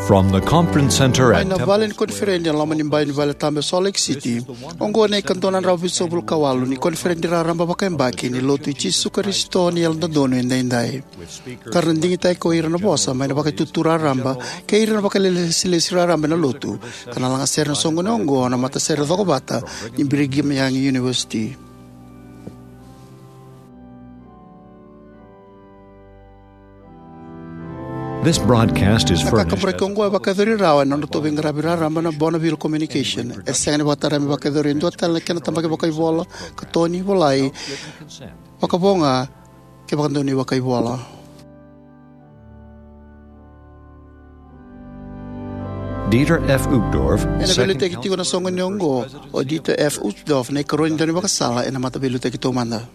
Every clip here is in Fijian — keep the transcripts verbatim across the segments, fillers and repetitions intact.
From the conference center Mai at na Temple vale ni koniferedi e loma ni bai ni vale tabu e Salt Lake City, oqo na ikadua na drau vitusagavulu ka walu ni koniferedi raraba vakayabaki ni Lotu i Jisu Karisito ni Yalododonu Edaidai. Ka ra na digitaki ko ira na vosa mai na vakaitutu raraba kei ira na vakailesilesi raraba ena Lotu, ka na lagasere na soqoni oqo na matasere cokovata ni Brigham Young University. This broadcast is Na furnished kakaburaki oqo e vakayacori rawa ena nodratou veiqaravi raraba na Bonneville Communication. E sega ni vakatara me vakayacori e dua tale na kena tabaki vakaivola, katoni, volai, vakavo ga kei vakadonui vakaivola. Dieter F. Uchtdorf, ena second veiliutaki tiko na soqoni oqo o Dieter F. Uchtdorf, na ikarua ni daunivakasala ena Mataveiliutaki Taumada.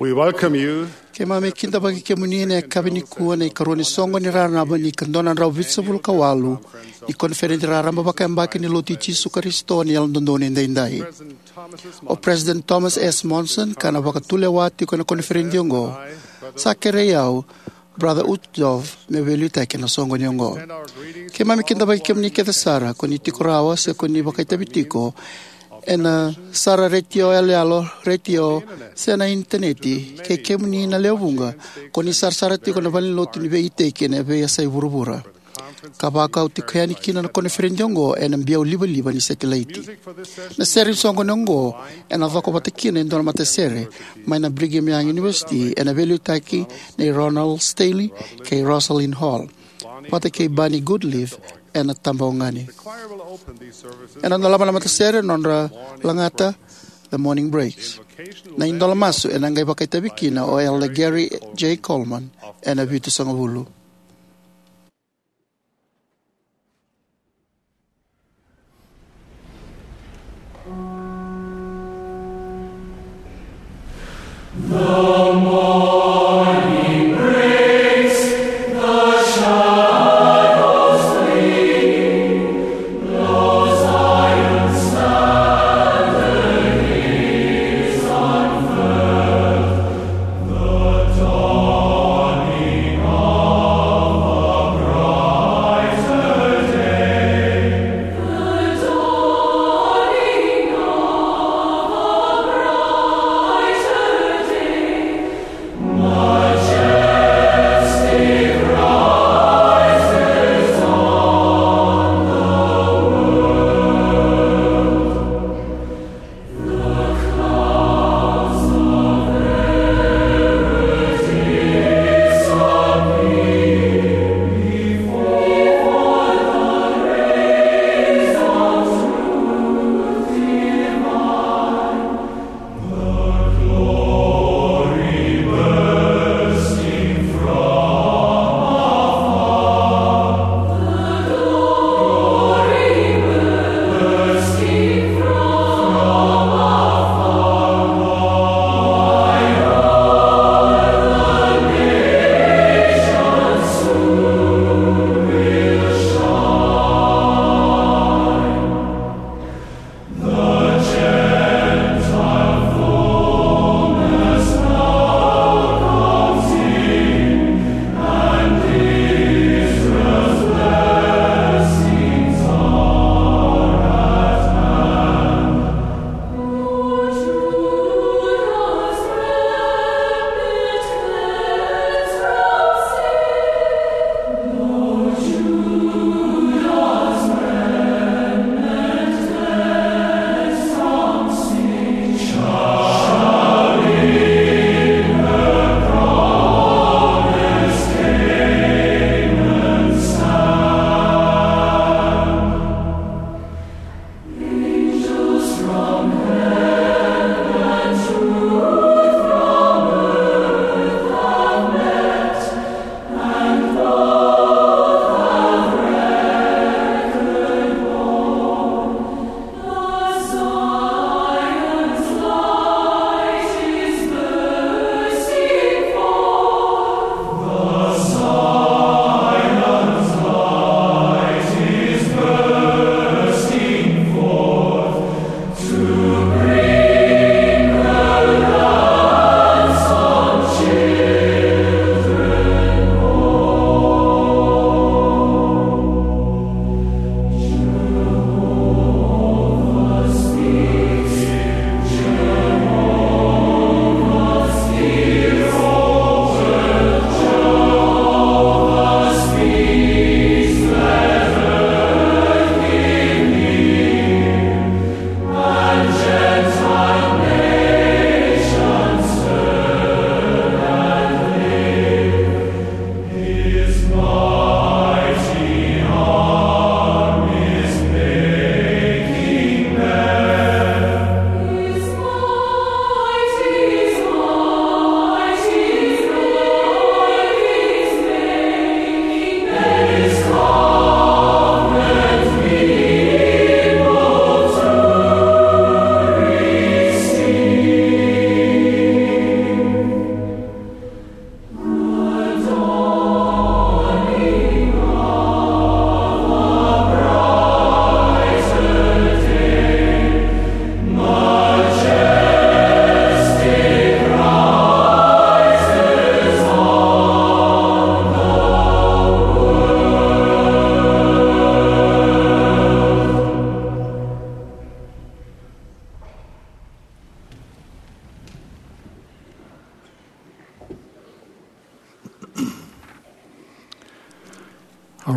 We welcome you. Keimami kidavaki kemuni ena yakavi nikua ena ikarua ni soqoni raraba ni ikadua na drau vitusagavulu ka walu ni koniferedi raraba vakayabaki ni Lotu i Jisu Karisito ni Yalododonu Edaidai. O President Thomas S. Monson, ka na vakatulewa tiko ena koniferedi oqo, sa kerei au, Brother Uchtdorf, meu veiliutaki ena soqoni oqo. Keimami kidavaki kemuni kece sara, ko ni tiko rawa se ko ni vakaitavi tiko ena sara retio yaloyalo, retio, se na initaneti, kei kemuni na lewe vuqa ko ni sarasara tiko na valenilotu ni veiiteki ena veiyasai vuravura, ka vakau tiko yani kina na koniferedi oqo ena biau livaliva ni setilaiti. Na sere ni soqoni oqo ena cokovata kina e dua na matasere mai na Brigham Young University ena veiliutaki nei Ronald Stanley kei Rosalind Hall, vata kei Bonnie Goodleaf ena tabagauna. Ena dolava na matasere na nodra lagata The Morning Breaks. Na idola masu ena qai vakaitavi kina o Elder Gary J. Coleman ena vitusagavulu.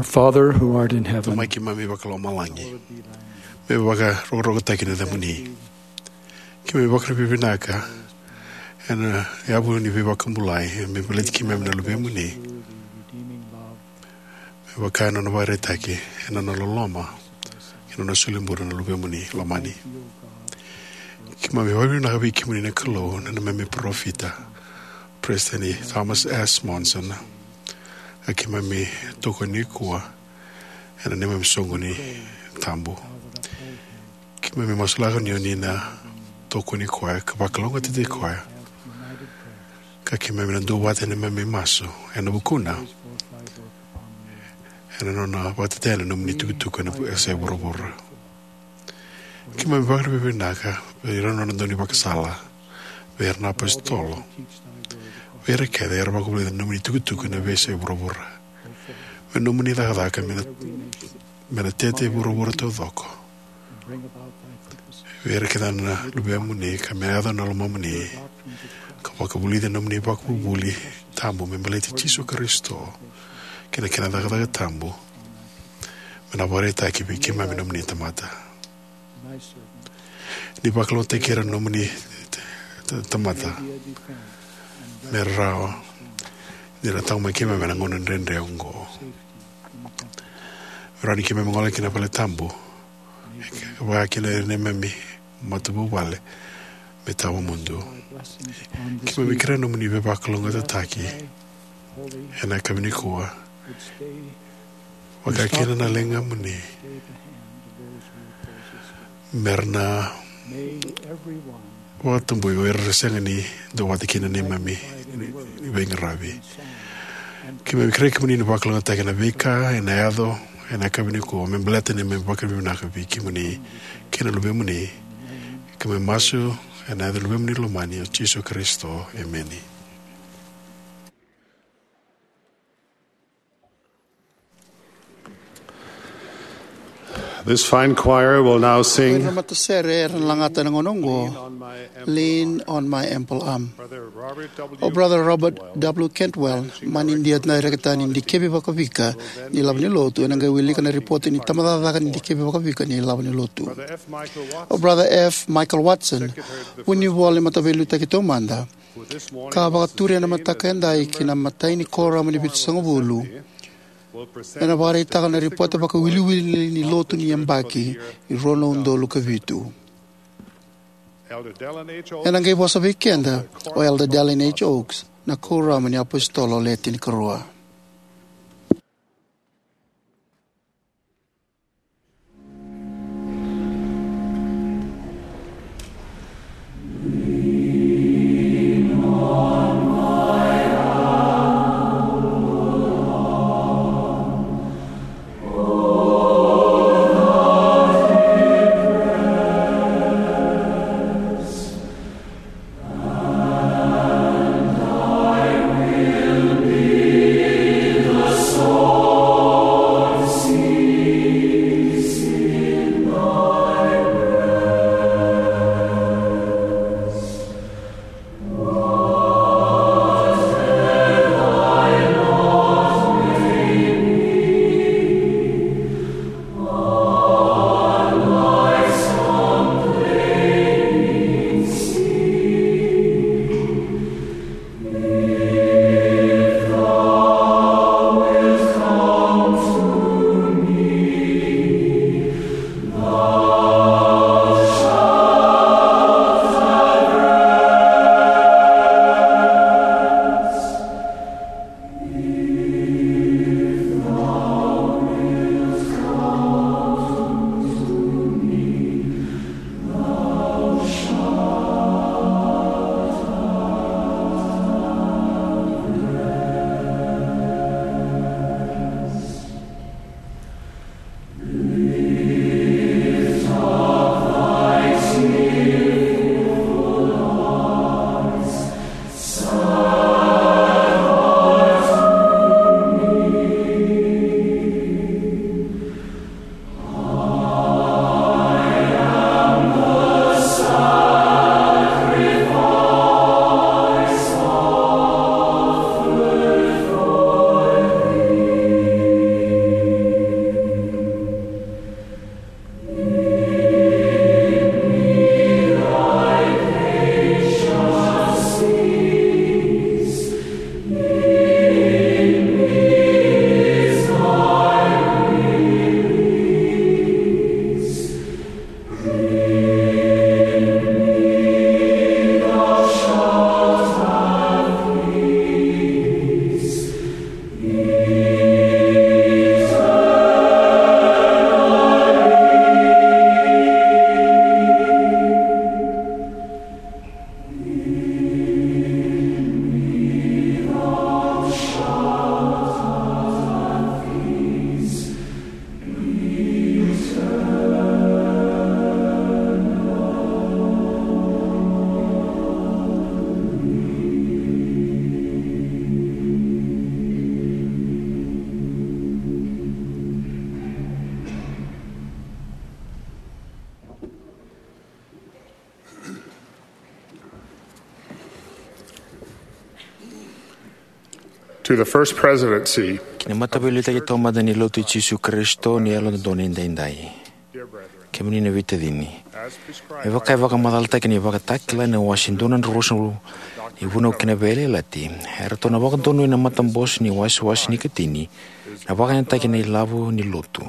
Father who art in heaven, Tamai keimami vakalomalagi, me vakarokorokotaki na yacamuni. Keimami vakavinavinaka ena yavu ni veivakabulai me baleti keimami na luvemuni, me vaka na nona vakaraitaki ena nona loloma kei na nona solibula na luvemuni lomani. Keimami vakavinavinaka vei kemuni na Kalou na neimami parofita, Peresitedi Thomas S. Monson, ka keimami tokoni koya ena neimami soqoni tabu. Keimami masulaka ni oni na tokoni koya ka vakalougatataki koya, ka keimami na duavata ena neimami masu ena vukuna, ena nona vakatetei na nomuni tukutuku ena vu- esa e vuravura. Keimami vakavinavinaka vei ira na nona daunivakasala, vei ira na apositolo, vei ira kece era vakavulica na nomuni tukutuku ena veiyasai vuravura. Me nomuni cakacaka me na, me na tete e vuravura taucoko. Vei ira kece na luvemuni ka me yaco na lomamuni, ka vakavulica na nomuni vakavuvuli tabu me baleti Jisu Karisito kei na kena cakacaka tabu, me na vakaraitaki vei keimami nomuni tamata. Ni vakalougatataki ira na nomuni t- t- tamata me rawa ni ra taqomaki keimami ena gauna dredre oqo. Me rawa ni keimami gole ki na vale tabu, vaka kina ira na neimami matavuvale me tawamudu. Keimami kerea nomuni veivakalougatataki ena yakavi nikua, vaka kina na ligamuni, me ra na vakatabui o ira era sega ni duavata kina neimami veiqaravi. Keimami kerea kemuni ni vakalougatataki na veika ena yaco ena yakavi nikua me baleta neimami vakavinavinaka vei kemuni kei na luvemuni. Keimami masu ena yaca ni luvemuni lomani o Jisu Karisito, emeni. This fine choir will now sing. Ira na matasere era na lagata ena gauna oqo, Lean on my ample arm. O Brother Robert W. Cantwell, mani dia na direkita ni dikevi vakavika ni lavo ni lotu, ena qai wilika na ripote ni tabacakacaka ni dikevi vakavika ni lavo ni lotu. O Brother F. Michael Watson, vunivola ni Mataveiliutaki Taumada, ka vakaturi ena mataka edai ki na imatai ni kuoramu ni vitusagavulu, ena vakaraitaka na ripote vakawiliwili ni lotu ni yabaki ni rua na udolu ka vitu. Ena qai vosa vei keda o Elder Dallin H. Oaks, na kuoramu ni apositolo le tinikarua. To the First Presidency. Ki na Mataveiliutaki Taumada ni Lotu i Jisu Karisito ni Yalododonu Edaidai. Kemuni na veitacini, me vaka e vakamacalataki ena Vakatakila ena wase dua na drau ruasagavulu ni Vunau kei na Veiyalayalati, eratou na vakadonui na matabose ni wasewase ni ikatini na vakayagataki na ilavo ni lotu.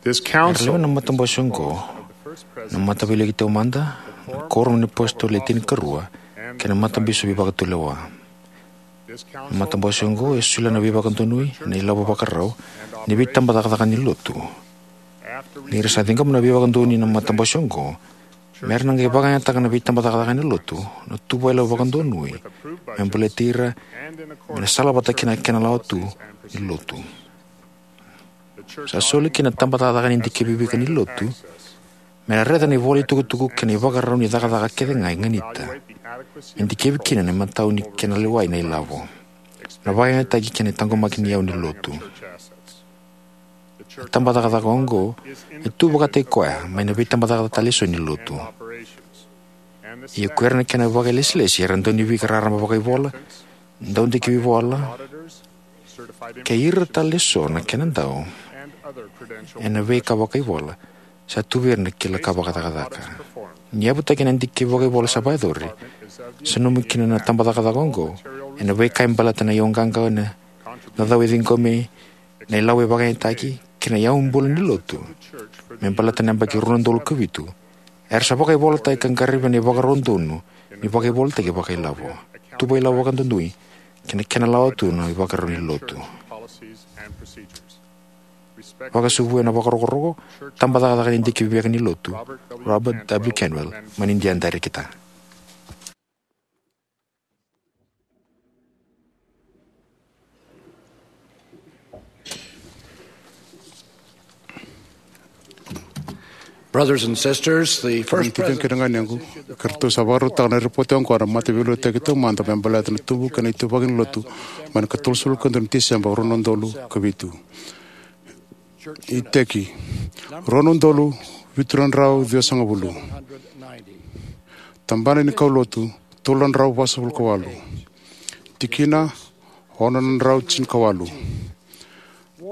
This council, era lewe na matabose oqo, na Mataveiliutaki Taumada, na Kuoramu ni iApositolo Le Tinikarua, kei na matabisopi vakatulewa. Na matabose oqo e solia na veivakadonui ena ilavo vakarau ni veitabacakacaka ni lotu. Ni ra sa ciqoma na veivakadonui na matabose oqo, me ra na qai vakayagataka na veitabacakacaka ni lotu na tuvailawa vakadonui me baleti ira, me na salavata kei na kena lawa tu ni lotu. Sa soli kina na tabacakacaka ni dikevi veiwekani ni lotu me na raica na ivolatukutuku kei na ivakarau ni cakacaka kece ga e ganita, me dikevi kina na imatau ni kena lewai na ilavo, na vakayagataki kei na taqomaki ni iyau ni lotu. Na tabacakacaka oqo e tu vakataki koya mai na veitabacakacaka tale eso ni lotu. Ia ko ira na kena vakailesilesi era dau ni veika raraba vakaivola, dau dikevi vola, kei ira tale eso na kena dau ena veika vakaivola, sa tu vei ira na kila ka vakacakacaka. Ni yavutaki na dikevi vakaivola sa vakayacori, sa nanumi kina na tabacakacaka oqo ena veika e baleta na iyauqaqa, na cau e ciqomi, na ilavo e vakayagataki, kei na iyau bula ni lotu me baleta na yabaki rua na udolu ka vitu. Era sa vakaivolataki ka qaravi ena ivakarau donu ni vakaivolataki vakailavo, tuvailawa vakadonui, kei na kena lawa tu na ivakarau ni lotu. Vakasuvu ena vakarokoroko, tabacakacaka ni dikevi veiwekani ni lotu, Robert W Cantwell, mai Nidia Darekita. Brothers and sisters, the First Presidency, kei na ganegu, ka ratou sa vakarautaka na ripoti oqo na Mataveiliutaki Taumada me baleta na tubu kei na ituvaki ni lotu mai na ikatolusagavulu ka dua ni Tiseba, rua na udolu ka vitu. Iteki, rua na udolu vitu na drau ciwasagavulu. Tabana ni kaulotu, tolu na drau vasagavulu ka walu. Tikina, ono na drau tinikawalu.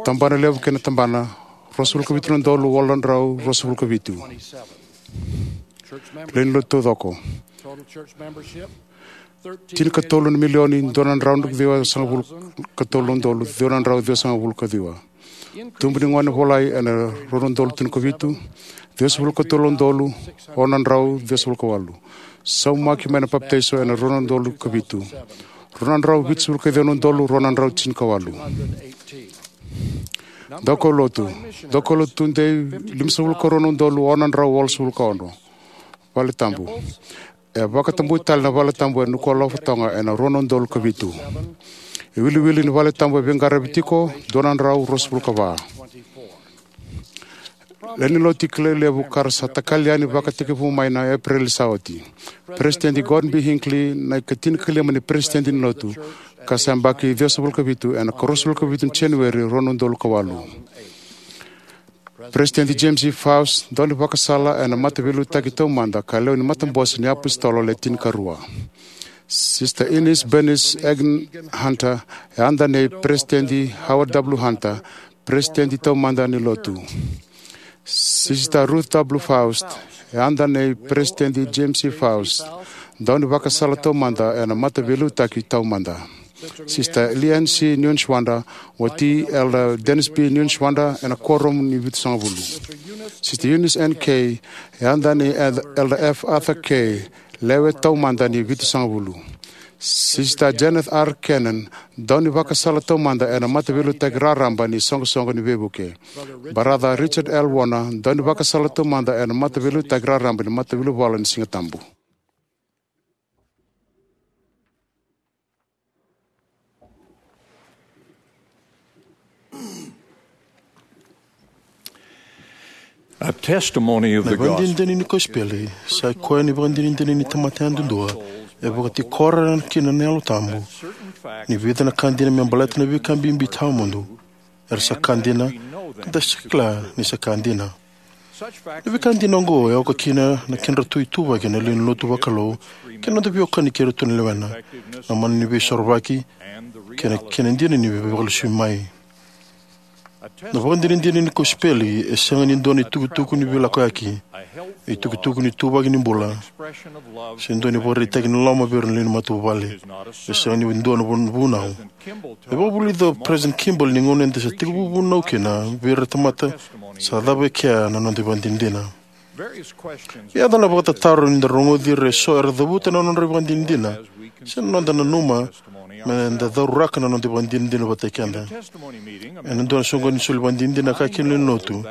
Tabana levu kei na tabana, ruasagavulu ka vitu na udolu walu na drau ruasagavulu ka vitu. Lewe ni lotu taucoko, tinikatolu na milioni dua na drau ciwasagavulu ka tolu na udolu ciwa na drau ciwasagavulu ka ciwa. Tubu ni gone volai ena rua na udolu tinikavitu, ciwasagavulu ka tolu na udolu ono na drau ciwasagavulu ka walu. Saumaki mai na papitaiso ena rua na udolu ka vitu, rua na drau vitusagavulu ka ciwa na udolu rua na drau tinikawalu. Daukaulotu, daukaulotu tudei, limasagavulu ka rua na udolu ono na drau walusagavulu ka ono. Vale tabu. E vakatabui tale na vale tabu e Nuku'alofa, Toga ena rua na udolu ka vitu. Iwiliwili ni vale tabu e veiqaravi tiko, dua na drau ruasagavulu ka va. Lewe ni lotu kilai levu ka ra sa takali yani vakatekivu mai na Epereli sa oti. Peresitedi Gordon B Hinckley, na ikatinikakalima ni peresitedi ni lotu, ka sa yabaki ciwasagavulu ka vitu ena ikaruasagavulu ka vitu ni Janueri rua na udolu ka walu. Peresitedi James E Faust, daunivakasala ena Mataveiliutaki Taumada ka lewe ni Matabose ni iApositolo Le Tinikarua. Sister Eunice Bernice Egan Hunter, e yada nei Peresitedi Howard W Hunter, Peresitedi Taumada ni Lotu. Sister Ruth W Faust, e yada nei Peresitedi James E Faust, daunivakasala taumada ena Mataveiliutaki Taumada. Sister Leanne C Neuenschwander, wati Elder Dennis B Neuenschwander ena Kuoramu ni Vitusagavulu. Sister Eunice N Kay, e yada nei Elder F Arthur Kay, lewe taumada ni Vitusagavulu. Sister Janet R Cannon, daunivakasala taumada ena Mataveiliutaki Raraba ni Soqosoqo ni Veivuke. Brother Richard L Warner, daunivakasala taumada ena Mataveiliutaki Raraba ni Mataveilivola ni Sigatabu. A testimony of the gospel. Na ivakadinadina ni kosipeli sa i koya na ivakadinadina ni tamata yadudua e vakatikora kina na Yalo Tabu ni vica na ka dina me baleta na veika bibi tawamudu, era sa ka dina, ka da sa kila ni sa ka dina. Na veika dina oqo e oka kina na kedratou ituvaki na lewe ni lotu vakalou kei na noda veiwekani kei iratou na lewena, na mana ni veisorovaki, kei na kena dina ni veivakalesui mai. Na ivakadinadina ni kosipeli e sega ni dua na itukutuku ni veilakoyaki, itukutuku ni ituvaki ni bula, se dua na ivakaraitaki ni loloma vei ira na lewe ni matavuvale. E sega ni dua na vunau. E vakavulica o President Kimball ni gauna eda sa tekivu vunau kina vei ira na tamata, sa cava e kea na noda ivakadinadina. E yaco na vakatataro ni da rogoci ira eso era cavuta na nodra ivakadinadina, se na noda nanuma me da cauraka na noda ivakadinadina vata kei keda. Ena dua na soqoni ni soli ivakadinadina, a kaya kina na lewe ni lotu,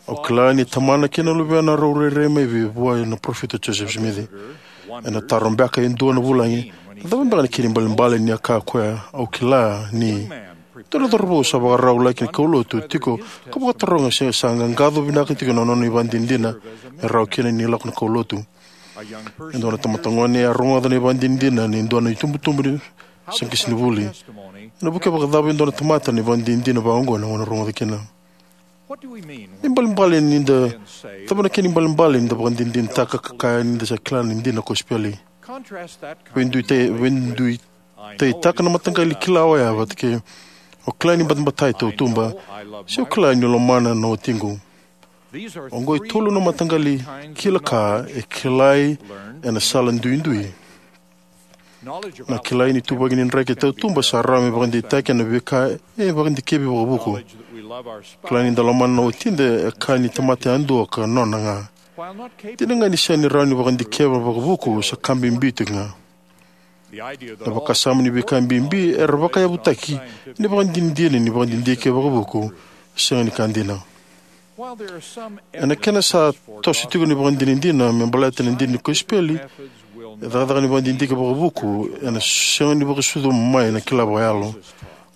"Au kila ni Tamana kei na Luvena rau rairai mai vei vua na parofita o Joseph Smith." Ena taro beka e dua na vulagi, "Na cava beka na kena ibalebale ni a kaya o koya, 'Au kila ni'?" Dua na cauravou sa vakarau laki na kaulotu tiko ka vakataroga se sa qaqaco vinaka tiko na nona ivakadinadina me rawa kina ni lako na kaulotu. E dua na tamata gone a rogoca na ivakadinadina ni dua na itubutubu ni sa qisi ni vuli. Ena vukea vakacava e dua na tamata na ivakadinadina vakaoqo ena gauna rogoca kina? Ibalebale ni da, cava na kena ibalebale ni da vakadinadinataka ka kaya ni da sa kila na dina kosipeli? Veiduitai, veiduitaitaka na mataqali kila oya vata kei, "Au kila ni batabata e tautuba," se, "Au kila ni lomana na watiqu." Oqo e tolu na mataqali kila ka e kilai ena sala duidui. Na kilai ni ituvaki ni draki e tautuba sa rawa me vakadeitaki ena veika e vakadikevi vakavuku. Kilai ni da lomana na watida e ka ni tamata yadua ka nona ga. Dina ga ni sega ni rawa ni vakadikeva vakavuku, sa ka bibi tiko ga. Na vakasama ni veika bibi era vakayavutaki ena ivakadinadina ni vakadidike vakavuku, sega ni ka dina. Ena kena sa toso tiko na ivakadinadina me baleta na dina ni kosipeli, e cakacaka ni vakadidike vakavuku ena sega ni vakasucu mai na kila vakayalo.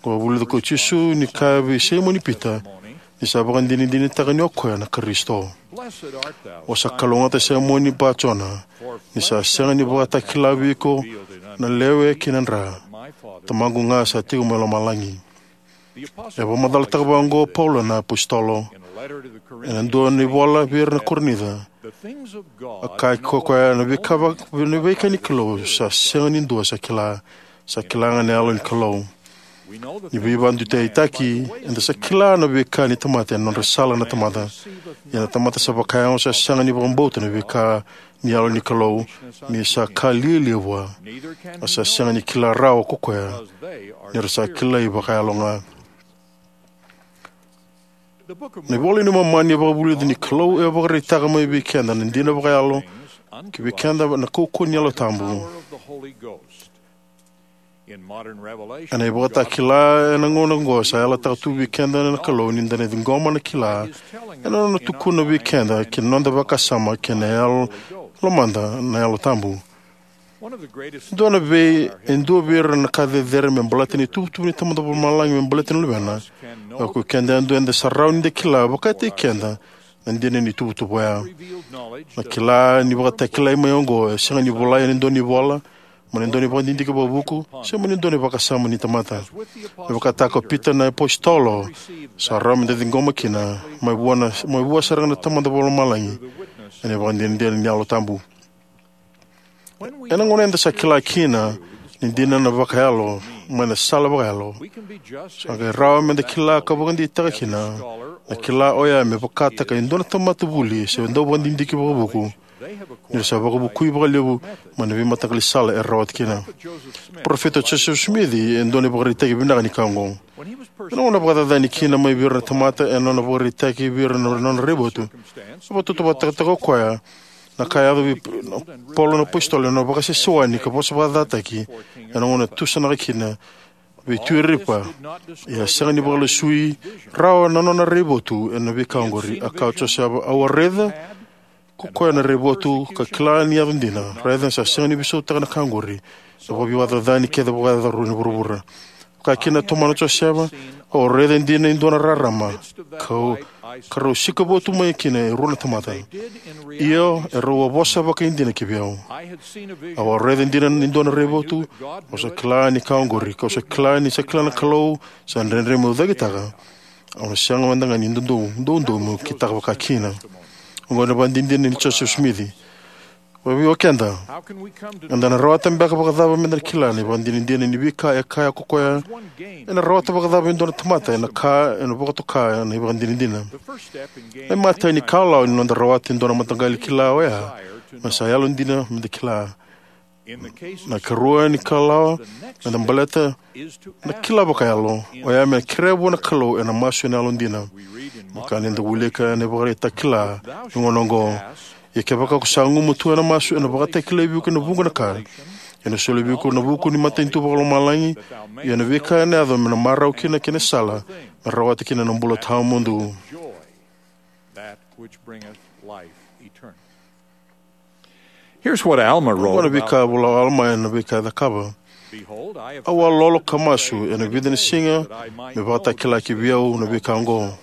Ko vulica ko Jisu ni kaya vei Saimoni Pita ni sa vakadinadinataka ni o koya na Karisito. "O sa kalougata, Saimoni Ba-Jona, ni sa sega ni vakatakila vei iko na lewe kei na dra. Tamaqu ga sa tiko mai lomalagi." E vakamacalataka vaqo o Paula na apositolo ena dua na ivola vei ira na Korinica. A kaya ko koya, "Na veika, na veika ni Kalou sa sega ni dua sa kila, sa kila ga na Yalo ni Kalou." Ni veivakaduitaitaki, eda sa kila na veika ni tamata ena nodra sala na tamata. Ia na tamata sa vakayago sa sega ni vakabauta na veika ni Yalo ni Kalou, ni sa ka lialia vua. A sa sega ni kila rawa ko koya, ni ra sa kilai vakayalo ga. Na iVola i Momani e vakavulica ni Kalou e vakaraitaka mai vei keda na dina vakayalo ki vei keda na kaukauwa ni Yalo Tabu. Ena ivakatakila ena gauna oqo, sa yalataka tu vei keda na Kalou ni da na ciqoma na kila ena nona tukuna vei keda ki na noda vakasama kei na yalo, lomada na Yalo Tabu. Dua na vei, e dua vei ira na ka cecere me baleta na ituvatuva ni Tamada Vakalomalagi me baleta na Luvena. O keda yadua eda sa rawa ni da kila vakataki keda na dina ni ituvatuva oya. Na kila ni vakatakilai mai oqo e sega ni volai ena dua na ivola, mai na dua na ivakadidike vakavuku, se mai na dua na vakasama ni tamata. Me vakataka o Pita na apositolo, sa rawa me da ciqoma kina mai vua na, mai vua sara ga na Tamada Vakalomalagi ena ivakadinadina ni Yalo Tabu. Ena gauna eda sa kila kina ni dina na vakayalo mai na sala vakayalo, sa qai rawa me da kila ka vakadeitaka kina na kila oya me vakataka e dua na tamata vuli se dau vakadidike vakavuku, ni ra sa vakavukui vakalevu mai na veimataqali sala era rawata kina. Parofita Joseph Smith e dua na ivakaraitaki vinaka ni ka oqo. Ena gauna vakacacani kina mai vei ira na tamata ena nona vakaraitaki vei ira na nona raivotu, e vakatautauvatataka o koya na ka e yaco vei Paula na apositolo ena nona vakasewasewani ka vosa vakacacataki ena gauna e tusanaka kina vei Tui Aripa. Ia a sega ni vakalesui rawa na nona raivotu ena veika oqori. A kaya o Josefa, "Au a raica ko koya na raivotu ka kila ni yaco dina. Raica, sa sega ni veisautaka na ka oqori na vakaveivacacaca ni kece vakayacora ni vuravura." Kaya kina na tomana o Josefa, "Au a raica dina e dua na rarama, kau, ka rau sikova tu mai kina e rua na tamata. Io, e rau a vosa vakaidina ki vei au. Au a raica dina e dua na raivotu, au sa kila ni ka oqori, kau sa kila ni sa kila na Kalou, sa dredre meu cakitaka. Au na sega mada ga ni doudou, doudou meu kitaka vakakina." Oqo na ivakadinadina nei Josefa Simici. Vakabibi o keda, eda na rawata beka vakacava meda na kila na ivakadinadina ni veika e kaya ko koya? Ena rawata vakacava e dua na tamata ena ka ena vakatoka na ivakadinadina? Na imatai ni kalawa ni noda rawata e dua na mataqali kila oya na sa yalodina meda kila. Na ikarua ni kalawa meda baleta na kila vakayalo oya me kerea vua na Kalou ena masu ena yalodina. Me vaka ni da wilika ena ivakaraitaki ni gauna oqo: Ia kevaka ko sa gumatua ena masu, ena vakatakilai vei iko ena vuqa na ka, ena soli vei iko ena vuku ni matanitu vakalomalagi; ia na veika ena yaco me na marau kina na kena sala me rawata kina na bula tawamudu. Here's what Alma wrote. Oqo na veika e vola o Alama ena veika e cakava: Au a lolo ka masu ena vica na siga me vakatakilaki vei au na veika oqo.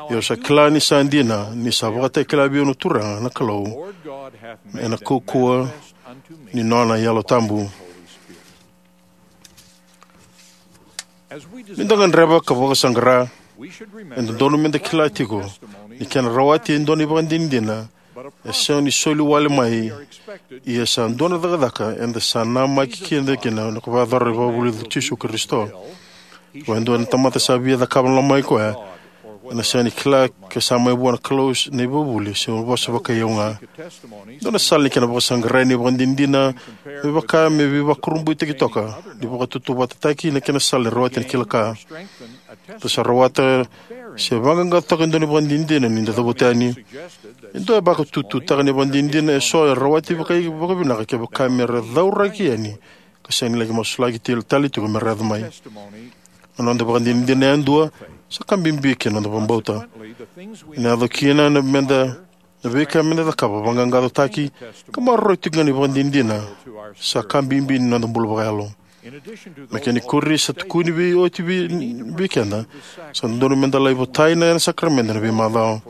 Ia au sa kila ni sa dina, ni sa vakatakila vei au na Turaga na Kalou ena kaukauwa ni nona Yalo Tabu. Ni da gadreva ka vakasaqara, e dodonu meda kila tiko ni kena rawati e dua na ivakadinadina e sega ni soli wale mai, ia sa dua na cakacaka eda sa namaki keda kina ni ko vakayacora na ivakavuvuli i Jisu Karisito. Ko e dua na tamata sa via cakava na loma i koya, ena sega ni kila ke sa mai vua na Kalou na ivakavuvuli se vosa vakaiau ga. Dua na sala ni kena vakasaqarai na ivakadinadina me vaka me veivakurabuitaki toka ni vakatautauvatataki na kena sala ni rawati ni kila ka. Da sa rawata se vaqaqacotaka e dua na ivakadinadina ni da cavuta yani. E dua e vakatututaka na ivakadinadina eso e rawati vakai vakavinaka kevaka me ra cauraki yani ka sega ni laki masulaki tale tiko me ra yaco mai. Na noda ivakadinadina yadua sa ka bibi ki na noda vakabauta. Ena yaco kina na meda na veika meda cakava, vaqaqacotaki, ka maroroi tiko ga na ivakadinadina sa ka bibi ni noda bula vakayalo. Me kena ikuri, sa tukuni vei oti vei, vei keda, sa dodonu meda lai votai na sakaramede ena veimacawa.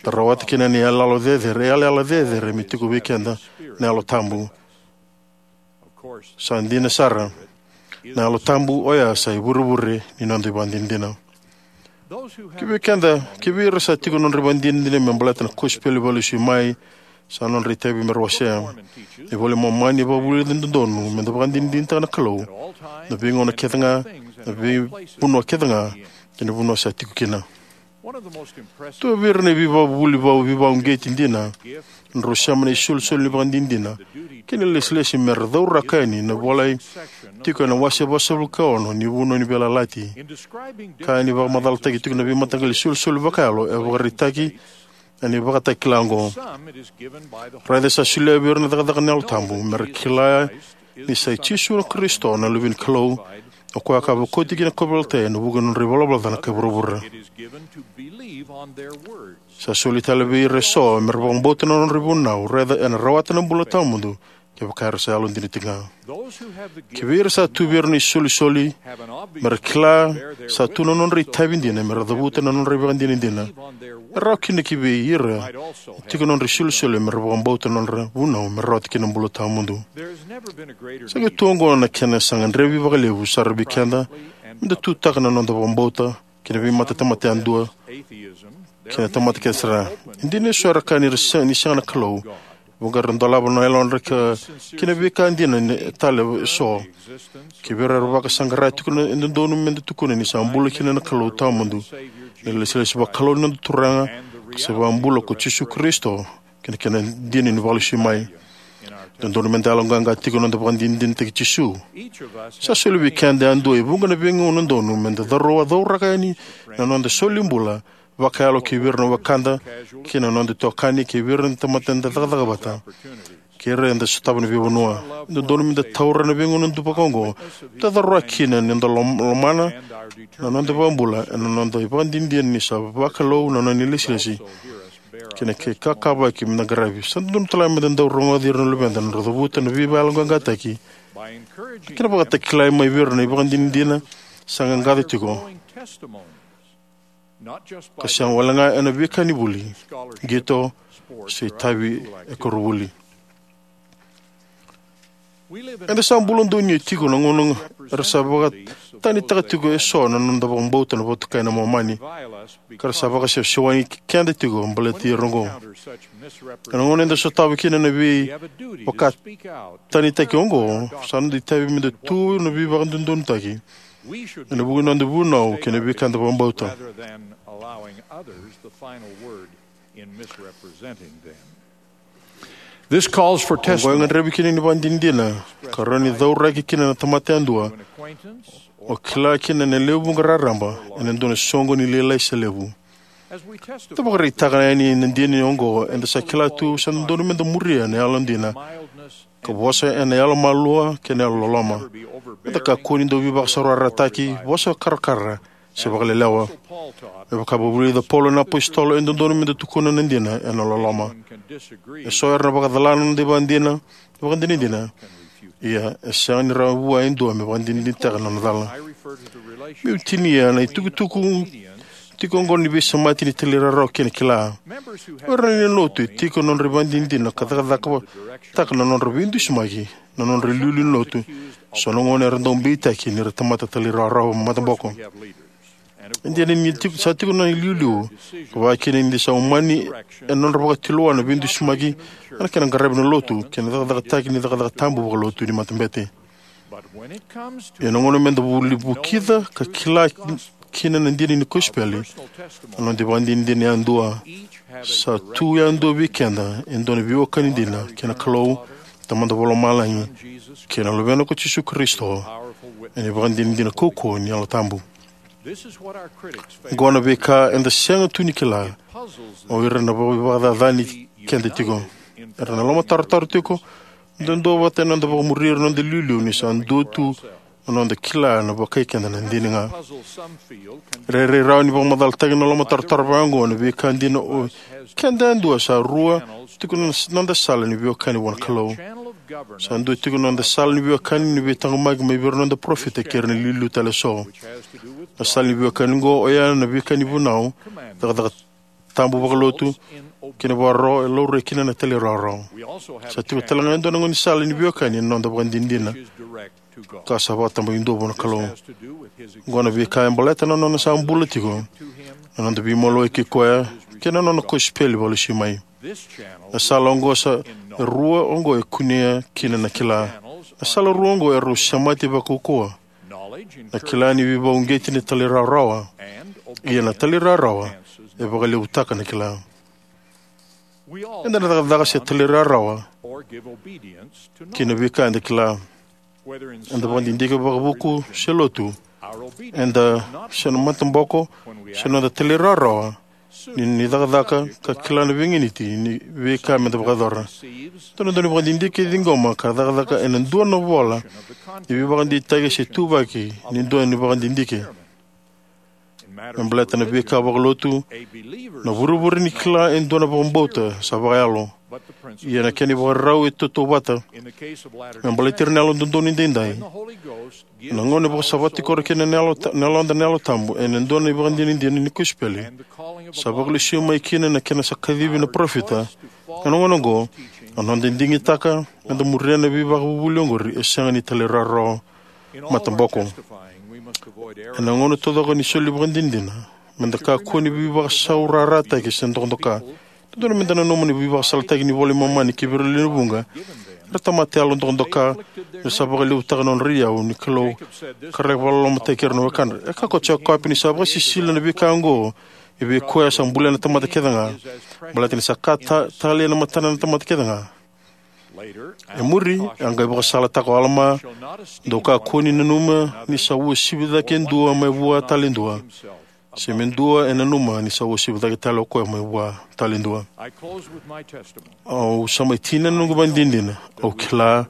Da rawata kina na iyaloyalo cecere, iyaloyalo cecere me tiko vei keda na Yalo Tabu. Sa dina sara, na Yalo Tabu oya sa ivurevure ni noda ivakadinadina. Kivei keda, kivei ira sa tiko na nodra ivakadinadina me baleta na kosipeli vakalesui mai, sa nodra itavi me ra wasea. Na iVola i Momani e vakavulica ni dodonu meda vakadinadinataka na Kalou na veigauna kece ga, na veivanua kece ga, kei na vanua sa tiko kina. Dua vei ira na veivakavuvuli vei, veivakauqeti dina, na drau sema na isolisoli ni vakadinadina kei na lesilesi me ra cauraka yani na volai tiko ena wase vasagavulu ka ono ni Vanua ni Veiyalayalati, ka ni vakamacalataki tiko na veimataqali isolisoli vakayalo e vakaraitaki ena ivakatakila oqo. Raica sa solia vei ira na cakacaka ni Yalo Tabu me ra kila ni sa i Jisu na Karisito na Luve ni Kalou, o koya ka vakoti kina na kauveilatai ena vuku ni nodra ivalavala ca na kai vuravura. Sa soli tale vei ira eso me ra vakabauta na nodra ivunau, raica ena rawata na bula tawamudu kevaka era sa yalodina tiko ga. Kivei ira sa tu vei ira na isolisoli, me ra kila sa tu na nodra itavi dina me ra cavuta na nodra ivakadinadina. E rawa kina kivei ira e tiko na nodra isolisoli me ra vakabauta na nodra vunau me rawata kina na bula tawamudu. Sa qai tu oqo na kena sa gadrevi vakalevu sara vei keda meda tutaka na noda vakabauta kei na veimatatamata yadua kei na tamata kece sara. E dina eso era kaya ni ra se-, ni sega na Kalou, vuqa era dolava na yalodra ka, kei na veika dina ni tale eso. Kivei ira era vakasaqara tiko, e dodonu meda tukuna ni sa bula kina na Kalou tawamudu, na lesilesi vakalou ni noda Turaga ka sa iVakabula ko Jisu Karisito, kei na kena dina ni vakalesui mai. Dodonu meda yaloqaqa tiko na noda vakadinadinataki Jisu. Sa soli vei keda yadua e vuqa na veigauna donu meda cauraka yani na noda solibula vakayalo kivei ira na wekada, kei na noda itokani, kivei ira na tamata eda cakacaka vata, kei ira eda sotava na veivanua. E dodonu meda taura na veigauna duadua vakaoqo meda cauraka kina na noda lom-, lomana na noda iVakabula ena noda ivakadinadina ni sa vakalou na nona ilesilesi kei na kena kakavaki meda qaravi. Sa dodonu talega meda dau rogoci ira na luveda na nodra cavuta na veivakayaloqaqataki kei na vakatakilai mai vei ira na ivakadinadina sa qaqaco tiko, ka sega walega ena veika ni vuli, qito, se itavi e koronivuli. Eda sa bula donuya tiko na gauna era sa vakatanitaka tiko eso na noda vakabauta na vatukai na Momani, ka ra sa vakasewasewani keda tiko baleti ira oqo. Ena gauna eda sotava kina na veivakatanitaki oqo, sa noda itavi meda tu na veivakadodonutaki ena vuku ni noda vunau kei na veika eda vakabauta. This calls for Oqo e testimony. Gadrevi kina na ivakadinadina ka rawa ni cauraki kina na tamata yadua, o kila kina na lewe vuqa raraba ena dua na soqoni lailai se levu. Tou vakaraitaka yani na dina oqo, eda sa kila tu sa dodonu meda muria na yalodina, ka vosa ena yalomalua kei na yalololoma. Meda kakua ni dau veivakasaurarataki, vakasakarakara, se vakalelewa. Me vaka e vakavulica o Paula na apositolo, e dodonu meda tukuna na dina ena loloma. Eso era na vakacala na noda ivakadina, ivakadinadina, ia e sega ni rawa vua e dua me vakadinadinataka na nona cala. Meu tinia na itukutuku tiko oqo ni veisemati ni talairawarawa kei na kila. O ira na lewe ni lotu e tiko na nodra ivakadinadina ka cakacakataka na nodra veidusimaki na nodra iliuliu ni lotu. So na gauna era dau beitaki ni ra tamata talairawarawa mataboko. E dina ni tiko, sa tiko na iliuliu, ka vaka kina ni sa umani ena nodra vakatulewa na veidusimaki ena kena qaravi na lotu kei na cakacakataki ni cakacaka tabu vakalotu ni matabete. Ia na gauna meda vuli vukica ka kila kina na dina ni kosipeli, na noda ivakadinadina yadua sa tu yadua vei keda e dua na veiwekani dina kei na Kalou, Tamada Vakalomalagi, kei na Luvena ko Jisu Karisito, ena ivakadinadina kaukauwa ni Yalo Tabu. Oqo na veika eda sega tu ni kila, o ira na vakacacani keda tiko. Era na lomatarotaro tiko, duadua vata ena noda vakamuri ira na noda iliuliu ni sa dua tu na noda kila na vakai keda na dina ga. Rairai rawa ni vakamacalataki na lomatarotaro vaka oqo na veika dina o keda yadua sa rua tiko na noda sala ni veiwekani vua na Kalou. Sa dua tiko na noda sala ni veiwekani ni veitaqomaki mai vei ira na noda parofita kei ira na iliuliu tale eso. Na sala ni veiwekani oqo oya na veika ni vunau, cakacaka tabu vakalotu, kei na vakaro e laurai kina na talairawarawa. Sa tiko tale ga e dua na gaunisala ni veiwekani ena noda vakadinadina ka sa vakatabakidua vua na Kalou. Oqo na veika e baleta na nona sa bula tiko, na noda veimaliwai kei koya, kei na nona kosipeli vakalesui mai. Na sala oqo sa, e rua oqo e kunea kina na kila. Na sala rua oqo e rau semati vakaukauwa. Na kila ni veivakauqeti ni talairawarawa, ia na talairawarawa e vakalevutaka na kila. Eda na cakacaka se talairawarawa ki na veika eda kila. Eda vakadidike vakavuku se lotu, eda se na mataboko, se noda talairawarawa ni, ni cakacaka ka kila na veiganiti ni veika meda vakayacora. Dua na dau ni vakadidike e ciqoma ka cakacaka ena dua na vola ni veivakadeitaki se tuvaki ni dua ni vakadidike. Me baleta na veika vakalotu, na vurevure ni kila e dua na vakabauta sa vakayalo. Ia na kena ivakarau e tautauvata me baleti ira na Yalododonu Edaidai. Na gauna e vakasavata tiko ira kina na yalo ta-, na yaloda na Yalo Tabu ena dua na ivakadinadina ni kosipeli, sa vakalesui mai kina na kena sa kacivi na parofita. Ena gauna oqo, na noda digitaka meda muria na veivakavuvuli oqori e sega ni talairawarawa mataboko. Ena gauna taucoko ni soli ivakadinadina, meda kakua ni veivakasaurarataki se dokadoka. Dodonu meda nanuma ni veivakasalataki ni iVola i Momani ki vei ira na lewe vuqa era tamata yalo dokadoka, me sa vakalevutaka na nodra iyau ni Kalou ka ra vakalolomataki ira na wekadra. E kaya ko Jekope ni sa vakasisila na veika oqo vei koya sa bulia na tamata kece ga, baleta ni sa ka ta-, talei ena matana na tamata kece ga. E muri, a qai vakasalataka o Alama, dou kakua ni nanuma ni sa uasivi cake e dua mai vua tale e dua, se me dua e nanuma ni sa uasivi cake tale o koya mai vua tale e dua. Au sa mai tinia na noqu ivakadinadina. Au kila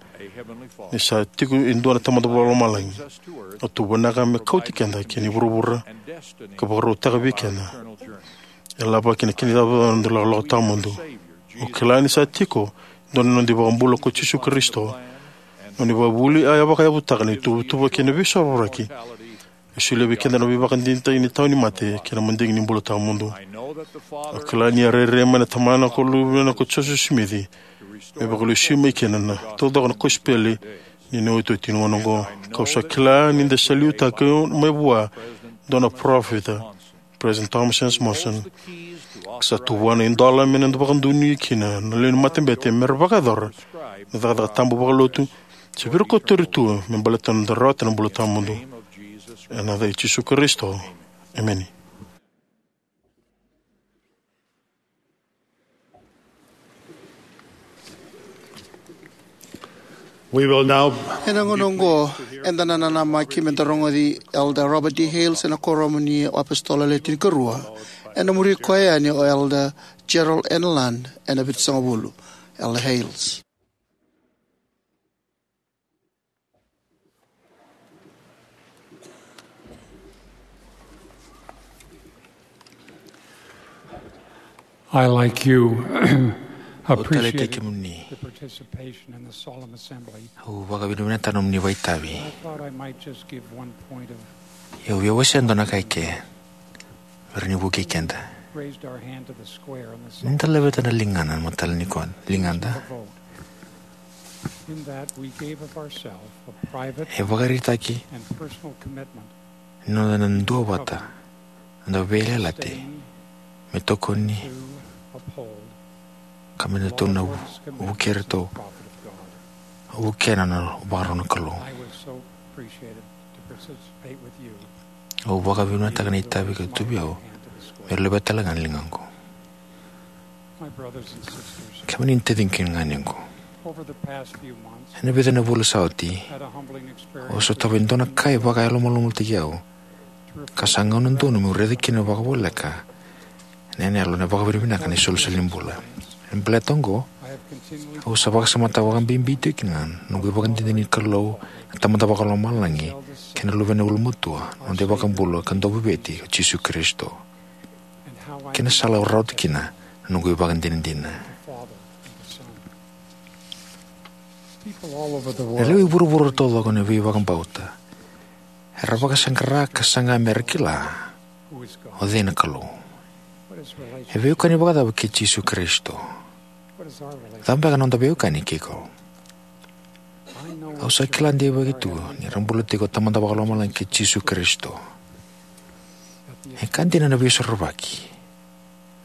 ni sa tiko e dua na Tamada Vakalomalagi. Au tuvanaka me kauti keda ki na vuravura ka vakarautaka vei keda e lavaki na kena icavacava na noda lakolako tawamudu. Au kila ni sa tiko e dua na noda iVakabula ko Jisu Karisito. Na nona ivakavuvuli a vakayavutaka na ituvatuva kei na veisorovaki. E solia vei keda na veivakadinadina ni tawa ni mate kei na madigi ni bula tawamudu. Au kila ni a rairai mai na Tamana ko Luvena ko Josefa Simici me vakalesui mai kina na taucoko na kosipeli Ni na iotioti ni gauna oqo, kau sa kila ni da sa liutaki mai vua dua na parofita, President Thomas S. Monson. Sa tu vua na idola me na vakadonui kina na lewe ni matabete me ra vakayacora na cakacaka tabu vakalotu, se vei ira kotori tu me baleta na noda rawata na bula tawamudu. Ena yaca i Jisu Karisito, emeni. We will now Ena gauna oqo, eda na nanamaki me da rogoci Elder Robert D. Hales ena Kuoramu ni Apositolo Le Tinikarua. Ena muri koya yani o Elder Gerald N. Lund ena Vitusagavulu. Elder Hales. I, like you, appreciate kemuni. The participation in the solemn assembly. Au vakavinavinaka nomuni vakaitavi. I thought I might just give one point of Ia au via wasea dua na ka eke. Vei ira ni vukei keda. Raised our hand to the square on the Ni da laveta na ligana na matala ni kona, ligada. Vote. In that we gave of ourselves a private E vakaraitaki and personal commitment ni noda na duavata, noda veiyalayalati, me tokoni, to uphold ka me na tou na vu-, vukei iratou, vukea na nona vakarau na Kalou. I was so appreciated to participate with you. Au vakavinavinakataka na itavi ka tu vei au, me laveta tale ga na ligaqu. My brothers and sisters, Kemuni na taciqu kei na ganequ. Over the past few months, Ena vica na vula sa oti, had a humbling experience au sotava e dua na ka e vakayalomalumalotaki au, ka sa gauna donu meu raica kina vakavoleka ena yalo na vakavinavinaka ni isolisoli ni bula. E baleta oqo, I have continually au sa vakasamataka vakabibi tiko kina na noqu ivakadinadina ni Kalou na Tamada Vakalomalagi kei na Luvena ulumatua, na noda iVakabula ka Dauveivueti o Jisu Karisito, kei na sala au rawata kina na noqu ivakadinadina. Na lewe i vuravura taucoko na veivakabauta era vakasaqara ka saga me ra kila o cei na Kalou. E veiwekani vakacava kei Jisu Karisito? Cava beka na noda veiwekani kei Kalou? Au sa kila deivaki tu ni ra bula tiko o Tamada Vakalomalagi kei Jisu Karisito. E ka dina na Veisorovaki.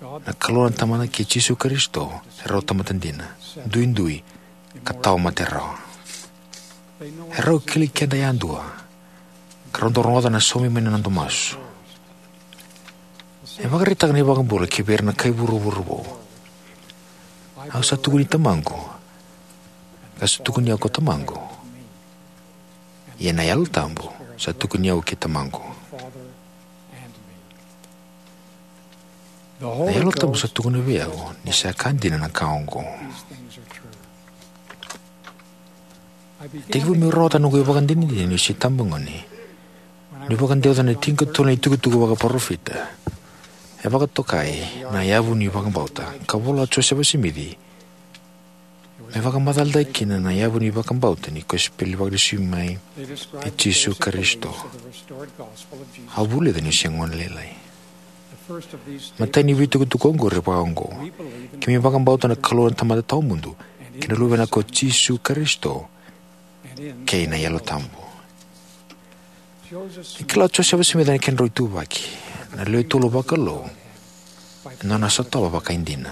Na Kalou na Tamada kei Jisu Karisito erau tamata dina, duidui, ka tawamate rawa. Erau kilai keda yadua, ka rau dau rogoca na saumi mai na noda masu. E vakaraitaka na iVakabula ki vei ira na kai vuravura vou. Au sa tukuni Tamaqu, ka sa tukuni au ko Tamaqu. Ia na Yalo Tabu sa tukuni au kei Tamaqu. Na Yalo Tabu sa tukuna vei au ni sa ka dina na ka oqo. Tekivu meu rawata noqu ivakadinadina niu se itabagone, niu vakadewata na tinikatolu na itukutuku vakaparofita e vakatokai na Yavu ni Vakabauta, ka vola o Josefa Simici me vakamacalataki kina na yavu ni vakabauta ni kosipeli vakalesui mai i Jisu Karisito. Au vulica niu se gone lailai. Matai ni veitukutuku oqori vaka oqo: Keimami vakabauta na Kalou na Tamada Tawamudu kei na Luvena ko Jisu Karisito kei na Yalo Tabu. Ni kila o Josefa Simici na kedrau ituvaki na lewe tolu vakalou ena nona sotava vakaidina.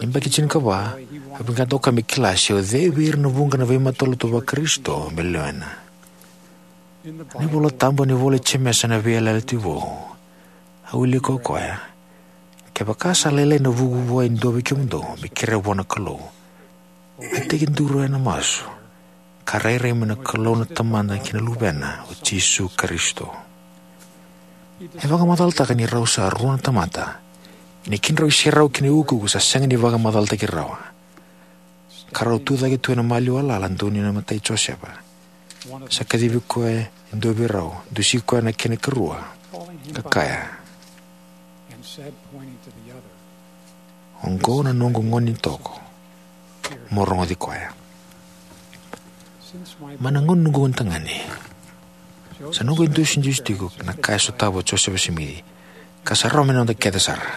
Ni yabaki tinikava, a vinakata o koya me kila se o cei vei ira na vuqa na veimatalotu vaKarisito me lewena. Ena iVola Tabu, ena ivola i Jemesa, na Veiyalayalati Vou, a wilika o koya: Kevaka sa lailai na vuku vua e dua vei kemudou me kerea vua na Kalou, a tekiduru ena masu, ka rairai mai na Kalou na Tamada kei na Luvena o Jisu Karisito. E vakamacalataka ni rau sa rua na tamata, ia na kedrau iserau kei na iukuuku sa sega ni vakamacalataki rawa, ka rau tucake tu ena maliwa lala donuya na matai i Josefa. Sa kacivi koya e dua vei rau, dusi koya na kena ikarua, ka kaya: Oqo na noqu gone ni toko, mo rogoci koya. Mai na gauna ni noqu gonetagane, sa noqu idusidusi tiko na ka e sotava o Josefa Simici, ka sa rawa mai na noda kece sara.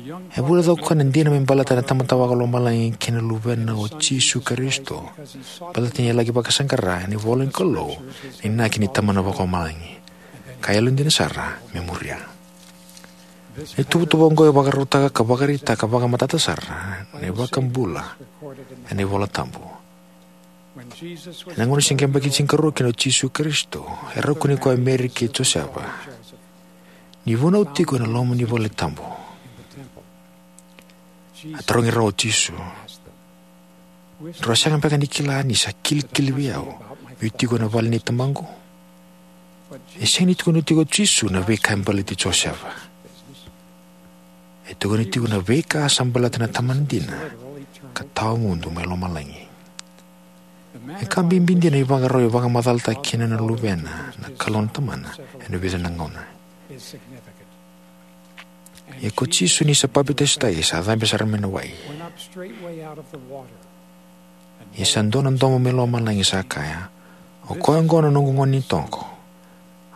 E vulica o koya na dina me baleta na Tamada Vakalomalagi kei na Luvena o Jisu Karisito, baleta ni a laki vakasaqara ena ivola ni Kalou na inaki ni Tamana Vakalomalagi, ka yalodina sara me muria. Na ituvatuva oqo e vakarautaka ka vakaraitaka vakamatata sara na iVakabula ena iVola Tabu. Ena gauna se qai yabaki tinikarua kina o Jisu Karisito, e rau kune koya o Meri kei Josefa, ni vunau tiko ena loma ni vale tabu. A tarogi rau o Jisu, "Drau a sega beka ni kila ni sa kilikili vei au meu tiko ena vale nei Tamaqu?" E sega ni tukuna tiko o Jisu na veika e baleti Josefa. E tukuna tiko na veika sa baleta na Tamana dina ka tawamudu mai lomalagi. E ka bibi dina na ivakarau e vakamacalataka kina na Luvena na Kalou na Tamana ena vica na gauna. Ia ko Jisu ni sa papitaisotaki sa cabe sara mai na wai. Ia sa dua na domo mai lomalagi sa kaya, "O koya oqo na noqu gone ni toko,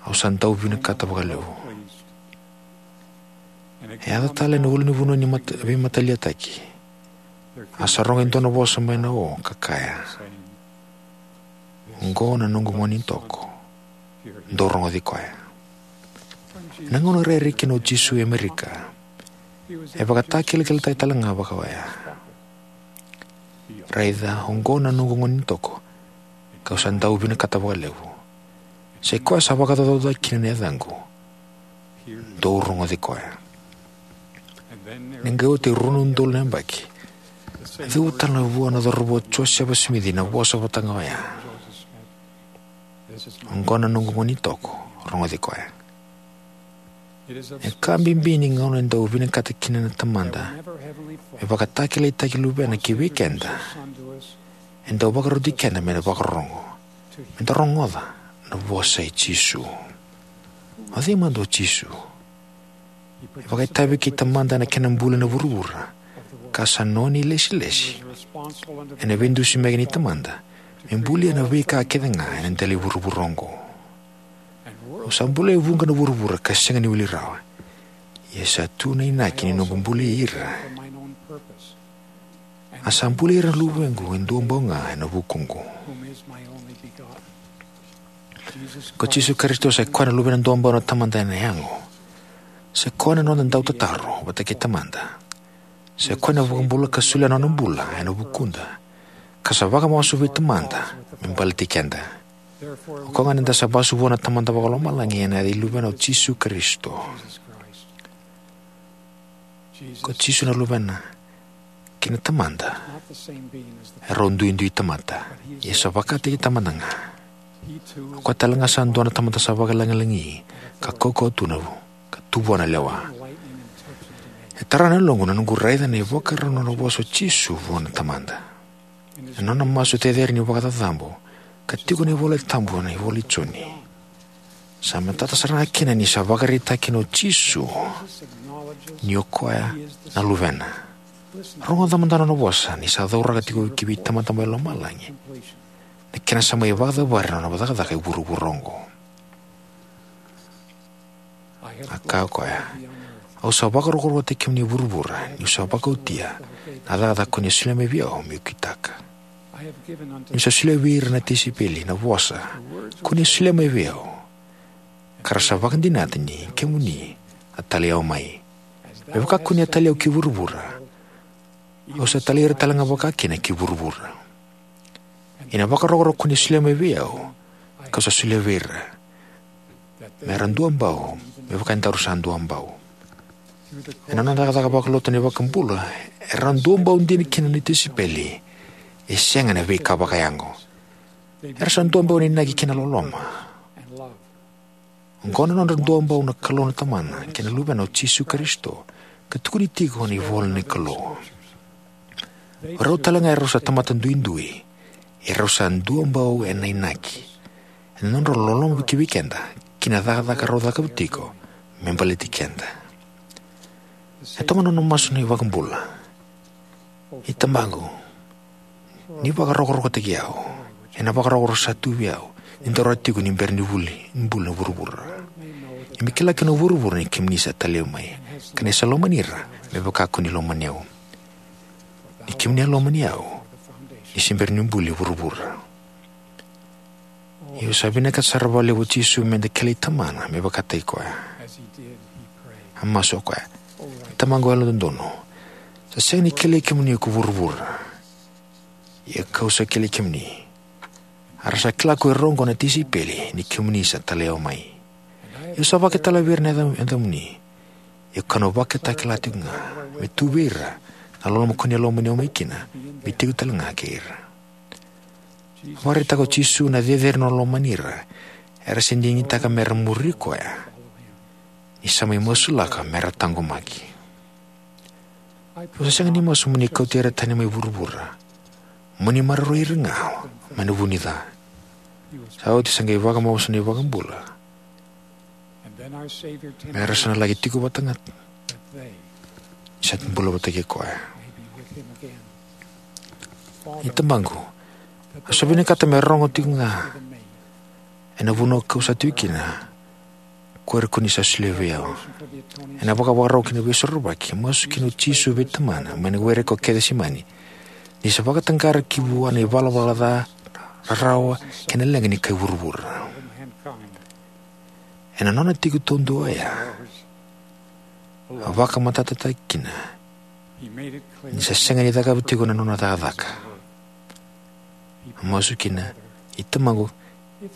au sa dau vinakata vakalevu." E yaco tale na ulunivanua ni mata, veimataliataki. A sa rogo e dua na vosa mai na o ka kaya, "Oqo na noqu gone ni toko, dou rogoci koya." Na gauna rairai kina o Jisu e Amerika, e vakatakilakilataki tale ga vaka oya. "Raica, oqo na noqu gone ni toko, kau sa dau vinakata vakalevu. Sa i koya sa vakacaucau kina na yacaqu, dou rogoci koya." Ni qai oti e rua na udolu na yabaki, a cuva tale vua na cauravou o Josefa Simici na vosa vata ga oya, "Oqo na noqu gone ni toko, rogoci koya." E ka bibi ni gauna e dau vinakata kina na Tamada me vakatakilakilataki Luvena ki vei keda, e dau vakaroti keda me da vakarorogo, me da rogoca na vosa i Jisu. O cei mada o Jisu? E vakaitavi kei Tamada ena kena buli na vuravura, ka sa nona ilesilesi ena veidusimaki ni Tamada me bulia na veika kece ga ena dela ni vuravura oqo. "Au sa bulia e vuqa na vuravura ka sega ni wili rawa. Ia sa tu na inaki ni noqu bulia ira. A sa bulia ira na luvequ e duabau ga ena vukuqu." Ko Jisu Karisito sa i koya na Luvena duabau na Tamada ena yago. Sa i koya na noda dautataro vata kei Tamada. Sa i koya na iVakabula ka solia na nona bula ena vukuda, ka sa vakamasu vei Tamada me baleti keda. O koya ga ni da sa vasu vua na Tamada Vakalomalagi ena yaca i Luvena o Jisu Karisito. Ko Jisu na Luvena kei na Tamada e rau duidui tamata, ia sa vakataki Tamada ga. O koya tale ga sa dua na Tamada sa vakalagilagi ka kaukauwa tu na vu, ka tu vua na lewa. E tara na yaloqu na noqu raica na ivakarau ni nona vosa o Jisu vua na Tamada. Ena nona masu cecere ni vakacacabu ka tiko ena iVola Tabu ena ivola i Joni, sa matata sara ga kina ni sa vakaraitaka kina o Jisu ni o koya na Luvena. Rogoca mada na nona vosa ni sa cauraka tiko ki vei Tamada mai lomalagi na kena sa mai vakacavari na nona cakacaka e vuravura oqo. A kaya o koya, "Au sa vakarokorokotaki kemuni e vuravura, niu sa vakaotia na cakacaka ko ni a solia mai vei au meu kitaka. Niu sa solia vei ira na tisaipeli na vosa ko ni a solia mai vei au, ka ra sa vakadinata ni kemuni a talai au mai. Me vaka ko ni a talai au ki vuravura, au sa talai ira tale ga vakakina ki vuravura. Ia na vakarokoroko ko ni a solia mai vei au, kau sa solia vei ira, me ra duabau me vaka edaru sa duabau." Ena nona cakacaka vakalotu na iVakabula, era duabau dina kina na tisaipeli, e sega na veika vakayago. Era sa duabau ena inaki kei na loloma. Oqo na nodra duabau na Kalou na Tamana kei na Luvena o Jisu Karisito, ka tukuni tiko ena ivola ni Kalou. O rau tale ga e rau sa tamata duidui, e rau sa duabau ena inaki, ena nodra loloma ki vei keda kei na cakacaka rau cakava tiko me baleti keda. E toka na nona masu na iVakabula, "I Tamaqu, ni vakarokorokotaki au ena vakarokoroko sa tu vei au ni daru a tiko ni bera ni vuli ni buli na vuravura. Ia me kila kina o vuravura ni kemuni sa talai au mai, ka ni sa lomani ira me vaka ko ni lomani au. Ni kemuni a lomani au ni se bera niu buli vuravura. Ia sa vinakata sara vakalevu o Jisu meda kilai Tamana me vakataki koya. A masu o koya: Tamaqu yalododonu, sa sega ni kilai kemuni ko vuravura, ia kau sa kilai kemuni. A ra sa kila ko ira oqo na tisaipeli ni kemuni sa talai au mai. Ia sa vakaitavi vei ira na yaca- yacamuni. Ia kau na vakatakila tiko ga me tu vei ira na loloma ko ni a lomani au mai kina, me tiko tale ga kei ira. Vakaraitaka o Jisu na cecere ni nona lomani ira era se digitaka mera muri koya, ni sa mai masulaka mera taqomaki. Au sa sega ni masu mo ni kauti ira tani mai vuravura, mo ni maroroi ira ga mai na vu ni ca. Sa oti sa qai vakamamasu na iVakabula, me ra sa na laki tiko vata ga, sa bula vata kei koya. Ni Tamaqu, au sa vinakata me rogo tiko ga ena vanua kau sa tiko kina ko ira ko ni sa solia vei au. Ena vakavakarau ki na Veisorovaki, masu kina o Jisu vei Tamana mai na were ko Kecisemani, ni sa vakataqara ki vua na ivalavala ca, rarawa, kei na leqa ni kai vuravura. Ena nona tiko taudua oya, a vakamatatataka kina ni sa sega ni cakava tiko na nona cakacaka. A masu kina: I Tamaqu,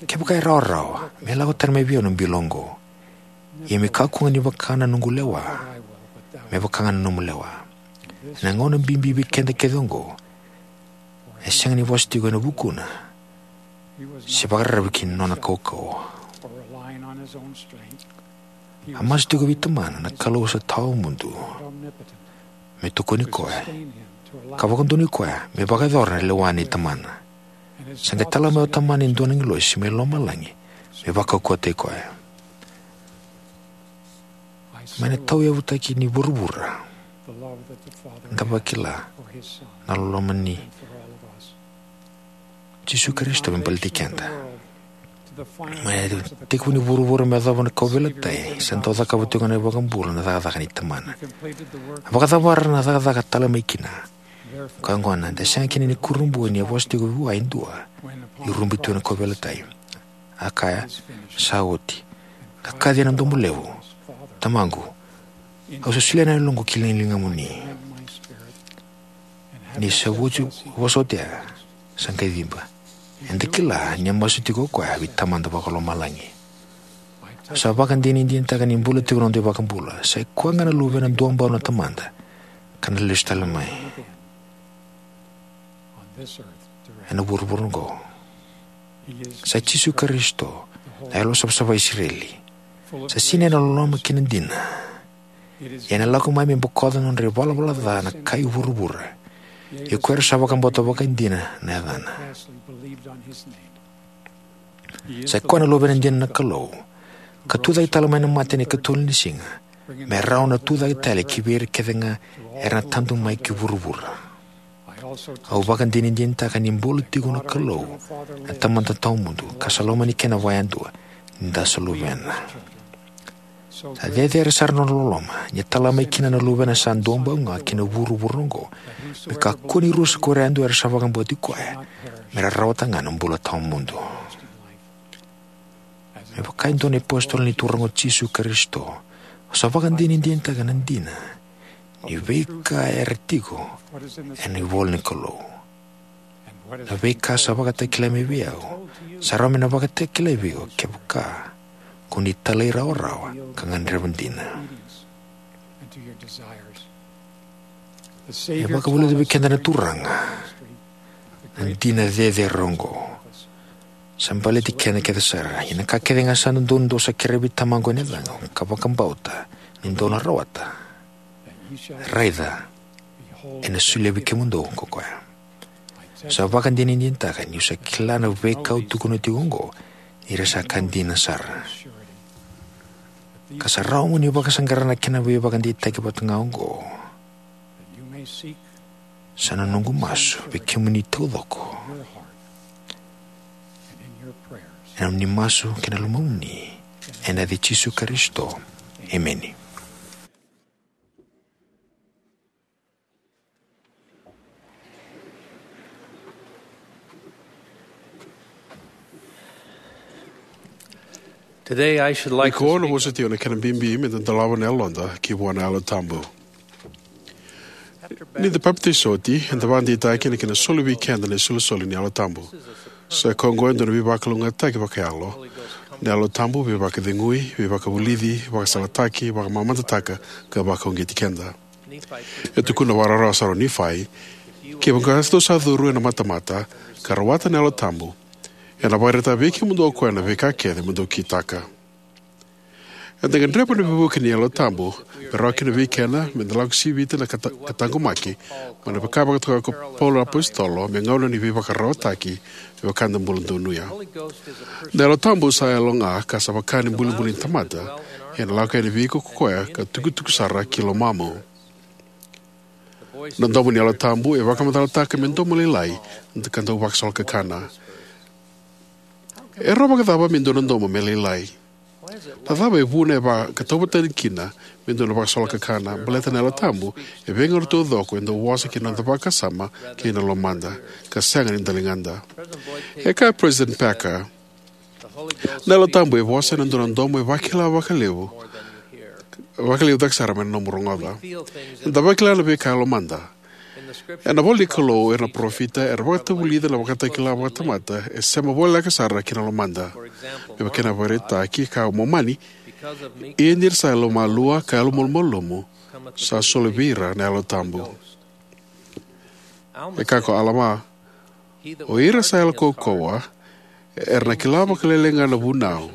kevaka e rawarawa, me lako tani mai vei au na bilo oqo. Ia me kakua ga ni vaka na noqu lewa, me vaka ga na nomu lewa. Ena gauna bibi vei keda kece oqo, e sega ni vosa tiko ena vukuna se vakararavi ki na nona kaukauwa. A masu tiko vei Tamana na Kalou sa tawamudu, me tokoni koya, ka vakadonui koya me vakayacora na lewa nei Tamana. Sa qai tala mai o Tamana e dua na agilosi mai lomalagi me vakaukauwataki koya. Mai na tauyavutaki ni vuravura, da vakila na loloma ni Jisu Karisito me baleti keda. Mai na tekivu ni vuravura me yacova na kauveilatai, sa dau cakava tiko na iVakabula na cakacaka ni Tamana. A vakacavara na cakacaka tale mai kina. Koya gona, eda sega kina ni kurabui ni a vosa tiko vua e dua ni rubi tu ena kauveilatai. A kaya: Sa oti. Ka kaci ena domo levu: Tamaqu, au sa solia na yaloqu ki na ligamuni. Ni sa oti, vosa oti ya, sa qai ciba. Eda kila ni a masu tiko o koya vei Tamada Vakalomalagi. Au sa vakadinadinataka ni bula tiko na noda iVakabula. Sa i koya ga na Luvena duabau na Tamada, ka na lesu tale mai ena vuravura oqo. Sa Jisu Karisito, na Yalosavasava i Isireli. Sa sinai ena loloma kei na dina. Ia ena lako mai me bokoca na nodra ivalavala ca na kai vuravura, ia ko ira sa vakabauta vakaidina na yacana. Sa i koya na Luvena dina na Kalou, ka tucake tale mai na mate ena ikatolu ni siga, me rawa na tucake tale ki vei ira kece ga era na tadu mai ki vuravura. Au vakadinadinataka ni bula tiko na Kalou, na Tamada tawamudu, ka sa lomani keda vakayadua, ni da sa luvena. Sa cecere sara na nona loloma, ni a tala mai kina na Luvena sa duabau ga ki na vuravura oqo, me kakua ni rusa ko ira yadua era sa vakabauti koya, me ra rawata ga na bula tawamudu. Me vaka e dua na iApositolo ni Turaga o Jisu Karisito, au sa vakadinadinataka na dina ni veika era tiko ena ivola ni Kalou. Na veika sa vakatakilai mai vei au, sa rawa me na vakatakilai vei iko kevaka ko ni talairawarawa ka gadreva dina. E vakavulica vei keda na Turaga na dina cecere oqo. Sa baleti keda kece sara. Ia na ka kece ga sa dodonu dou sa kerea vei Tamaqu ena yacaqu, ka vakabauta ni dou na rawata, raica, ena solia vei kemudou ko koya. Sa vakadinadinataka niu sa kila na veika au tukuna tiko oqo, ni ra sa ka dina sara. Ka sa rawa mo ni vakasaqara na kena veivakadeitaki vata ga oqo, sa na noqu masu vei kemuni taucoko, ena nomuni masu kei na lomamuni, Ena yaca i Jisu Karisito, emeni. Today I should like Nikua to na speak vosa tiko na kena bibi me da dolava na yaloda ki vua na Yalo Tabu. Ni da papitaiso oti, eda vakadeitaka na kena soli vei keda na isolisoli ni Yalo Tabu. Sa koya oqo e dua na veivakalougatataki vakayalo. Na Yalo Tabu veivakacegui, veivakavulici, vakasalataki, vakamamadataka, ka vakauqeti keda. E tukuna vakarawarawa sara o Nifai, kevaka dou sa curu ena matamata, ka rawata na Yalo Tabu, ena vakaraitaka vei kemudou o koya na veika kece mo dou kitaka. Eda gadreva na veivuke ni Yalo Tabu me rawa kina vei keda me da lako sivita na kata- ka taqomaki, mai na veika vakatokai ko Paula na apositolo me gauna ni veivakararawataki, me vaka eda bula donuya. Na Yalo Tabu sa yalo ga ka sa vaka ni bulibuli ni tamata, ena lako yani vei iko ko koya ka tukutuku sara ki lomamu. Na domo ni Yalo Tabu e vakamacalataka me domo lailai ka dau vakasolokakana. E rawa vakacava me dua na domo me lailai? Na cava e vuna e vakatauvatani kina me dua na vakasolokakana? Baleta na Yalo Tabu e veigauna taucoko e dau vosa ki na noda vakasama kei na lomada, ka sega ni daligada. E kaya o President Packer, na Yalo Tabu e vosa ena dua na domo e vakila vakalevu, vakalevu cake sara mai na nomu rogoca. Eda vakila na veika e lomada. Ena ivola ni Kalou, era na parofita era vakatavulica na vakatakila vakatamata e sema voleka sara ki na lomada. Me vaka na ivakaraitaki, e kaya o Momani, ia ni ra sa yalomalua ka yalomalumalumu, sa soli vei ira na Yalo Tabu. E kaya ko Alama, o ira sa yalokaukauwa era na kila vakalailai ga na vunau,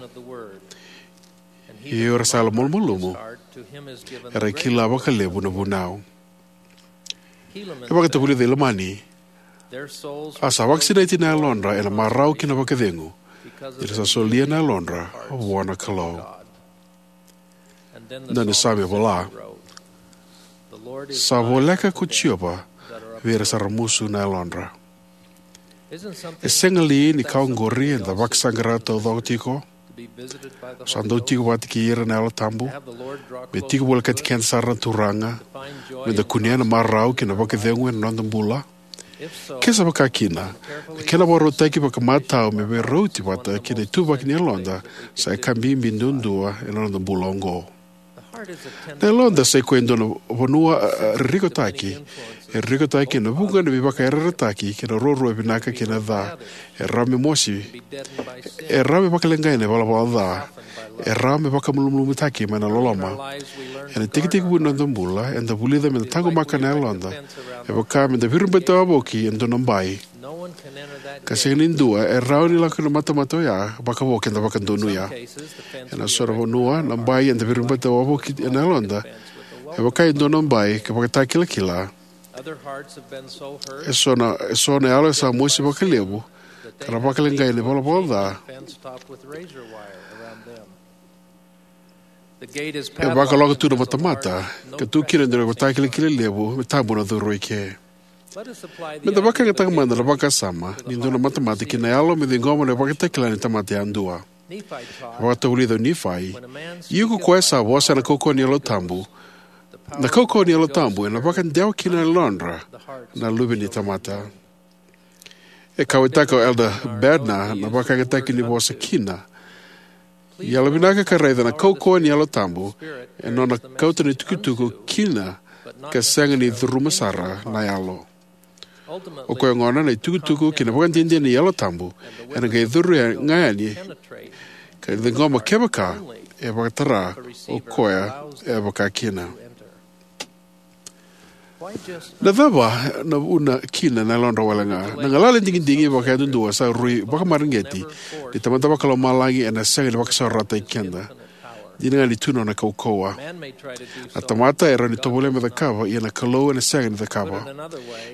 ia o ira sa yalomalumalumu era kila vakalevu na vunau. E vakatavulica o Ilamani, a sa vakasinaiti na yalodra ena marau kei na vakacegu, ni ra sa solia na yalodra vua na Kalou. Na nona same vola, sa voleka ko Jiova vei ira sa ramusu na yalodra. E sega li ni ka oqori eda vakasaqara taucoko tiko? Sa dau tiko vata kei ira na Yalo Tabu? Me tiko volekati keda sara na Turaga, me da kunea na marau kei na vakacegu ena noda bula? Ke sa vaka kina, na kena vakarautaki vakamatau me veirauti vata kei na ituvaki ni yaloda sa ika bibi duadua ena noda bula oqo. Na yaloda sa ikoya e dua na vanua, a, a, ririkotaki. E ririkotaki ena vuqa na veivakayarayarataki kei na ruarua vinaka kei na ca. E rawa me mosi. E rawa me vakaleqai ena ivalavala ca. E rawa me vakamalumalumutaki mai na loloma. Ena itekitekivu ni noda bula, eda vulica me da taqomaka na yaloda. E vaka me da viribati wavoki e dua na bai, ka sega ni dua e rawa ni lako ki na matamata oya vakavo keda vakadonuya. Ena so na vanua, na bai eda viribati wavoki ena yaloda e vaka e dua na bai ka vakatakilakila. E so na, e so na yalo e sa mosi vakalevu ka ra vakaleqai ena ivalavala ca. E vakaloko tu na matamata ka tu kina e dua na ivakatakilakila levu, me tabu na curu eke. Me da vakayagataka mada na vakasama ni dua na matamata ki na yalo me ciqoma na ivakatakila ni tamata yadua. E vakatavulica o Nifai, ia ko koya sa vosa ena kaukauwa ni Yalo Tabu, na kaukauwa ni Yalo Tabu ena vakadewa kina na yalodra na luve ni tamata. E kauwaitaka o Elder Bednar na vakayagataki ni vosa kina. Yalovinaka ka raica na kaukauwa ni Yalo Tabu, e nona kauta na itukutuku kina ka sega ni curuma sara na yalo. O koya gona na itukutuku kei na vakadinadina ni Yalo Tabu, ena qai curu ga yani ka ciqoma kevaka e vakatara o koya e vaka kina. Na cava na vuna kina na yalodra wale ga? Na galala ni digidigi vakayadudua sa rui vakamareqeti ni Tamada Vakalomalagi ena sega ni vakasaurarataki keda. Dina ga ni tu na nona kaukauwa. Na tamata e rawa ni tovolea me cakava, ia na Kalou ena sega ni cakava.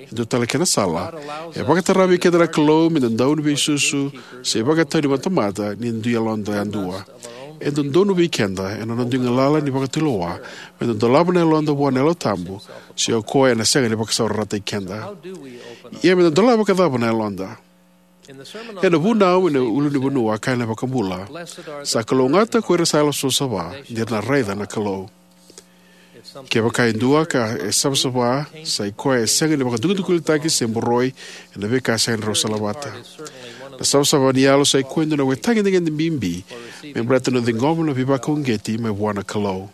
E dua tale kena sala, e vakatara vei keda na Kalou me da dau ni veisusu se vakatau ni matamata ni dui yaloda yadua. E dodonu vei keda ena noda dui galala ni vakatulewa me da dolava na yaloda vua na Yalo Tabu, se o koya ena sega ni vakasaurarataki keda. Ia me da dolava vakacava na yaloda? Ena vunau ena ulunivanua, a kaya na iVakabula: Sa kalougata ko ira sa yalosavasava, ni ra na raica na Kalou. Kevaka e dua ka e savasava, sa i koya e sega ni vakadukudukulitaki se boroi ena veika sega ni rau salavata. Na savasava ni yalo sa i koya e dua na ivakatagedegede bibi me baleta na ciqoma na veivakauqeti mai vua na Kalou.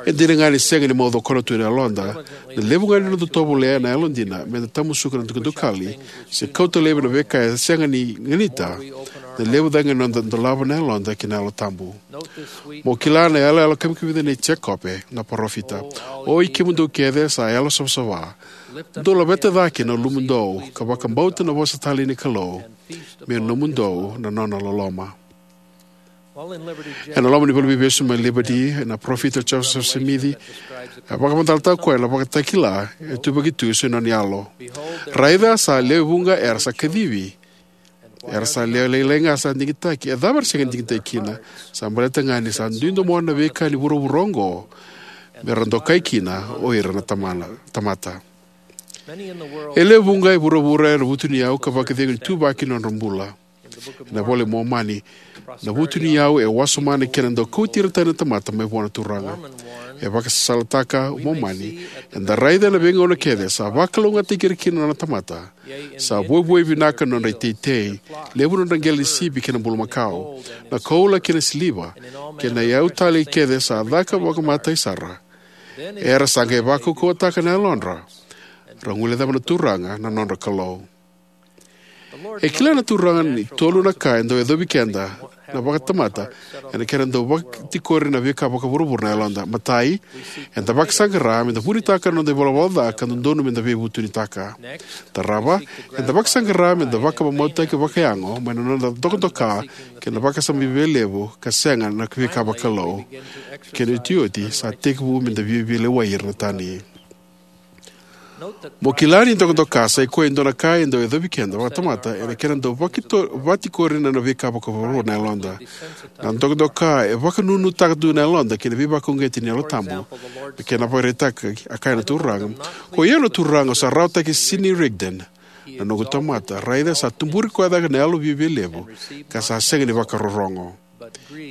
E dina ga ni sega ni mau cokona tu na yaloda, na levu ga ni noda tovolea na yalodina me da tamusuka na dukadukali se kauta laivi na veika e sega ni ganita, na levu cake ga ni noda dolava na yaloda ki na Yalo Tabu. Mo kila na yalayala kamikamica nei Jekope na parofita: Oi kemudou kece sa yalosavasava, dou laveta cake na ulumudou ka vakabauta na vosa talei ni Kalou, me nomudou na nona loloma. Ena loma ni valeniveivesu mai Liberty, na parofita o Joseph Smith e vakamacalataka o koya na ivakatakila e tuvaki tu se nona yalo: Raica, sa lewe vuqa era sa kacivi, era sa lewe lailai ga sa digitaki. A cava era sega ni digitaki kina? Sa baleta ga ni sa dui domona na veika ni vuravura oqo me ra dokai kina o ira na tamana, tamata. E lewe vuqa e vuravura era vutuniyau ka vakacegu ni ituvaki ni nodra bula. Ena iVola i Momani, na vutuniyau e wasoma na kena dau kauti ira tani na tamata mai vua na Turaga. E vakasalataka o Momani: Eda raica ena veigauna kece sa vakalougatataki ira kina na nona tamata, sa vuavuai vinaka na nodra iteitei, levu na nodra qele ni sipi kei na bulumakau, na koula kei na siliva, kei na iyau talei kece sa caka vakamatai sara. Era sa qai vakaukauwataka na yalodra, ra guilecava na Turaga na nodra Kalou. E kila na Turaga ni tolu na ka e dau yacovi keda na vakatamata ena kena dau vakatikori na veika vakavuravura na yaloda. Matai, eda vakasaqara me da vunitaka na noda ivalavala ca ka dodonu me da veivutunitaka. Tarava, eda vakasaqara me da vakamamautaki vakayago mai na noda dokadoka kei na vakasama viavialevu ka sega na veika vakalou. Kena iotioti, sa tekivu me da via veilewai ira na tani. Mo kila ni dokadoka sa i koya e dua na ka e dau yacovi keda vakatamata ena kena dau vakito-, vatikori na veika vakavuravura na yaloda. Na dokadoka e vakanunutaka tu na yaloda kei na veivakauqeti ni Yalo Tabu. Na kena vakaraitaki, a kaya na Turaga: Koi au na Turaga, au sa rawataki Sidney Rigdon, na noqu tamata. Raica, sa tuburi koya cake na yalo viavialevu, ka sa sega ni vakarorogo.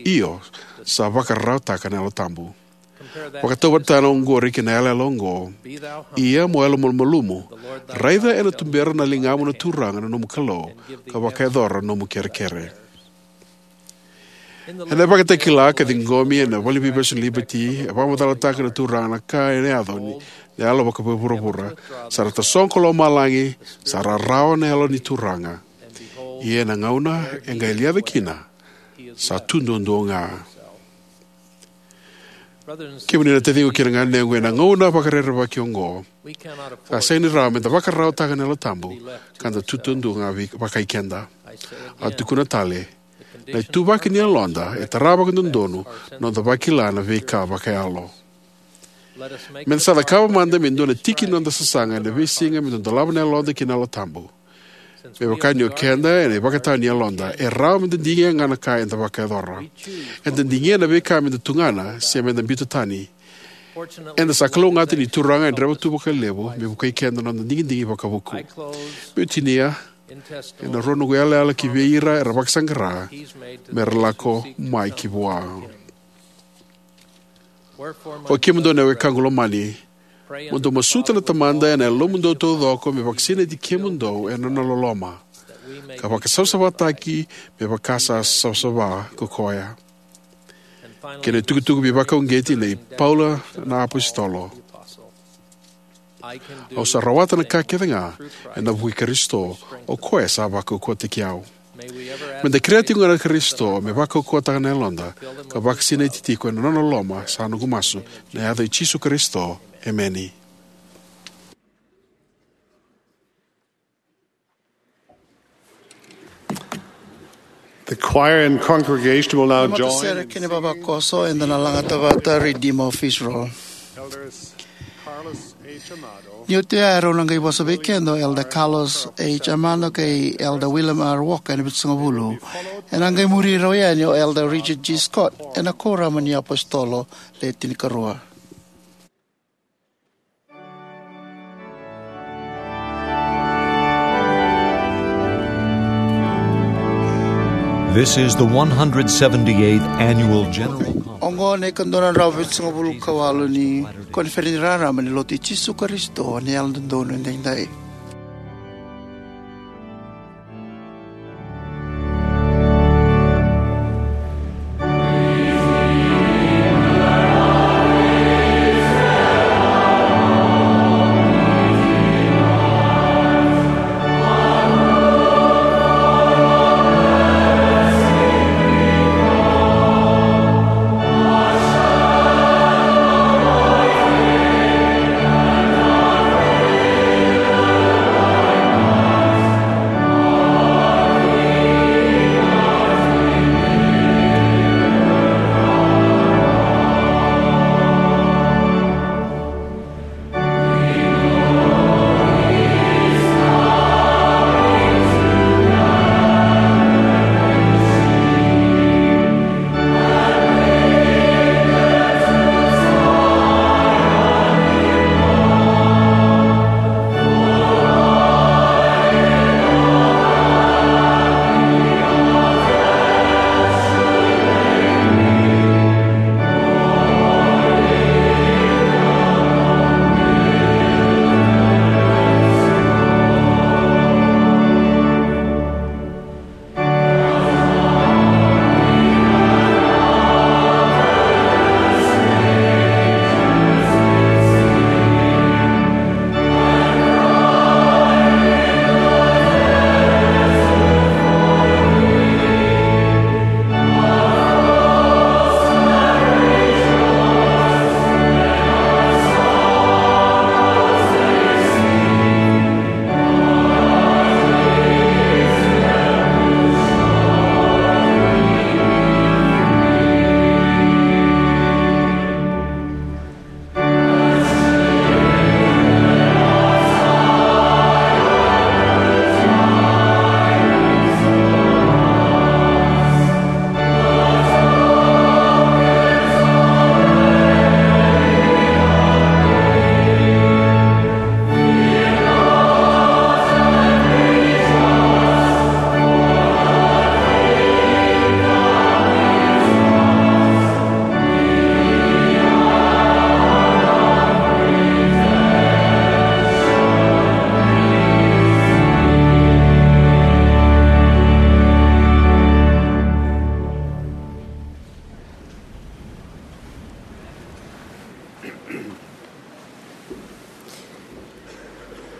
Io, sa vakararawataka na Yalo Tabu. Vakatauvatana oqori kei na yalayala oqo: Ia mo yalomalumalumu, raica ena tubera na ligamu na Turaga na nomu Kalou, ka vakayacora na nomu kerekere. Ena ivakatakila ka ciqomi ena valeniveivesu ni Liberty, e vakamacalataka na Turaga na ka ena yaco ni yalo vakavuravura. Sa ra tasogo ko lomalagi, sa ra rawa na Yalo ni Turaga. Ia ena gauna e qai yaco kina, sa tu duadua ga. Kemuni na taciqu kei na ganequ, ena gauna vakarerevaki oqo, sa sega ni rawa me da vakararawataka na Yalo Tabu ka da tu duadua ga vei, vakai keda. Au tukuna tale, na ituvaki ni yaloda e tara vakadodonu na noda vakila na veika vakayalo. Me da sa cakava mada me dua na tiki ni noda sasaga ena veisiga me da dolava na yaloda ki na Yalo Tabu. Me vaka ni o keda ena ivakatawa ni yaloda, e rawa me da digia ga na ka eda vakayacora. Eda digia na veika me da tugana se me da biuta tani. Eda sa kalougata ni Turaga e dreva tu vakalevu me vukei keda na noda digidigi vakavuku. Meu tinia ena rua noqu yalayala ki vei ira era vakasaqara me ra lako mai ki vua. O kemudou na wekaqu lomani, mo dou masuta na Tamada ena yalomudou taucoko me vakasinaiti kemudou ena nona loloma, ka vakasavasavataki me vaka sa savasava ko koya. Kei na itukutuku veivakauqeti nei Paula na apositolo: Au sa rawata na ka kece ga ena vuku i Karisito, o koya sa vakaukauwataki au. Me da kerea tiko ga na Karisito me vakaukauwataka na yaloda ka vakasinaiti tiko ena nona loloma, sa noqu masu ena yaca i Jisu Karisito. Emeni. The choir and congregation will now join. Matasere kei na vavakoso, eda na lagata vata Redeemer of Israel. Elders Carlos H. Amado. Ni oti oya, rau na qai vosa vei keda o Elder Carlos H. Amado kei Elder William R. Walker ena Vitusagavulu. Ena qai muri rau yani o Elder Richard G. Scott ena Kuoramu ni iApositolo Le Tinikarua. This is the one hundred seventy-eighth Annual General Conference. Oqo na ika dua na drau vitusagavulu ka walu ni Koniferedi Raraba ni Lotu i Jisu Karisito ni Yalododonu Edaidai.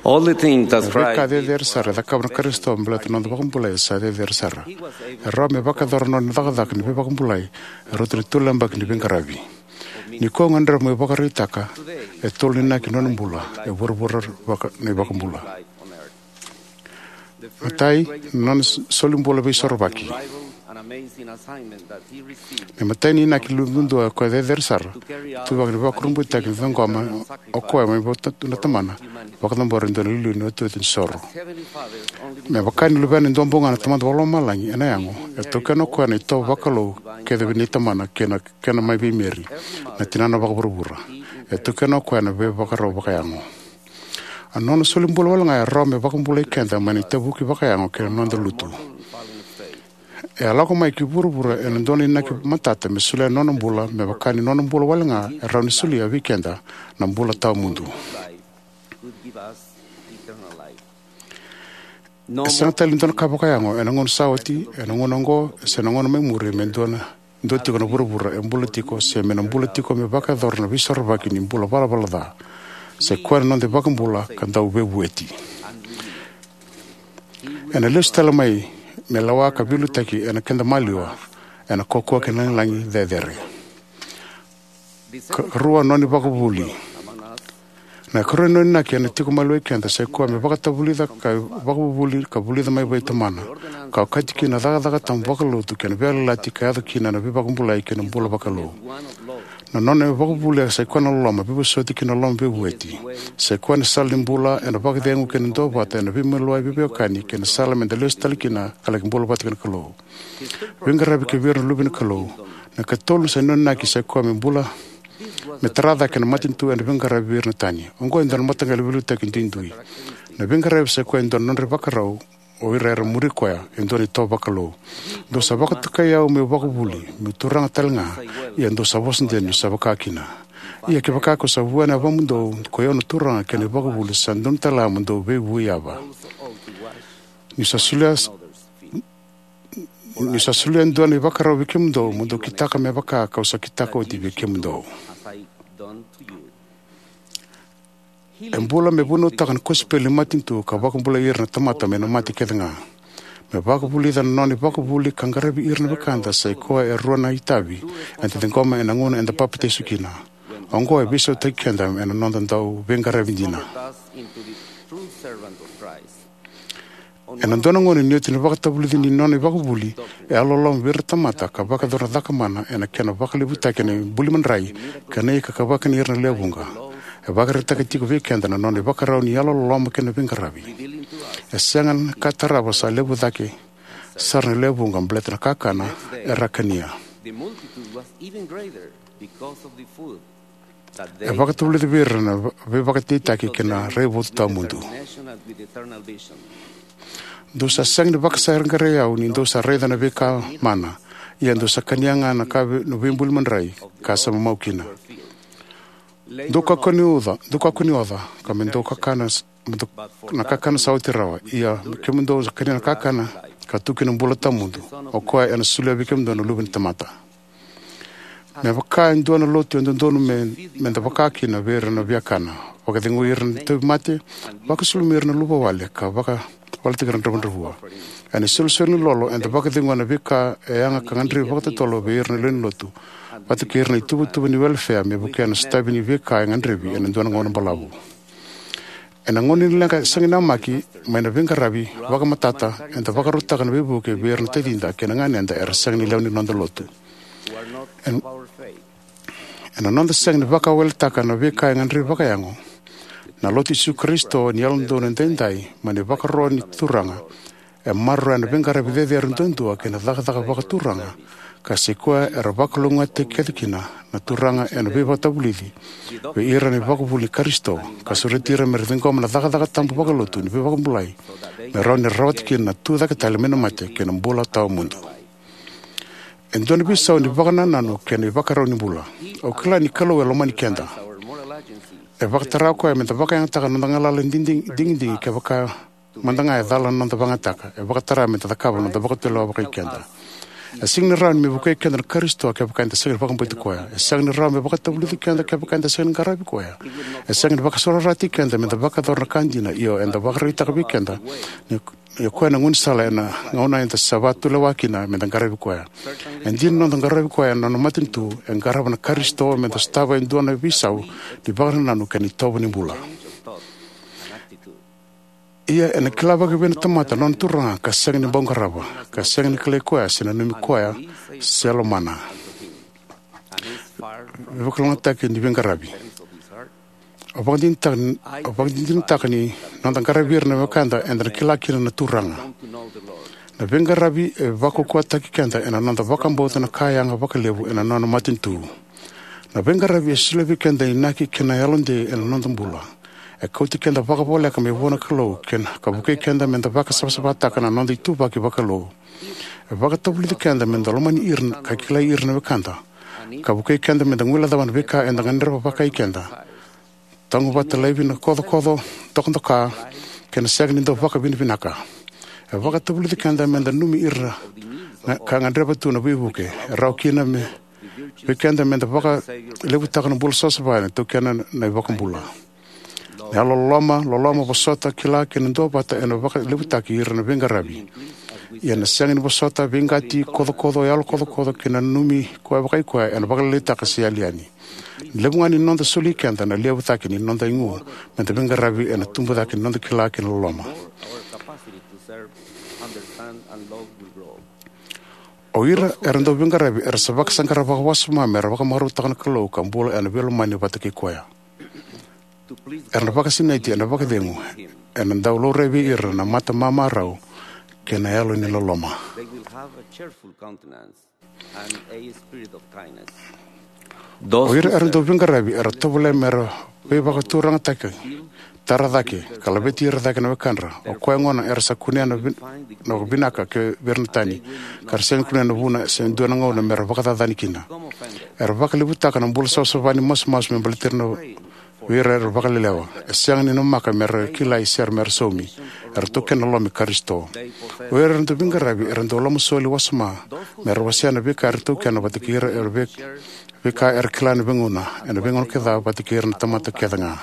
All the things that Na veika Christ did cecere for sara e us cakava na Karisito me baleta na noda vakabulai e sa cecere sara. E rawa me vakayacora na nona cakacaka ni veivakabulai e rauta ni tolu na yabaki ni veiqaravi. Nikua au gadreva meu vakaraitaka e tolu na inaki ni nona bula e vuravura vaka, na iVakabula. Matai, na nona s-, solibula veisorovaki. Na imatai ni inaki levu duadua ka cecere sara, ituvaki ni veivakurabuitaki ni ciqoma o koya mai vua na Tamana, vakacabora e dua na iliuliu ni iotioti ni soro. Me vaka ni luvena e dua bau ga na Tamada Vakalomalagi ena yago, e taukena o koya na itovo vakalou kece vei Tamana kei na kena mai vei Meri, na tinana vakavuravura. E taukena o koya na veivakarau vakayago. A nona solibula wale ga e rawa me vakabulai keda mai na itavuki vakayago kei na noda lutu. E a lako mai ki vuravura ena dua na inaki matata me solia na nona bula, me vaka ni nona bula wale ga e rawa ni solia vei keda na bula tawamudu. E sega tale ni dua na ka vakayago ena gauna sa oti, ena gauna oqo, se na gauna mai muri me dua na, dua tiko na vuravura e bula tiko, se me na bula tiko me vakayacora na veisorovaki ni bula valavala ca. Sa i koya na noda iVakabula ka Dauveivueti. Ena lesu tale mai me lewa ka veiliutaki ena keda maliwa, ena kaukaua kei na lagilagi cecere. Ka, karua, nona ivakavuvuli. Na ikarua ni nona inaki ena tiko maliwai keda sa i koya me vakatavulica ka vakavuvuli ka vulica mai vei Tamana, ka okati kina na cakacaka tabu vakalotu kei na veiyalayalati ka yaco kina na veivakabulai kei na bula vakalou. Na nona ivakavuvuli sa i koya na loloma, veivosoti kei na loloma veivueti. Sa i koya na sala ni bula ena vakacegu kei na duavata ena veimaliwai veiveiwekani kei na sala meda lesu tale kina ka laki bula vata kei na Kalou. Veiqaravi kei vei ira na luve ni Kalou. Na ikatolu sa nona inaki sa i koya me bula, me tara cake na matanitu ena veiqaravi vei ira na tani. Oqo e dua na mataqali veiliutaki duidui. Na veiqaravi sa i koya e dua na nodra ivakarau o ira era muri koya, e dua na itovo vakalou. Dou sa vakatokai au meu vakavuli, meu turaga tale ga, ia dou sa vosa dina niu sa vaka kina. Ia kevaka kau sa vua na yavamudou, ko i au na turaga kei na ivakavuvuli, sa donu tale ga mo dou veivui yava. Niu sa solia, niu sa solia e dua na ivakarau vei kemudou, mo dou kitaka me vaka kau sa kitaka oti vei kemudou. E bula me vunautaka na kosipeli ni matanitu ka vakabulai ira na tamata mai na mate kece ga. Me vakavulica na nona ivakavuvuli ka qaravi ira na wekada sa i koya e rua na itavi eda ciqoma ena gauna eda papitaiso kina. Oqo e veisautaki keda ena noda dau veiqaravi dina. Ena dua na gauna ni oti na vakatavulici ni nona ivakavuvuli, e yalololoma vei ira na tamata ka vakayacora na cakamana ena kena vakalevutaki na ibuli madrai kei na ika ka vakani ira na lewe vuqa. E vakaraitaka tiko vei keda na nona ivakarau ni yalololoma kei na veiqaravi. E sega na ka e tarava sa levu cake sara na lewe vuqa baleta na kakana era a kania. E vakatavulica vei ira na veivakadeitaki kei na raivotu tawamudu. Dou sa sega ni vakasaqarai au ni dou sa raica na veika mana, ia dou sa kania ga na ka vei, na veibuli madrai ka sa mamau kina. Dou kakua ni oca, dou kakua ni oca, ka me dou kakana, me dou, na kakana sa oti rawa, ia me kemudou sa kania na kakana ka tu kina na bula tawamudu, o koya ena solia vei kemudou na Luve ni tamata. Me vaka e dua na lotu e dodonu me, me da vaka kina vei ira na viakana, vakacegui ira na tauvimate, vakasulumi ira na luvawale, ka vakawaleti ira na dravudravua. Ena isolisoli ni lolo, eda vakacegua na veika e yaga ka gadrevi vakatotolo vei ira na lewe ni lotu, vata kei ira na ituvatuva ni welefea me vukea na sotavi ni veika e gadrevi ena dua na gauna balavu. Ena gauna ni leqa sega ni namaki mai na veiqaravi vakamatata, eda vakarautaka na veivuke vei ira na tacida kei na ganeda era sega ni lewe ni noda lotu. En, ena noda sega ni vakawaletaka na veika e gadrevi vakayago, na Lotu i Jisu Karisito ni Yalododonu Edaidai mai na ivakaro ni Turaga e maroroya na veiqaravi cecere duadua kei na cakacaka vakaturaga, ka sa i koya era vakalougatataki kece kina na Turaga ena veivakatavulici vei ira na ivakavuvuli i Karisito, ka sureti ira me ra ciqoma na cakacaka tabu vakalotu ni veivakabulai me rawa ni ra rawata kina na tucake tale mai na mate kei na bula tawamudu. E dua na veisau ni vakanananu kei na ivakarau ni bula. Au kila ni Kalou e lomani keda. E vakatara o koya me da vakayagataka na noda galala digi-, digidigi kevaka mada ga e cala na noda vakayagataka. E vakatara me da cakava na noda vakatulewa vakai keda. E sega ni rawa ni me vukei keda na Karisito kevaka eda sega ni vakabauti koya. E sega ni rawa me vakatavulici keda kevaka eda sega ni qaravi koya. E sega ni vakasaurarataki keda me da vakayacora na ka dina, io, eda vakaraitaka vei keda ni ia o koya na gaunisala ena gauna eda sa vakatulewa kina me da qaravi koya. E dina, na noda qaravi koya ena nona matanitu e qarava na Karisito me da sotava e dua na veisau ni vakanananu kei na itovo ni bula. Ia ena kila vakavei na tamata na nona Turaga ka sega ni bau qarava, ka sega ni kilai koya se nanumi koya se lomana? Veivakalougatataki ni veiqaravi. Au vakadinadinataka ni, au vakadinadinataka ni noda qaravi ira na wekada eda na kila kina na Turaga. Na veiqaravi e vakaukauwataki keda ena noda vakabauta na ka yaga vakalevu ena nona matanitu. Na veiqaravi e solia vei keda na inaki kei na yalodei ena noda bula. E kauti keda vakavoleka mai vua na Kalou kei na, ka vukei keda me da vakasavasavataka na noda ituvaki vakalou. E vakatavulici keda me da lomani ira ka kilai ira na wekada, ka vukei keda me da guilecava na veika eda gadreva vakai keda, tagu vata laivi na kocokoco, dokadoka, kei na sega ni dau vakavinavinaka. E vakatavulici keda me da nanumi ira na ka gadreva tu na veivuke. E rawa kina me vei keda me da vakalevutaka na bula savasava ena taukena na iVakabula. Na yalololoma, loloma, vosota, kila kei na duavata ena vakalevutaki ira na veiqaravi. Ia na sega ni vosota, veiqati, kocokoco, yalo kocokoco kei na nanumi koya vakai koya ena vakalailaitaka se yali yani. Na levu ga ni noda soli keda na levu cake ni noda igu me da veiqaravi ena tubu cake ni noda kila kei na loloma. O ira era dau veiqaravi era sa vakasaqara vakawasoma me ra vakamarautaka na Kalou ka bula ena veilomani vata kei koya. Era na vakasinaiti ena vakacegu, ena dau laurai vei ira na mata mamarau kei na yalo ni loloma. O ira era dau veiqaravi era tovolea me ra veivakaturagataki tara cake ka laveti ira cake na wekadra. O koya gona era sa kunea na, vin, na vinaka kei ira na tani, ka ra sega ni kunea na vuna se dua na gauna me ra vakacacani kina. Era vakalevutaka na bula savasava ni masumasu me baleti ira na, vei ira era vakalelewa. E sega ni namaka me ra kilai se me ra saumi. Era taukena na loma i Karisito. O ira era dau veiqaravi era dau lomasoli wasoma me ra wasea na veika era taukena vata kei ira era vei, veika era kila ena veigauna, ena veigauna kece vata kei ira na tamata kece ga.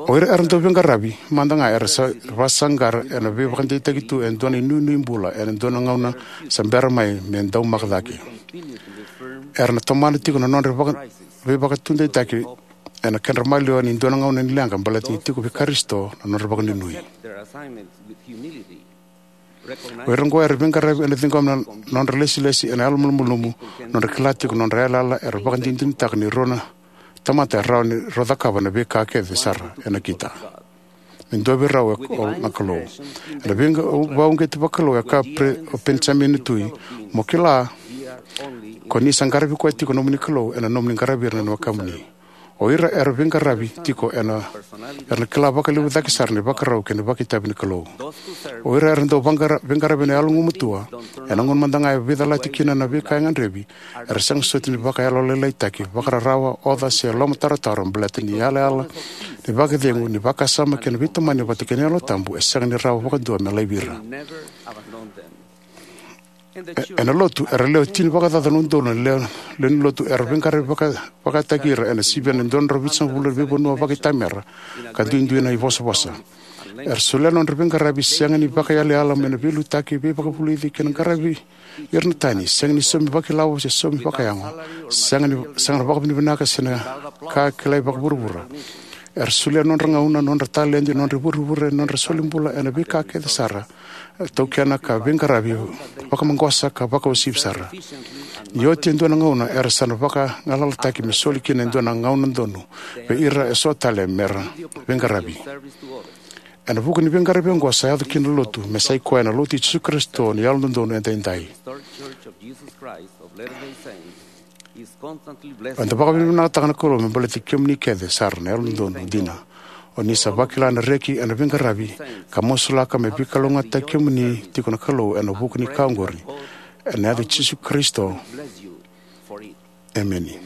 O ira era dau veiqaravi mada ga era sa vasaqara ena veivakadeitaki tu e dua na inuinui bula ena dua na gauna sa bera mai me daumaka cake. Era na tomana tiko na nodra vaka, veivakatudeitaki ena kedra maliwa ni dua na gauna ni leqa baleta ni tiko vei Karisito na nodra vakanuinui. O ira oqo era veiqaravi ena ciqoma na nodra lesilesi ena yalomalumalumu, nodra kila tiko nodra yalayala, era vakadinadinataka ni rua na tamata e rawa ni ra cakava na veika kece sara e nakita. Me dua vei rau e, o na Kalou. Ena veiqa, vakauqeti vakalou e kaya pre, o Penijamini na tui, mo kila ko ni sa qaravi koya tiko nomuni Kalou ena nomuni qaravi ira na wekamuni. O ira era veiqaravi tiko ena, era na kila vakalevu cake sara na ivakarau kei na vakaitavi ni Kalou. O ira era dau vaqara, veiqaravi ena yalogumatua, ena gauna mada ga e veicalati kina na veika e gadrevi, era sega soti ni vakayalolailaitaki, vakararawa, oca se lomataratara baleta ni yalayala ni vakacegu, ni vakasama kei na veitamani vata kei na Yalo Tabu e sega ni rawa vakadua me laivi ira. E, ena lotu, era lewe tini vakacaca na udolu na lewe, lewe ni lotu era veiqaravi vaka, vakataki ira ena sivia na dua na drau vitusagavulu na veivanua vakaitamera ka duidui na ivosavosa. Era solia nodra veiqaravi sega ni vakayalayala mai na veiliutaki, veivakavulici kei na qaravi ira na tani, sega ni saumi vakailawa se saumi vakayago, sega ni, sega na vakavinavinaka se na ka kilai vakavuravura. Era solia nodra gauna, nodra taledi, nodra ivurevure, nodra solibula ena veika kece sara e taukena ka veiqaravi vakamaqosa ka vakauasivi sara. Ni oti e dua na gauna era sa na vakagalalataki me soli kina e dua na gauna donu vei ira eso tale me ra veiqaravi. Ena vuku ni veiqaravi oqo sa yaco kina na lotu me sa i koya na Lotu i Jisu Karisito ni Yalododonu Edaidai. Eda vakavinavinakataka na Kalou me baleti kemuni kece sara na Yalododonu dina. O ni sa vakila na reki ena veiqaravi ka masulaka me veikalougata kemuni tiko na Kalou ena vuku ni ka oqori. Ena yaca i Jisu Karisito. Emeni.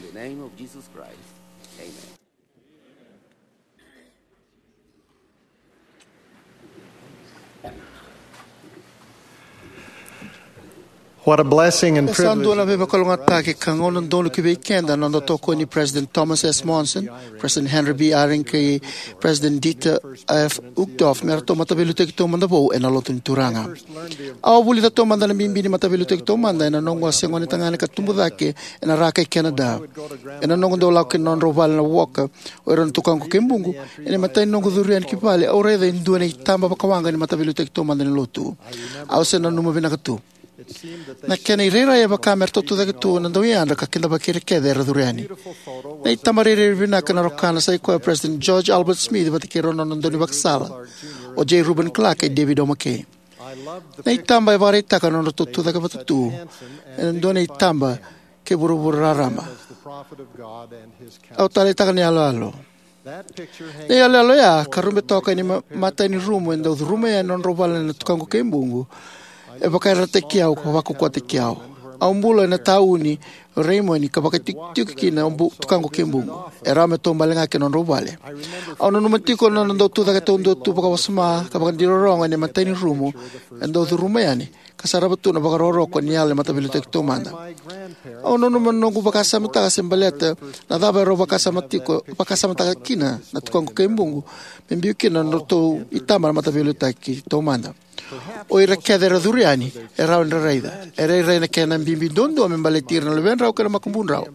What a blessing and privilege. E sa dua na veivakalougatataki ka gauna donu ki vei keda na noda tokoni President Thomas S. Monson, President Henry B. Eyring, kei President Dieter F. Uchtdorf me ratou mataveiliutaki taumada vou ena Lotu ni Turaga. Au a vulica taumada na bibi ni mataveiliutaki taumada ena noqu a se gonetagane ka tubu cake ena Raka i Canada. Ena noqu dau lako ki na nodrau vale na Walker, o ira na tukaqu kei buqu, ena imatai ni noqu curu yani ki vale, au raica e dua na itaba vakawaqa ni mataveiliutaki taumada ni lotu. Au se nanuma vinaka tu. Na kena irairai e vaka me ratou tucake tu na dauyadra ka kidavaki ira kece era curu yani. Na itaba rairai vinaka na rokana sa i koya o President George Albert Smith vata kei rau na nona daunivakasala, o J. Reuben Clark kei David O. McKay. Na itaba e vakaraitaka na nodratou tucake vata tu ena dua na itaba kei vuravura raraba. Au taleitaka na iyaloyalo. Na iyaloyalo ya ka rube toka ena ma-, matai ni rumu e dau curuma yani na nodrau vale na tukaqu kei buqu. E vakayarayarataki au ka vakaukauwataki au. Au bula ena tauni o Raymond ka vakaitikotiko kina o bu-, tukaqu kei buqu. E rawa me taubale ga ki na nodrau vale. Au nanuma tiko na nona dau tucake taudua tu vakawasoma ka vakadirorogo ena imatai ni rumu e dau curuma yani, ka sarava tu na vakarokoroko ni yalo ni mataveiliutaki taumada. Au nanuma na noqu vakasamataka se baleta na cava e rau vakasama tiko, vakasamataka kina na tukaqu kei buqu me biu kina na nodratou itaba na mataveiliutaki taumada. O ira kece era curu yani e rawa ni ra raica. E rairai na kena bibi duadua me baleti ira na luvedrau kei na makubudrau.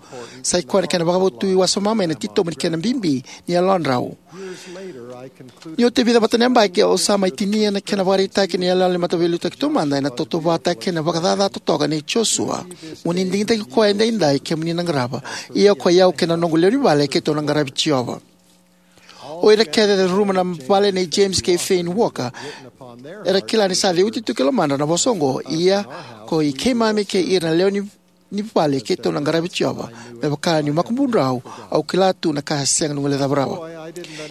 Sa i koya na kena vakavotui wasoma mai na titobu ni kena bibi ni yalodrau. Ni oti e vica vata na yabaki, au sa mai tinia na kena vakaraitaki ni iyaloyalo ni mataveiliutaki taumada ena tautauvatataki kei na vakacaca totoka nei Josua. Mo ni digitaki koya edaidai kemuni na qarava. Ia ko i au kei na noqu lewe ni vale keitou na qaravi Jiova. O ira kece era curuma na vale nei James kei Fayne Walker era kila ni sa ceuti tu ki lomadra na vosa oqo. Ia ko i keimami kei ira na lewe ni ni vale keitou na qaravi Jiova. Me vaka niu makubudrau, au kila tu na ka e sega ni guilecava rawa.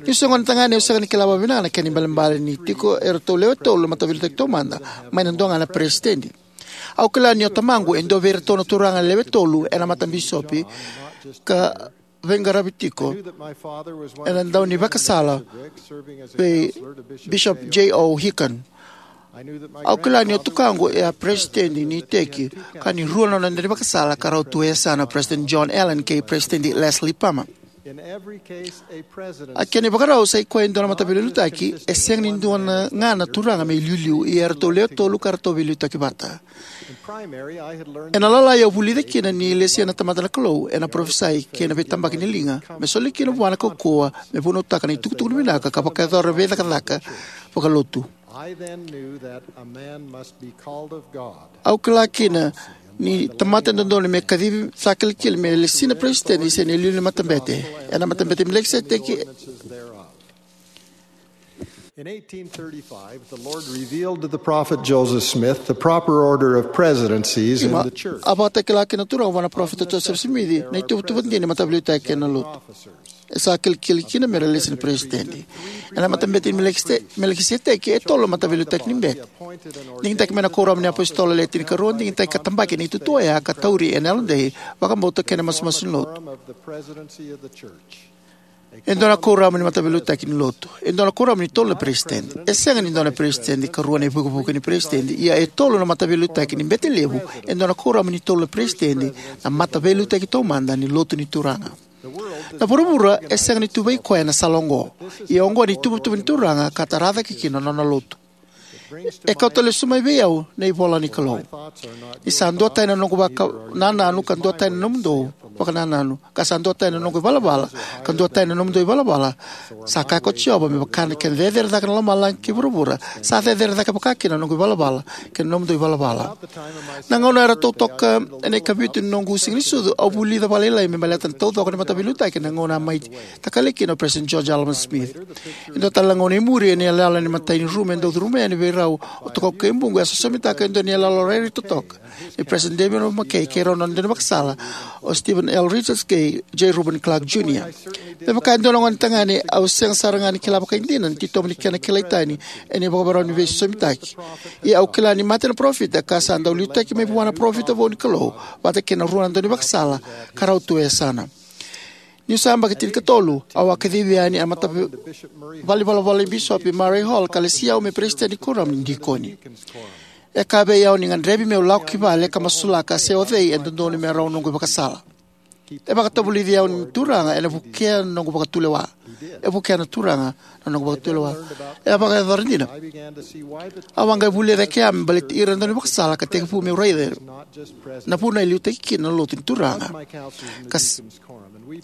Niu se gone tagane, au sega ni kila vakavinaka na kena ibalebale ni tiko eratou lewe tolu na mataveiliutaki taumada, mai na dua ga na peresitedi. Au kila ni o tamaqu e dua vei iratou na turaga lewe tolu ena matabisopi ka veiqaravi tiko ena daunivakasala vei Bishop J O Hicon. Au kila ni o tukaqu e a peresitedi ni iteki ka ni rua na nona daunivakasala ka rau tu e yasana, President John Allen kei President Leslie Palmer. A kena ivakarau, sa i koya e dua na mataveiliutaki, e sega ni dua na ga na turaga me iliuliu, ia eratou lewe tolu ka ratou veiliutaki vata. Ena lalai au vulica kina ni lesia na tamata na Kalou ena parofisai kei na veitabaki ni liga me soli kina vua na kaukauwa me vunautaka na itukutuku ni vinaka ka vakayacora na veicakacaka vakalotu. Au kila kina ni tamata e dodonu me kacivi sa kilikili me lesi na peresitedi se na iliuliu ni matabete. Ena Matabete i Melikiseteki, In eighteen thirty-five, the Lord revealed to the prophet Joseph Smith the proper order of presidencies in Ima, the church. A vakatakila kina na Turaga vua na parofita Joseph Smith na ituvatuva dina ni mataveiliutaki ena lotu. E sa kilikili kina me ra lesi na peresitedi. Ena Matabete i Melekise-, Melikiseteki, e tolu na mataveiliutaki ni bete. Digitaki mai na Kuoramu ni iApositolo Le Tinikarua, digitaki ka tabaki na itutu oya ka tauri ena yalodei, vakabauta kei na masumasu ni lotu. E dua na kuoramu ni mataveiliutaki ni lotu. E dua na kuoramu ni tolu na peresitedi. E sega ni dua na peresitedi ka rua na ivukevuke ni peresitedi, ia e tolu na mataveiliutaki ni bete levu. E dua na kuoramu ni tolu na peresitedi, na mataveiliutaki taumada ni lotu ni Turaga. Na vuravura e sega ni tu vei koya ena sala oqo. Ia oqo na ituvatuva ni Turaga ka tara cake kina na nona lotu. E kauta lesu mai vei au na ivola ni Kalou. Ni sa duatani na noqu vakanananu ka duatani na nomudou vakanananu, ka sa duatani na noqu ivalavala ka duatani na nomudou ivalavala, sa kaya ko Jiova, me vaka na kena cecere cake na lomalagi kei vuravura, sa cecere cake vaka kina na noqu ivalavala kei na nomudou ivalavala. Na gauna eratou toka ena ikavitu ni noqu siga ni sucu, au vulica vakalailai me baleta na taucoko ni mataveiliutaki ena gauna a mai takali kina o President George Alma Smith. E dua tale na gauna e muri, ena iyaloyalo ni imatai ni rumu e dau curuma yani vei rau o Tokau Keibuqu, e a sosomitaka e dua na iyaloyalo rairai totoka ni President David O. McKay kei rau na nona daunivakasala o Stephen L. Richards kei J. Reuben Clark Junior. Me vaka e dua na gone tagane, au sega sara ga ni kila vakaidina na titobu ni kena kilai tani ena ivakavakarau ni veisosomitaki. Ia au kila ni mate na parofita ka sa dau liutaki mai vua na parofita vou ni Kalou, vata kei na rua na daunivakasala ka rau tu e yasana. Niu sa yabaki tinikatolu, au a kacivi yani ena matavalenivolavola i Bisopi Murray Hall ka lesi au me peresitedi ni kuoramu ni dikoni. E kaya vei au ni gadrevi meu lako ki vale ka masulaka se o cei e dodonu me rawa noqu ivakasala. E vakatavulici au na Turaga ena vukea na noqu vakatulewa. E vukea na Turaga na noqu vakatulewa. E a vakayacora dina. Au a qai vulica e kea me baleti ira na daunivakasala ka tekivu meu raica na vuna e liutaki kina na lotu ni Turaga. Ka s-,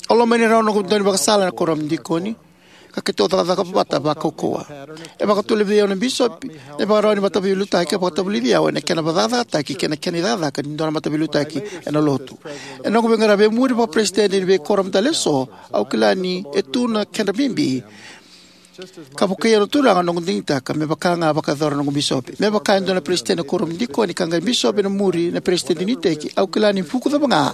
au lomani rau na noqu daunivakasala ena kuoramu ni dikoni, ka keitou cakacaka vata vakaukauwa. E vakatulewai vei au na bisopi na ivakarau ni mataveiliutaki, e vakatavulici au ena kena vakacakacakataki kei na kena icakacaka ni dua na mataveiliutaki ena lotu. Ena noqu veiqaravi e muri vakaperesitedi ni veikuoramu tale eso, au kila ni e tu na kedra bibi ka vukei au na Turaga na noqu digitaka, me vaka ga a vakayacora na noqu bisopi. Me vaka e dua na peresitedi ena kuoramu ni dikoni ka qai bisopi ena muri na peresitedi ni iteki, au kila ni vuku cava ga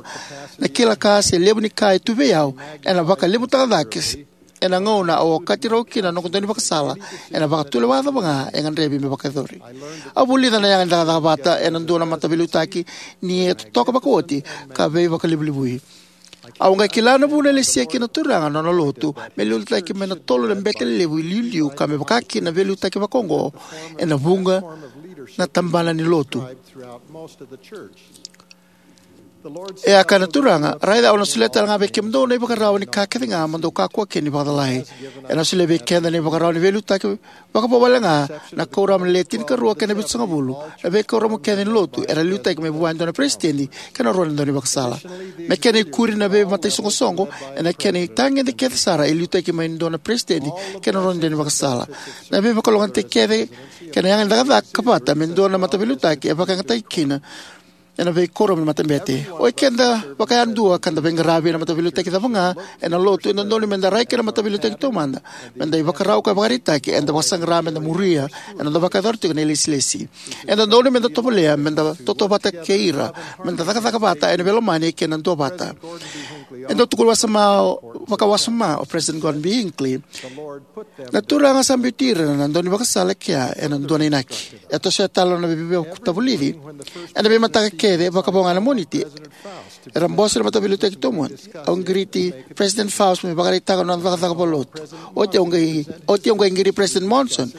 na kila ka se levu ni ka e tu vei au, ena vakalevutaka cake s-, ena gauna au okati rau kina na noqu daunivakasala, ena vakatulewa cava ga e gadrevi me vakayacori. Au vulica na yaga ni cakacaka vata ena dua na mataveiliutaki ni e totoka vakaoti ka veivakalevulevui. Au qai kila na vuna e lesia kina na Turaga na nona lotu me liutaki mai na tolu na bete lelevu iliuliu, ka me vaka kina na veiliutaki vakaoqo ena vuqa na tabana ni lotu. E a kaya na Turaga, raica, au na solia tale ga vei kemudou na ivakarau ni ka kece ga mo dou kakua kina ni vakacalai. Ena solia vei keda na ivakarau ni veiliutaki vakavo wale ga na Kuoramu Le Tinikarua kei na Vitusagavulu. Na veikuoramu kece ni lotu era liutaki mai vua e dua na peresitedi kei na rua na daunivakasala. Me kena ikuri, na veimataisoqosoqo ena kena itagede kece sara e liutaki mai e dua na peresitedi kei na rua na daunivakasala. Na veivakalougatataki kece kei na yaga ni cakacaka vata me dua na mataveiliutaki e vakayagataki kina ena veikuoramu ni matabete. O ikeda vakayadua ka da veiqaravi ena mataveiliutaki cava ga ena Lotu, e dodonu me da rai ki na mataveiliutaki taumada me da ivakarau ka ivakaraitaki. Eda vakasaqara me da muria ena noda vakayacora tiko na ilesilesi. E dodonu me da tovolea, me da tautauvata kei ira, me da cakacaka vata ena veilomani kei na duavata. E dau tukuna wasoma, vakawasoma o President Gordon B. Hinckley: "Na Turaga sa biuti ira na daunivakasala e kea ena dua na inaki." E tosoya tale na nona veivakatavulici: "Ena veimataka kece, vakavo ga na Moniti, era bose na mataveiliutaki taumada. Au qiriti President Faust me vakaraitaka na nona cakacaka vakalotu. Oti au qai, oti au qai qiri President Monson,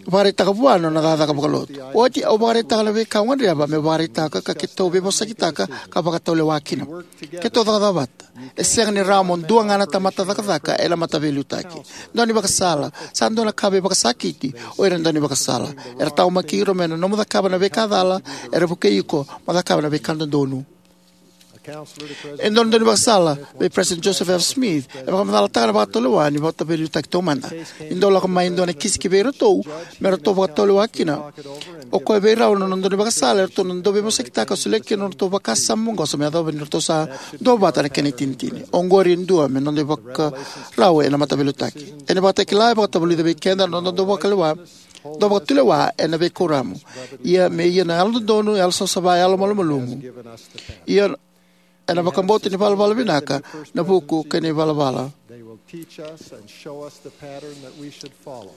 vakaraitaka vua na nona cakacaka vakalotu. Oti au vakaraitaka na veika au gadreva meu vakaraitaka ka keitou veivosakitaka ka vakatulewa kina. Keitou cakacaka vata. E sega ni rawa mo dua ga na tamata cakacaka ena mataveiliutaki." Daunivakasala. Sa dua na ka veivakasakiti o ira na daunivakasala. Era taqomaki iko me na nomu cakava na veika cala, era vukei iko mo cakava na veika dodonu. E dua na daunivakasala vei President Joseph F. Smith e vakamacalataka na vakatulewa ni mataveiliutaki taumada: "Ni dau lako mai e dua na kisi ki vei iratou me ratou vakatulewa kina, o koya vei rau na nona daunivakasala, eratou na dau veivosakitaka ka solia kina na nodratou vakasama maqosa me yacova ni ratou sa duavata ena kena itinitini. Oqori e dua me noda ivakarau ena mataveiliutaki." Ena ivakatakila, e vakatavulica vei keda na noda dau vakalewa, dau vakatulewa ena veikuoramu. Ia me ia na yalododonu, yalosavasava, yalomalumalumu. Ia ena vakabauta ni valavala vinaka na vuku kei na ivalavala. They will teach us and show us the pattern that we should follow.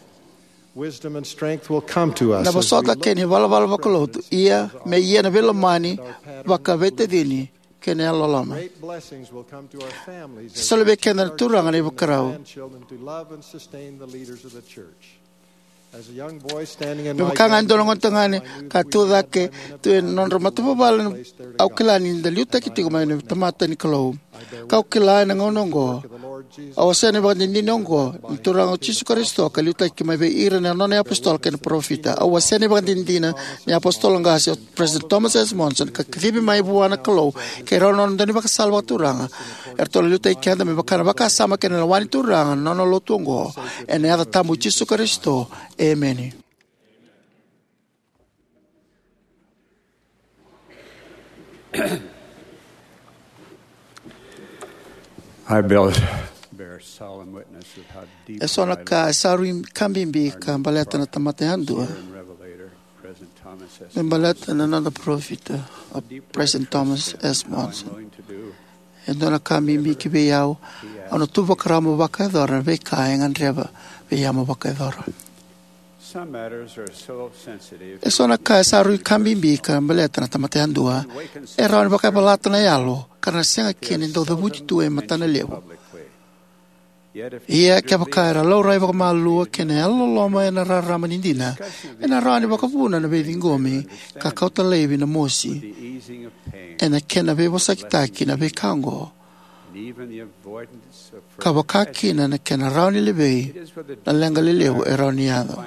Wisdom and strength will come to us Na as we vosota look kei na ivalavala vakalotu, ia me ia na veilomani, vakaveitacini kei na yalololoma. Great blessings will come to our families as Sa soli we vei teach keda na our Turaga na children and ivakarau. Grandchildren to love and sustain the leaders of the church. As a young boy standing in Me my vaka ga e dua na grandparents' gonetagane home, I knew ka we tu had cake time in the tu ena nodra matavuvale, au kila ni da liutaki tiko mai na tamata ni Kalou. Kau kila ena gauna oqo, au wasea na ivakadinadina oqo ni Turaga o Jisu Karisito ka liutaki mai vei ira na nona iapositolo kei na parofita. Au wasea na ivakadinadina ni apositolo qase o President Thomas S. Monson, ka kacivi mai vua na Kalou kei rau na nona daunivakasala vakaturaga, eratou na liutaki keda me vaka na vakasama kei na lewa ni Turaga na nona lotu oqo. Ena yaca tabu i Jisu Karisito, emeni. I bear, bear solemn witness of how deep E so na ka e sa rui ka bibi ka baleta na tamata yadua. Sincere and revelator, President Thomas S. Me baleta na noda parofita, o President Thomas S. Monson. E dua na ka bibi ki vei au, au na tu vakarau mo vakayacora na veika e gadreva vei au mo vakayacora. Some matters are so sensitive. E so na ka e sa rui ka bibi ka baleta na tamata yadua, e rawa ni vakayavalata na yalo ka ra na sega kina ni dau cavuti tu e matana levu. Ia kevaka era laurai vakamalua kei na yalololoma ena rarama ni dina, ena rawa ni vakavuna na veiciqomi ka kauta laivi na mosi ena kena veivosakitaki na veika oqo, ka vaka kina na kena rawa ni levei na leqa lelevu e rawa ni yaco.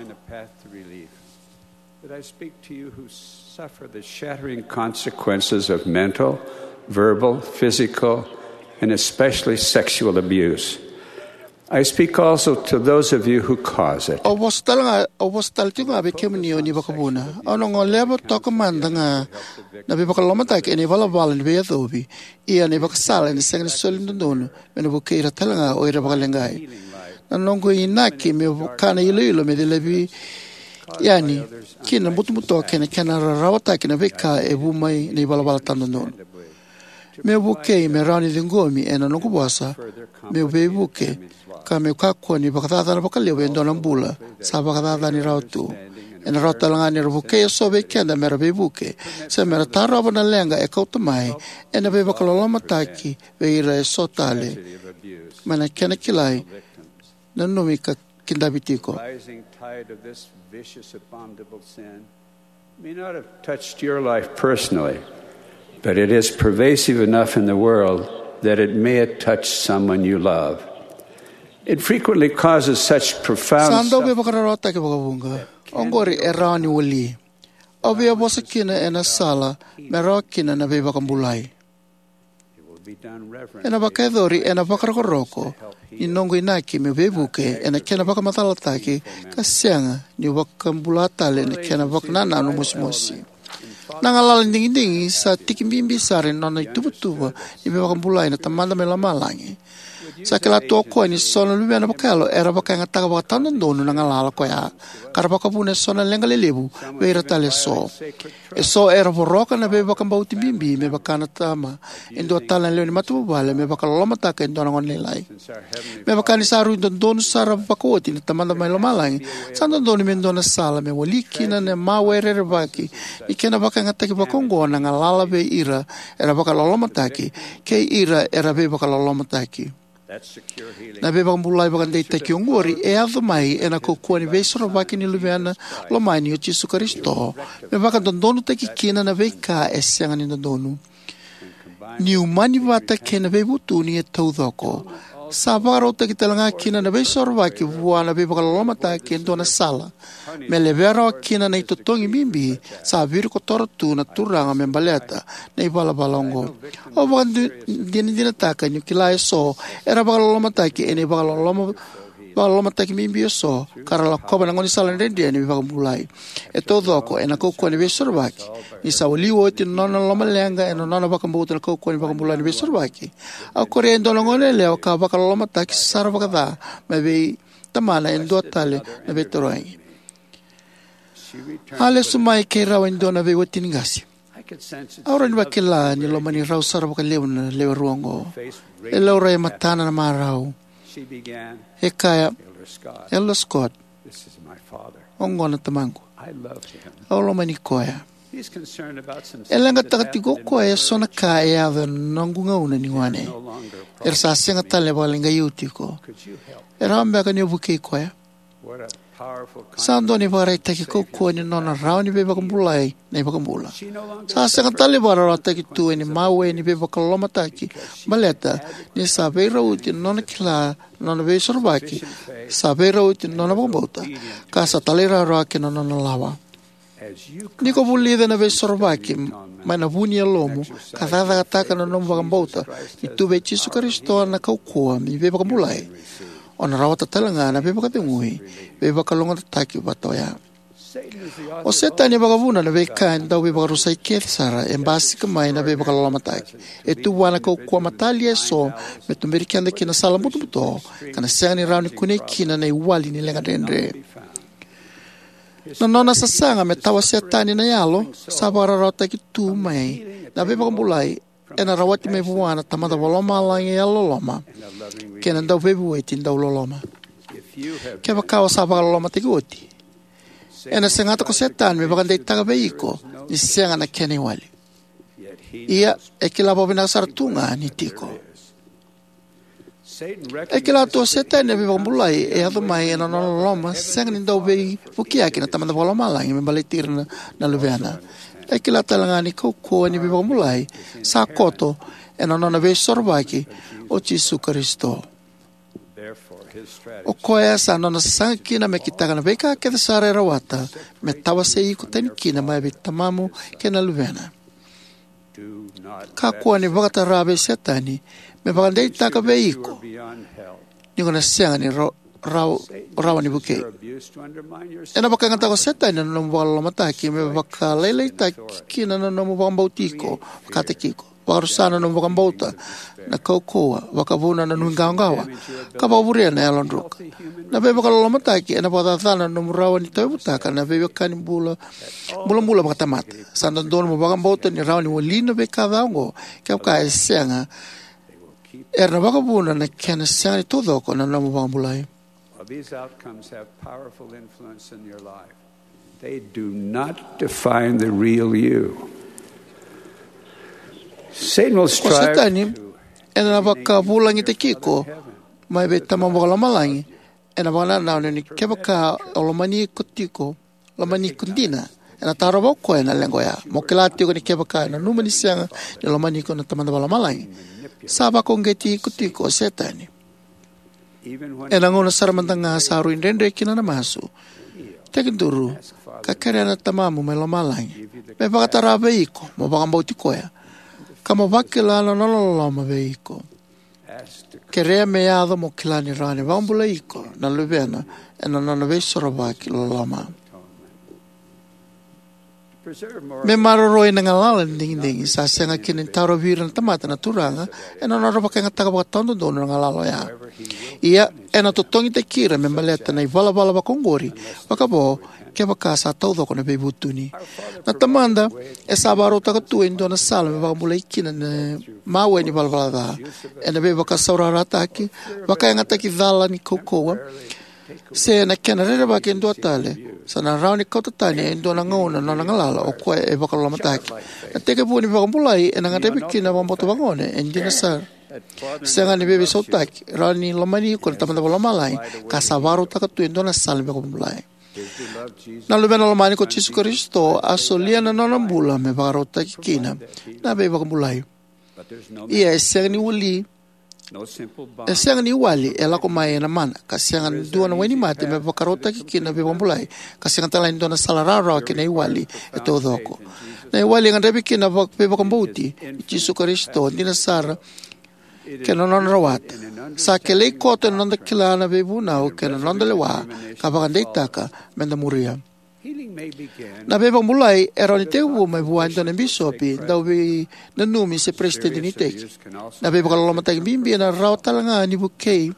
But I speak to you who suffer the shattering consequences of mental, verbal, physical, and especially sexual abuse. I speak also to those of you who cause it. Au vosa tale ga, au vosa tale tiko ga vei kemuni o ni vakavuna. Au na goleva toka mada ga na veivakalolomataki ena ivalavala ni veiyacovi, ia na ivakasala ena sega ni soli dodonu me na vukei ira tale ga o ira vakaleqai. Na noqu inaki meu vaka na iloilo me cilavi yani kina na butobuto kei na kena rarawataki na veika e vu mai na ivalavala tawa dodonu. Meu vukei me rawa ni ciqomi ena noqu vosa meu veivuke, ka meu kakua ni vakacacana vakalevu e dua na bula sa vakacacani rawa tu. Ena rawa tale ga ni ra vukei eso vei keda me ra veivuke se me ra tarova na leqa e kauta mai ena veivakalolomataki vei ira eso tale. Mai na kena kilai, nanumi ka kidavi tiko. Rising tide of this vicious, abominable sin may not have touched your life personally, but it is pervasive enough in the world that it may have touched someone you love. It frequently causes such profound Sa dau suffering. Veivakararawataki vakavuqa. Oqori e rawa ni wali. Au via vosa kina ena sala me rawa kina na veivakabulai. Ena vakayacori ena vakarokoroko ni noqu inaki meu veivuke ena kena vakamacalataki ka sega niu vakabula tale ena kena vakanananu mosimosi. Na galala ni digidigi sa tiki bibi sara ni nona ituvatuva ni veivakabulai na Tamada mai Lomalagi. Sa kila tu o koya ni so na luvena vakayalo era vakayagataka vakatawatawatadodonu na galala ko ya, ka ra vakavuna eso na leqa lelevu vei ira tale eso. Eso era voroka na veivakabauti bibi me vaka na tama, e dua tale na lewe ni matavuvale me vakalolomataka e dua na gone lailai. Me vaka ni sa rui dodonu sara vakaoti na Tamada mai Lomalagi, sa dodonu me dua na sala me wali kina na mawe rerevaki ni kena vakayagataki vakaoqo na galala vei ira era vakalolomataki kei ira era veivakalolomataki. Na veivakabulai vakadeitaki oqori e yaco mai ena kaukauwa ni veisorovaki ni Luvena lomani o Jisu Karisito, me vakadodonutaki kina na veika e sega ni dodonu. Ni umani vata kei na veivutuni e taucoko, sa vakarautaki talega kina na veisorovaki vua na veivakalolomataki e dua na sala me levea rawa kina na itotogi bibi sa virikotora tu na Turaga me baleta na ivalavala oqo. Au vakadinadinataka niu kila eso era vakalolomataki ena ivakaloloma vakalolomataki bibi eso, ka ra lakova na gaunisala dredre ni veivakabulai. E taucoko ena kaukauwa ni veisorovaki, ni sa wali oti na nona lomaleqa ena nona vakabauta na kaukauwa ni vakabulai ni veisorovaki, a korea e dua na goneyalewa ka vakalolomataki sara vakaca mai vei tamana e dua tale na veitarogi. A lesu mai kei rau e dua na veiwatini qase. Au rawa ni vakila ni lomani rau sara vakalevu na lewe rua oqo. E laurai e matana na marau. E kaya, "Elder Scott, oqo na tamaqu. Au lomani koya. E leqataka tiko o koya eso na ka e yaco ena noqu gauna ni gone. Era sa sega tale ni vakaleqai au tiko. E rawa beka ni o vukei koya?" Sa dua na ivakaraitaki kaukauwa ni nona rawa ni veivakabulai na iVakabula. Sa sega tale ni vakararawataki tu ena mawe ni veivakalolomataki, baleta ni sa veirauti na nona kila na nona veisorovaki, sa veirauti na nona vakabauta, ka sa talairawarawa ki na nona lawa. Ni ko vulica na veisorovaki mai na vu ni yalomu ka cakacakataka na nomu vakabauta ni tu vei Jisu Karisito na kaukauwa ni veivakabulai, o na rawata talega na veivakacegui veivakalougatataki vata oya. O Setani e vakavuna na veika e dau veivakarusai kece sara e basika mai na veivakalolomataki. E tu vua na kaukauwa matalia eso me tuberi keda ki na sala butobuto ka na sega ni rawa ni kunei kina na iwali ni leqa dredre. Na nona sasaga me tawa Setani na yalo sa vakararawataki tu mai na veivakabulai ena rawati mai vua na Tamada Vakalomalagi e yalololoma kei na Dauveivueti dauloloma. Kevaka o sa vakalolomataki oti, ena segata ko Setani me vakadeitaka vei iko ni sega na kena iwali. Ia, e kila vakavinaka sara tu ga ni tiko. E kila tu o Setani na veivakabulai e yaco mai ena nona loloma sega ni dau veivukiyaki na Tamada Vakalomalagi me baleti ira na, na luvena. E kila talega ni kaukauwa ni veivakabulai sa koto ena nona veisorovaki o Jisu Karisito. O koya sa nona sasaga kina me kitaka na veika kece sara e rawata me tawasei iko tani kina mai vei tamamu kei na luvena. Kakua ni vakatara vei Setani me vakadeitaka vei iko ni ko na sega ni ra-, ra-, rawa ni vukei. Ena vakayagataka o Setani na nomu vakalolomataki me vakalailaitaki kina na nomu vakabauti iko vakataki iko, vakarusa na nomu vakabauta na kaukauwa, vakavuna na nuiqawaqawa, ka vakavurea na yalodruka. Na veivakalolomataki ena vakacacana na nomu rawa ni tauyavutaka na veiwekani bula, bulabula vakatamata. Sa dodonu mo vakabauta ni rawa ni wali na veika ca oqo kevaka e sega, era na vakavuna na kena sega ni taucoko na nomu vakabulai. While these outcomes have powerful influence in your life, they do not define the real you. Satan will O strive Setani to ena vakavulagitaki iko mai vei Tamamu Vakalomalagi ena vakanananu ni kevaka o lomani iko tiko, lomani iko dina, ena tarova o koya na leqa oya. Mo kila tiko ni kevaka e nanuma ni sega ni lomani iko na Tamada Vakalomalagi, sa vakauqeti iko tiko o Setani. Ena gauna sara mada ga sa rui dredre kina na masu, tekiduru ka kerea na Tamamu mai Lomalagi me vakatara vei iko mo vakabauti koya ka mo vakila na nona loloma vei iko. Kerea me yaco mo kila ni rawa ni vakabulai iko na luvena ena nona veisorovaki loloma. Me maroroi na galala ni digidigi, sa sega kina ni tarovi ira na tamata na Turaga ena nodra vakayagataka vakatawadodonu na galala oya. Ia, ena totogitaki ira me baleta na ivalavala vakaoqori vakavo kevaka sa taucoko na veivutuni. Na Tamada e sa vakarautaka tu e dua na sala me vakabulai kina na mawe ni valavala ca, ena veivakasaurarataki, vakayagataki cala ni kaukauwa, se na kena rerevaki e dua tale, sa na rawa ni kauta tani e dua na gauna na nona galala o koya e vakalolomataki. Na itekivu ni veivakabulai ena gadrevi kina na vakabauta vagone e dina sara. Sega ni veiveisautaki, rawa ni lomani iko na Tamada Vakalomalagi, ka sa vakarautaka tu e dua na sala ni veivakabulai. Na Luvena lomani ko Jisu Karisito a solia na nona bula me vakarautaki kina na veivakabulai. Ia e sega ni wali, e sega ni wali e lako mai ena mana, ka sega ni dua na wainimate me vakarautaki kina na veivakabulai, ka sega tale ni dua na sala rawarawa ki na iwali e taucoko. Na iwali e gadrevi kina na veivakabauti i Jisu Karisito, dina sara, kei na nona rawata. Sa kilai koto ena noda kila na veivunau kei na noda lewa ka vakadeitaka me da muria. Na veivakabulai e rawa ni tekivu mai vua e dua na bisopi, dauveinanumi, se peresitedi ni iteki. Na veivakalolomataki bibi ena rawa tale ga ni vukei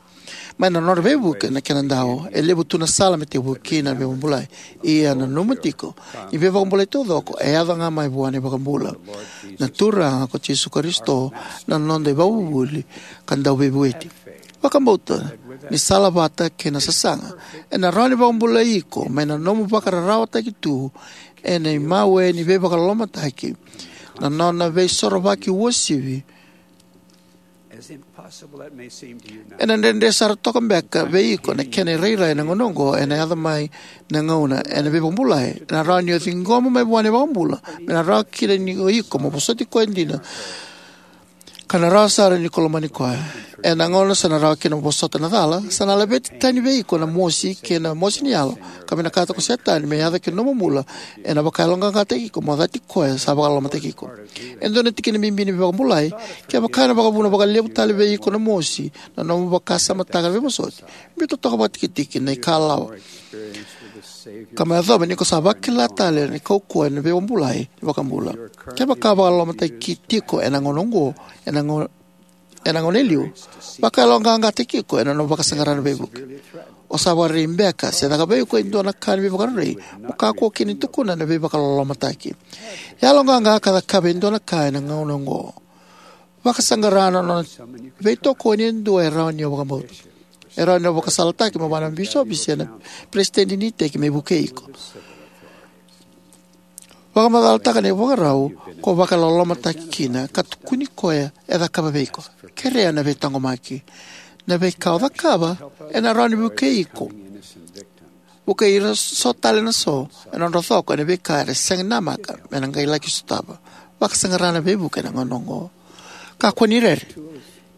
mai na nodra veivuke na kenadau. E levu tu na sala me tekivu kina na veivakabulai. Ia, nanuma tiko ni veivakabulai taucoko e yaco ga mai vua na iVakabula, na Turaga ko Jisu Karisito, na noda iVakavuvuli ka Dauveivueti. Vakabauta ni salavata kei na sasaga ena rawa ni vakabulai iko mai na nomu vakararawataki tu ena imawe ni veivakalolomataki, na nona veisorovaki uasivi. Ena dredre sara toka beka vei iko na kena irairai ena gauna oqo, ena yaco mai na gauna ena veivakabulai ena rawa ni o ciqoma mai vua na iVakabula, me na rawa kina ni o iko mo vosoti koya dina, ka na rawa sara ni ko lomani koya. Ena gauna sa na rawa kina mo vosota na cala, sa na laveti tani vei iko na mosi kei na mosi ni yalo, ka vinakata ko Setani me yaco ki na nomu bula ena vakayaloqaqataki iko mo cati koya sa vakalolomataki iko. E dua na tikina bibi ni veivakabulai, kevaka ena vakavuna vakalevu tale vei iko na mosi na nomu vakasamataka na veivosoti, biuta toka vakatikitiki na ikalawa, ka mo yacova ni ko sa vakila tale na kaukauwa ni veivakabulai ni iVakabula. Kevaka vakalolomataki tiko ena gauna oqo, ena gauna, ena gauna e liu, vakayaloqaqataki iko ena nomu vakasaqara na veivuke. O sa vakarerei beka se caka vei iko e dua na ka ni veivakarerei mo kakua kina ni tukuna na veivakalolomataki? Yaloqaqa ka cakava e dua na ka ena gauna oqo. Vakasaqara na nona veitokoni e dua e rawa ni o vakabauta. E rawa ni o vakasalataki mai vua na bisopi se na peresitedi ni iteki me vukei iko. Vakamacalataka na ivakarau ko vakalolomataki kina ka tukuni koya e cakava vei iko. Kerea na veitaqomaki. Na veika o cakava ena rawa ni vukei iko, vukei ira so tale na so ena nodra coko ena veika era sega ni namaka me na qai laki sotava. Vakasaqara na veivuke ena gauna oqo. Kakua ni rere.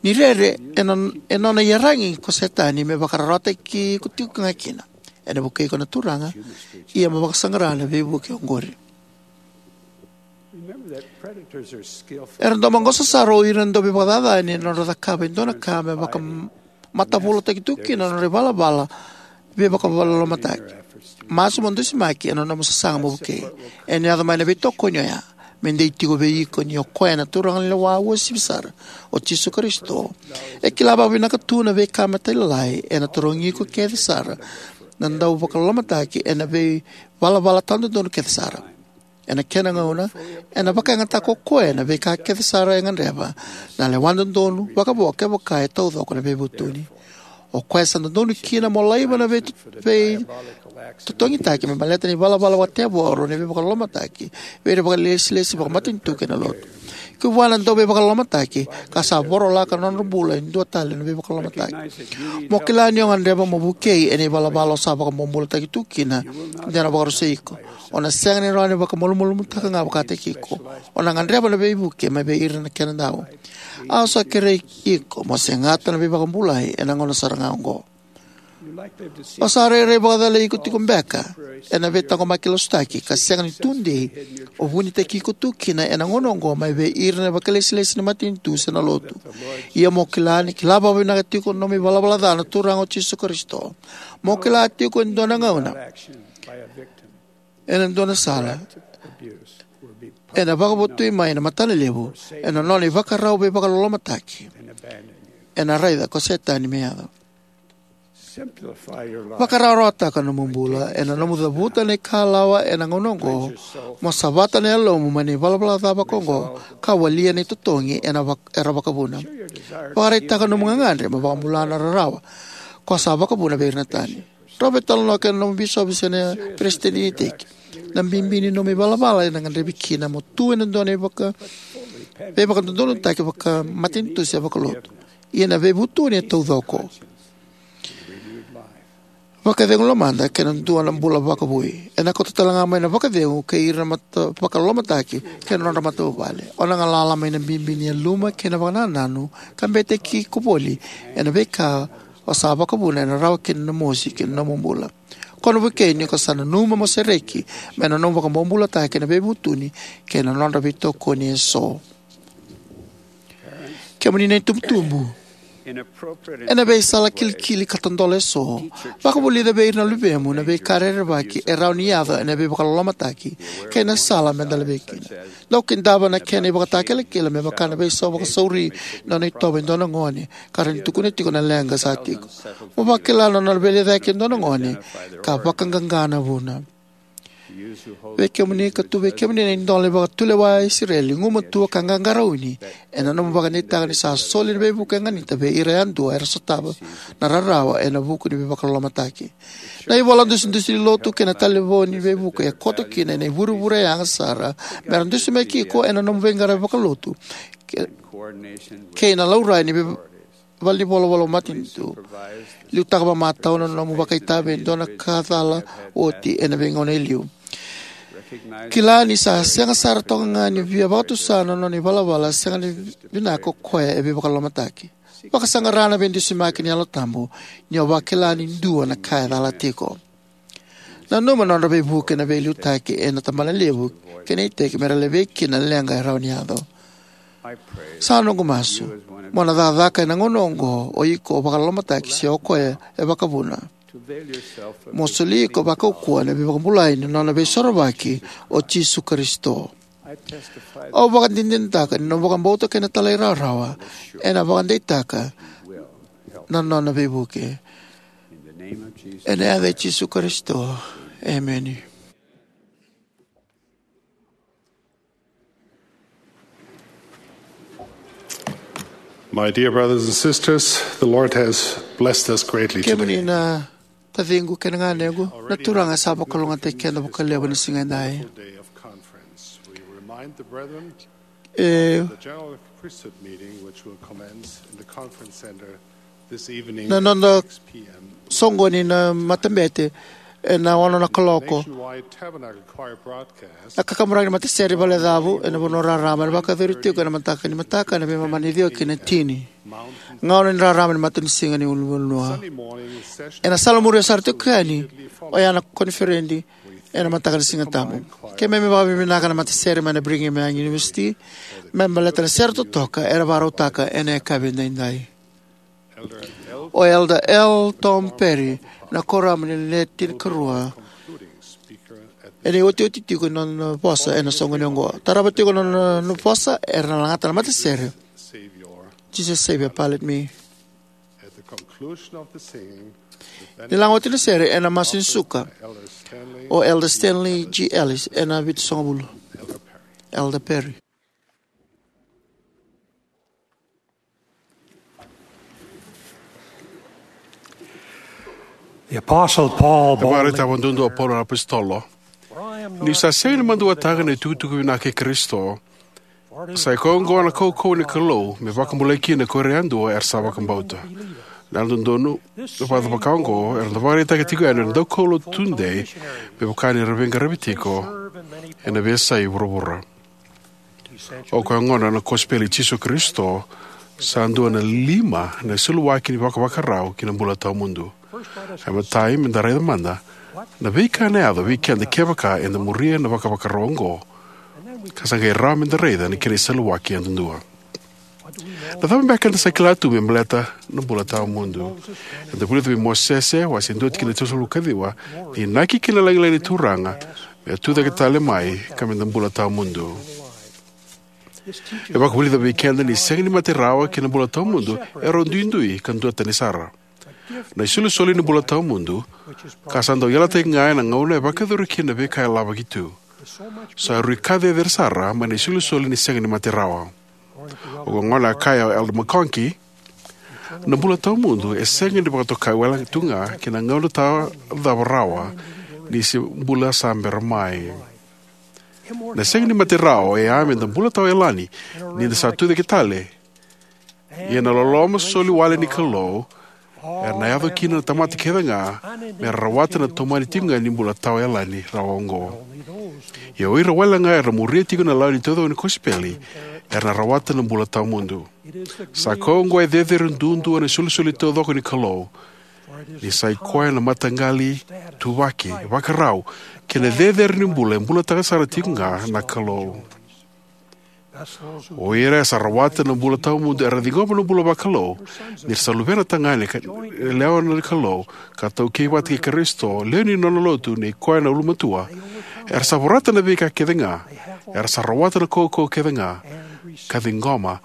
Ni rere e non-, e nona iyaragi ko Setani me vakararawataki iko tiko ga kina. Ena vukei iko na Turaga, ia mo vakasaqara na veivuke oqori. Era dau maqosa sara o ira na dauvakacacani ena nodra cakava e dua na ka me vakamatavulotaki tu kina na nodra ivalavala veivakalougatataki. Masu mo dusimaki ena nomu sasaga mo vukei. Ena yaco mai na veitokoni oya me dei tiko vei iko ni o koya na turaganilewa uasivi sara, o Jisu Karisito. E kila vakavinaka tu na veika matailalai ena tarogi iko kece sara na dauvakalolomataki ena veivalavala tawadodonu kece sara. Ena kena gauna, ena vakayagataka o koya na veika kece sara e gadreva na lewa dodonu vakavo kevaka e taucoko na veivutuni. O koya sa dodonu kina mo laiva na vei-, veitotogitaki me baleta na ivalavala vakatevoro ni veivakalolomataki vei ira vakailesilesi vakamatanitu kei na lotu. Ki vua na dauveivakalolomataki ka sa vorolaka na nodra bula e dua tale na veivakalolomataki, mo kila ni o gadreva mo vukei ena ivalavala o sa vakabobulataki tu kina de na vakarusai iko. O na sega ni rawa ni vakamalumalumutaka ga vakataki iko. O na gadreva na veivuke mai vei ira na kenadau. Au sa kerei iko mo segata na veivakabulai ena gauna sara ga oqo. O sa rairai vakacalai iko tiko beka ena veitaqomaki lasutaki ka sega ni tudei o vunitaki iko tu kina ena gauna oqo mai vei ira na vakailesilesi ni matanitu se na lotu. Ia mo kila ni kila vakavinaka tiko na nomu ivalavala ca na Turaga o Jisu Karisito. Mo kila tiko e dua na gauna, ena dua na sala, Ena vakavotui mai na matana levu ena nona ivakarau veivakalolomataki. Ena raica ko Setani me yaco. Vakarawarawataka nomu bula ena nomu cavuta na ikalawa ena gauna oqo, mo savata na yalomu mai na ivalavala ca vakaoqo, ka walia na itotogi ena vak-, era vakavuna. Vakaraitaka nomu gagadre mo vakabula na rarawa ko sa vakavuna vei ira na tani. Rawa veitalanoa kei na nomu bisopi se na peresitedi ni iteki. Na bibi ni nomu ivalavala ena gadrevi kina mo tu ena dua na ivaka-, veivakadodonutaki vakamatanitu se vakalotu. Ia na veivutuni e taucoko. Vakacegu lomada kei na dua na bula vakavoui. Ena kauta tale ga mai na vakacegu kei ira na mata-, vakalolomataki kei na nodra matavuvale. O na galala mai na bibi ni yaluma kei na vakanananu, ka bete ki ko voli ena veika o sa vakavuna ena rawa kina na mosi ki na nomu bula. Ko na vukei ni ko sa nanuma mo sereki mai na nomu vakabobulataki na veivutuni kei na nodra veitokoni eso. Kemuni na itubutubu, ena veisala kilikili ka tadola eso, vakavulica vei ira na luvemu na veika rerevaki e rawa ni yaco ena veivakalolomataki kei na sala me da levei kina. Dau kidava na kena ivakatakilakila me vaka na veisau vakasauri na nona itovo e dua na gone, ka rawa ni tukuna tiko na leqa sa tiko. Mo vakila na nona veilecayaki e dua na gone ka vakaqaqa na vuna. Vei kemuni ka tu vei kemuni na idola ni vakatulewa e Isireli, gumatua ka qaqarauni ena nomu vakadeitaka ni sa soli na veivuke e ganita vei ira yadua era sotava na rarawa ena vuku ni veivakalolomataki. Na ivola dusidusi ni lotu kei na talevoni veivuke e koto kina ena ivurevure yaga sara mera dusimaki iko ena nomu veiqaravi vakalotu ke-, kei na laurai ni vei-, valenivolavola matanitu. Liutaka vakamatau na nomu vakaitavi e dua na ka cala oti ena veigauna e liu. Kila ni sa sega sara toka ga ni via vakatusa na nona ivalavala sega ni vinaka o koya e veivakalolomataki. Vakasaqara na veidusimaki ni Yalo Tabu ni o vakila ni dua na ka e cala tiko. Nanuma na nodra veivuke na veiliutaki ena tabanalevu kei na iteki mera levei kina na leqa e rawa ni yaco. Sa noqu masu, mo na cakacaka ena gauna oqo o iko o vakalolomataki se o koya e vakavuna. Mo soli iko vakaukauwa ena veivakabulai ni nona veisorovaki o Jisu Karisito. Au vakadinadinataka ni nomu vakabauta kei na talairawarawa ena vakadeitaka na nona veivuke. Ena yaca i Jisu Karisito. Emeni. My dear brothers and sisters, the Lord has blessed us greatly today. Kemuni na taciqu kei na ganequ, na Turaga sa vakalougatataki keda vakalevu ena siga edai. Day of conference. We remind the brethren E, the general priesthood meeting, which will commence in the conference center this evening na at noda six p m. Soqoni na matabete ena ono na kaloko. Nationwide Tabernacle Choir broadcast. Na kakaburaki ni matasere valecavu ena vanua raraba ena vakayacori tiko ena mataka ni mataka ena veimama ni ciwa kei na tini. Gauna ni raraba ni matanisiga ni ulunivanua. Ena sala muria sara tiko yani, oya na koniferedi ena mataka ni Siga Tabu. Keimami vakavinavinaka na matasere mai na Brigham Young University me baleta na sere totoka era vakarautaka ena yakavi edaidai. O Elder L. Tom Perry, na kuoramu ni Le Tinikarua, ena iotioti tiko ni nona vosa ena soqoni oqo. Tarava tiko na nona vosa, era na lagata na matasere. Jesus Savior, Pilot Me. Ni laga oti na sere ena masu ni suka, o Elder Stanley G. Ellis ena vitusagavulu. Elder Perry. The Apostle Paul boldly declared, "Vakaraitaka vakadodonu o Paula na apositolo, niu sa sega ni maduataka na itukutuku vinaka i Karisito, sa i koya oqo na kaukauwa ni Kalou me vakabulai kina ko ira yadua era sa vakabauta." Na yalododonu, na vakavakavaka oqo era dau vakaraitaka tiko yani na daukaulotu tudei me vaka ni ra veiqaravi tiko ena veiyasai vuravura. O koya gona na kosipeli i Jisu Karisito sa dua na lima na iseluwaki ni vakavakarau ki na bula tawamudu. E matai, meda raica mada na veika ena yaco vei keda kevaka eda muria na vakavakarau oqo, ka sa qai rawa meda raica na kena iseluwaki yadudua. Na cava beka eda sa kila tu me baleta na bula tawamudu? Eda vulica vei Mosese, wase dua tikina tolusagavulu ka ciwa, na inaki kei na lagilagi ni Turaga me tucake tale mai ka me da bula tawamudu. E vakavulica vei keda ni sega ni mate rawa kei na bula tawamudu e rau duidui ka duatani sara. Na isolisoli ni bula tawamudu, ka sa dau yalataki ga ena gauna e vakayacori kina na veika e lavaki tu, sa rui ka cecere sara mai na isolisoli ni sega ni mate rawa. O koya gona a kaya o Elder McConkie, na bula tawamudu e sega ni vakatokai wale tu ga ki na gauna tawa cava rawa ni se bula sa bera mai. Na sega ni mate rawa e a me da bula tawa yalani ni da sa tucake tale. Ia na loloma soli wale ni Kalou era na yaco kina na tamata kece ga me ra rawata na tomani tiko ga ni bula tawa yalani rawa oqo. Ia o ira wale ga era muria tiko na lawa ni taucoko ni kosipeli era na rawata na bula tawamudu. Sa koya oqo e cecere duadua na isolisoli taucoko ni Kalou, ni sa i koya na mataqali, tuvaki, vakarau kei na cecere ni bula e bulataka sara tiko ga na Kalou. O ira era sa rawata na bula tawamudu era ciqoma na bula vakalou ni ra sa luvena tagane ka yalewa na Kalou ka taukei vata kei Karisito, lewe ni nona lotu nei koya na ulumatua. Era sa vorata na veika kece ga, era sa rawata na kaukauwa kece ga, ka ciqoma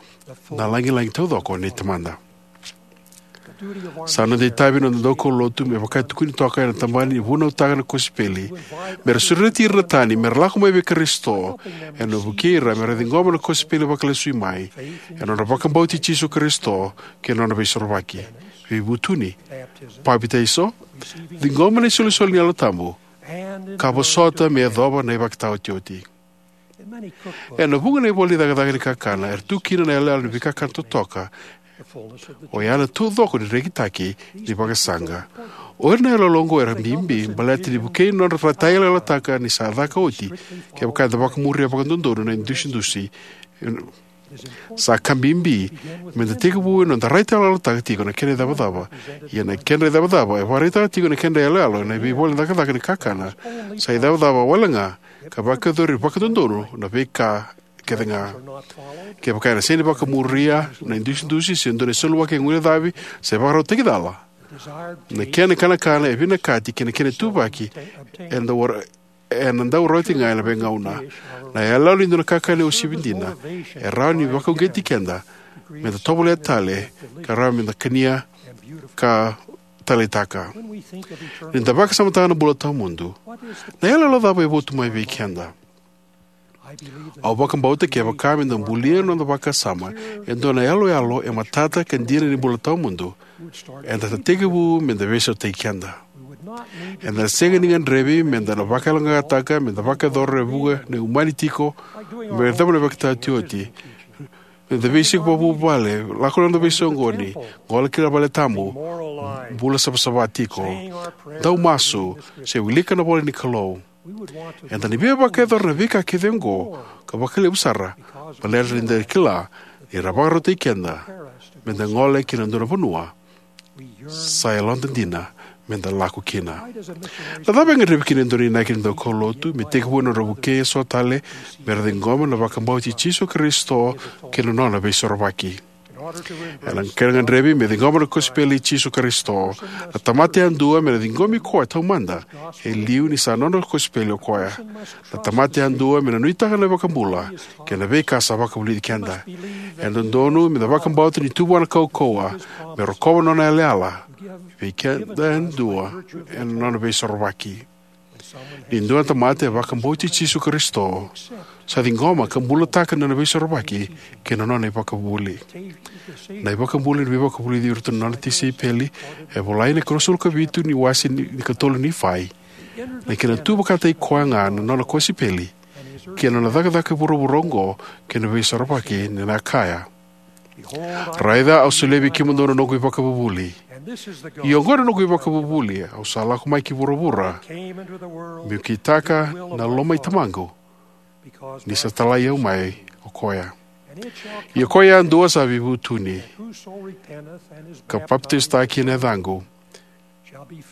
na lagilagi taucoko nei Tamada. Sa noda itavi na noda daukaulotu, me vaka e tukuni toka ena tabana ni vunautaka na kosipeli, me ra sureti ira na tani me ra lako mai vei Karisito, ena vukei ira me ra ciqoma na kosipeli vakalesui mai, ena nodra vakabauti Jisu Karisito kei na nona veisorovaki, veivutuni, papitaiso, ciqoma na isolisoli ni Yalo Tabu, ka vosota me yacova na ivakataotioti. Ena vuqa na ivola ni cakacaka ni kakana era tu kina na iyaloyalo ni veikakana totoka, oya na taucoko ni rekitaki ni vakasaqa. O ira na iyaloyalo oqo era bibi baleta ni vukei nodra vataiyalayalotaka ni sa caka oti, kevaka eda vakamuria vakadodonu na idusidusi. Sa ka bibi me da tekivu ena noda raitayaloyalotaka tiko na kena icavacava. Ia na kedra icavacava e vakaraitaka tiko na kedra iyaloyalo ena veivola ni cakacaka ni kakana sa icavacava wale ga ka vakayacori vakadodonu na veika kece ga. Kevaka ena sega ni vakamuria na idusidusi se dua na iseluwaki e guilecavi se vakarautaki cala, na kena ikanakana e vinakati kei na kena ituvaki eda wara ena dau rawati ga ena veigauna. Na iyaloyalo ni dua na kakana e uasivi dina e rawa ni vakauqeti keda me da tovolea tale, ka rawa me da kania ka taleitaka. Ni da vakasamataka na bula tawamudu, na iyaloyalo cava e votu mai vei keda? Au vakabauta kevaka me da bulia na noda vakasama e dua na iyaloyalo e matata ka dina ni bula tawamudu, eda na tekivu me da veisautaki keda. Eda na sega ni gadrevi me da na vakayaloqaqataka me da vakayacora e vuqa na umani tiko, me yacova na ivakataotioti, me da veisiko vakavuvale, lako ena noda veisoqoni, gole ki na vale tabu, bula savasava tiko, dau masu, se wilika na ivola ni Kalou. Eda na via vakayacora na veika kece oqo, ka vakalevu sara baleta ni da kila ni ra vakarautaki keda me da gole ki na dua na vanua sa yaloda dina me da lako kina. Na cava e gadrevi kina e dua na inaki ni daukaulotu me tekivu ena nodra vukei eso tale me ra ciqoma na vakabauti Jisu Karisito kei na nona veisorovaki? Ena kena gadrevi me ciqoma na kosipeli i Jisu Karisito, na tamata yadua me na ciqomi koya taumada e liu ni sa nona kosipeli o koya. Na tamata yadua me na nuitaka na iVakabula kei na veika sa vakavulici keda. E dodonu me da vakabauta ni tu vua na kaukauwa me rokova na nona yalayala vei keda yadua ena nona veisorovaki. Ni dua na tamata e vakabauti Jisu Karisito sa ciqoma ka bulataka na nona veisorovaki kei na nona ivakavuvuli. Na iVakabula ni veivakavulici iratou na nona tisaipeli e volai ena ikonosagavulu ka vitu ni wase ni, ni katolu ni Nifai. Na kena tu vakataki koya ga na nona kosipeli kei na nona cakacaka e vuravura oqo kei na veisorovaki, ni na kaya: Raica, au solia vei kemudou na noqu ivakavuvuli. Ia oqo na noqu ivakavuvuli, au sa lako mai ki vuravura, meu kitaka na loma i Tamaqu, ni sa talai au mai o koya. Ia ko koya yadua sa veivutuni ka papitaisotaki ena yacaqu,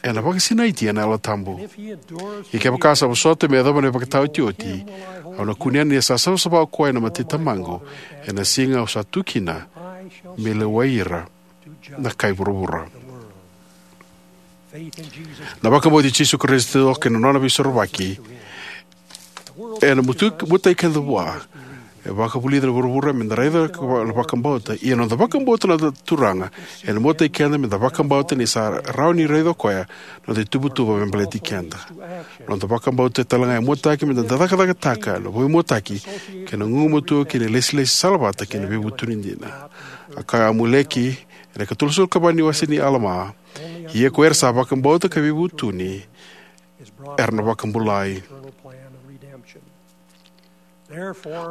ena vakasinaiti ena Yalo Tabu. Ia kevaka sa vosota me yacova na ivakataotioti, au na kunea ni sa savasava o koya ena mata i Tamaqu ena siga au sa tu kina me lewai ira na kai vuravura. Na vakabauti Jisu Karisito kei na nona veisorovaki Ena mutu-, muatai keda vua. E vakavulica na vuravura me da raica na vakabauta. Ia na noda vakabauta na Turaga, ena muatai keda me da vakabauta ni sa rawa ni raica o koya na noda ituvatuva me baleti keda. Na noda vakabauta tale ga e muataki me da cakacakataka na veimuataki kei na gugumatua kei na lesilesi salavata kei na veivutuni dina. A kaya o Amuleki ena ikatolusagavulu ka va ni wase ni Alama, ia ko ira sa vakabauta ka veivutuni era na vakabulai.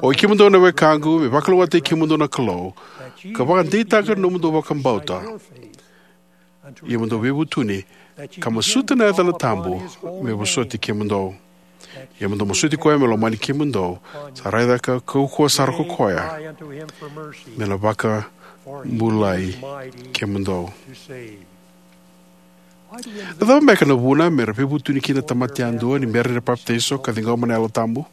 O i kemudou na wekaqu, me vakalougatataki kemudou na Kalou, ka vakadeitaka na nomudou vakabauta. Ia mo dou veivutuni, ka masuta na yacana tabu me vosoti kemudou. Ia mo dou masuti koya me lomani kemudou, sa raica ka kaukauwa sara ko koya me na vakabulai kemudou. Na cava beka na vuna me ra veivutuni kina na tamata yadua ni bera ni ra papitaiso ka ciqoma na Yalo Tabu?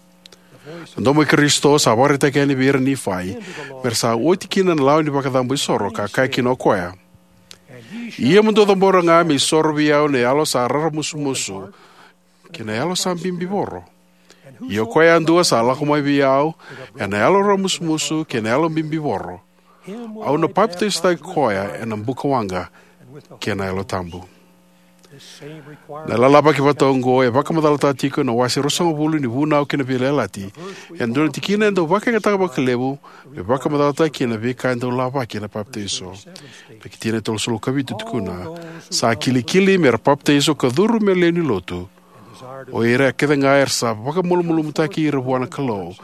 Na domo i Karisito sa vakaraitaka yani vei ira na Nifai me ra sa oti kina na lawa ni vakacabo isoro, ka kaya kina o koya: Ia mo dou cabora ga me isoro vei au na yalo sa raramusumusu kei na yalo sa bibivoro. Ia o koya yadua sa lako mai vei au ena yalo raramusumusu kei na yalo bibivoro, au na papitaisotaki koya ena bukawaqa kei na Yalo Tabu. Na lalavaki vata oqo e vakamacalataka tiko na wase ruasagavulu ni Vunau kei na Veiyalayalati. E dua na tikina e dau vakayagataka vakalevu me vakamacalataka kina na veika e dau lavaki ena papitaiso. Na tikina e tolusagavulu ka vitu e tukuna: Sa kilikili me ra papitaiso ka curu me lewe ni lotu o ira kece ga era sa vakamalumalumutaki ira vua na Kalou.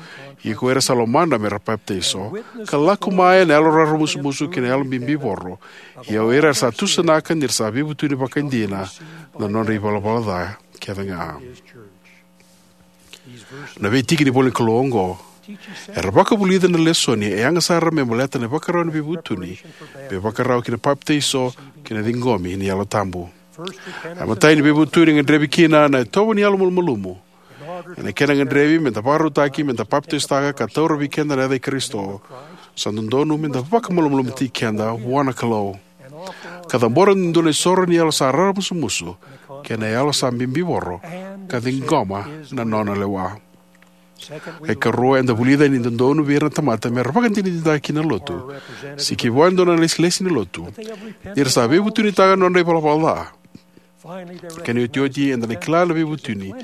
Ia ko ira sa lomana me ra papitaiso ka lako mai ena yalo raramusumusu kei na yalo bibivoro, ia o ira era sa tusanaka ni ra sa veivutuni vakaidina na nodra ivalavala ca kece ga. Na veitiki ni ivolanikalou oqo era vakavulica na lesoni e yaga sara me baleta na ivakarau ni veivutuni, me vakarau ki na papitaiso kei na ciqomi ni Yalo Tabu. A imatai ni veivutuni e gadrevi kina na itovo ni yalo malumalumu. Ena kena gadrevi me da vakarautaki me da papitaisotaka ka taura vei keda na yaca i Karisito, sa dodonu me da vakamalumalumutaki keda vua na Kalou, ka cabora e dua na isoro ni yalo sa raramusumusu kei na yalo sa bibivoro, ka ciqoma na nona lewa. Ka ikarua, eda vulica ni dodonu vei ira na tamata me ra vakadinadinataka kina na lotu, se kivua e dua na ilesilesi ni lotu, ni ra sa veivutunitaka na nodra ivalavala ca. Kena iotioti, eda na kila na veivutuni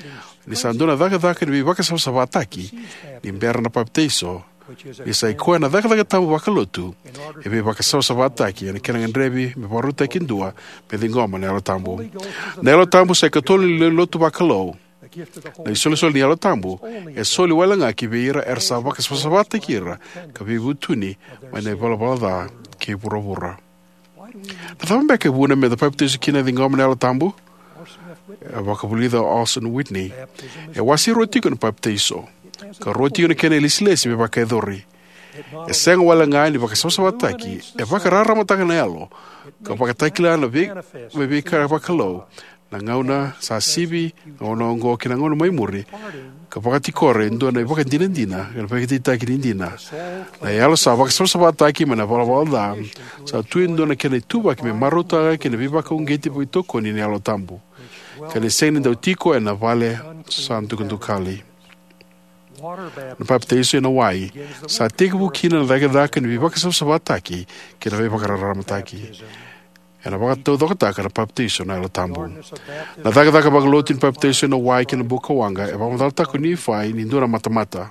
ni sa dua na cakacaka ni veivakasavasavataki ni bera na papitaiso, ni sa i koya na cakacaka tabu vakalotu e veivakasavasavataki ena kena gadrevi me vakarautaki e dua me ciqoma na Yalo Tabu. Na Yalo Tabu sa ikatolu ni lewenilotu vakalou. Na isolisoli ni Yalo Tabu e soli wale ga ki vei ira era sa vakasavasavataki ira ka veivutuni mai na ivalavala ca kei vuravura. Na cava beka e vuna me da papitaiso kina, ciqoma na Yalo Tabu? E vakavulica o Orson Whitney: E wase rua tiko na papitaiso, ka rua tiko na kena ilesilesi me vakayacori. E sega wale ga ni vakasavasavataki, e vakararamataka na yalo, ka vakatakila na vei-, me veika vakalou, na gauna sa sivi, na gauna oqo kei na gauna mai muri, ka vakatikora e dua na ivakadinadina, ka na vakadeitaki ni dina. Na yalo sa vakasavasavataki mai na valavala ca sa tu e dua na kena ituvaki me marautaka kei na veivakauqeti veitokoni ni Yalo Tabu, ka ni sega ni dau tiko ena vale sa dukadukali. Na papitaiso ena wai sa tekivu kina na cakacaka ni veivakasavasavataki kei na veivakararamataki. Ena vakataucokotaka na papitaiso na Yalo Tabu. Na cakacaka vakalotu ni papitaiso ena wai kei na bukawaqa e vakamacalataka o Nifai ni dua na matamata.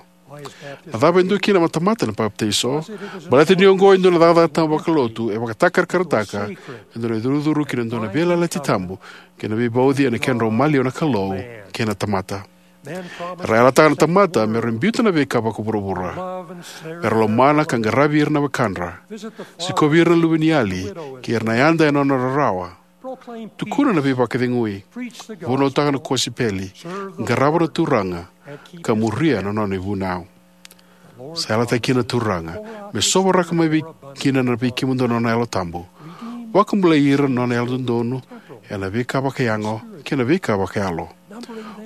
Na cava e dua kina na matamata na papitaiso? Baleta ni oqo e dua na cakacaka tabu vakalotu, e vakatakarakarataka e dua na icurucuru ki na dua na veiyalayalati tabu kei na veivauci ena kedrau maliwa na Kalou kei na tamata. Era yalataka na tamata me ra biuta na veika vakavuravura, me ra lomana ka qaravi ira na wekadra, sikovi ira na luveniyali kei ira na yada ena nona rarawa, tukuna na veivakacegui, vunautaka na kosipeli, qarava na Turaga, ka muria na nona ivunau. Sa yalataki kina na Turaga me sovaraka mai vei kina na vei kemudou na nona Yalo Tabu, vakabulai ira na nona yalododonu ena veika vakayago kei na veika vakayalo,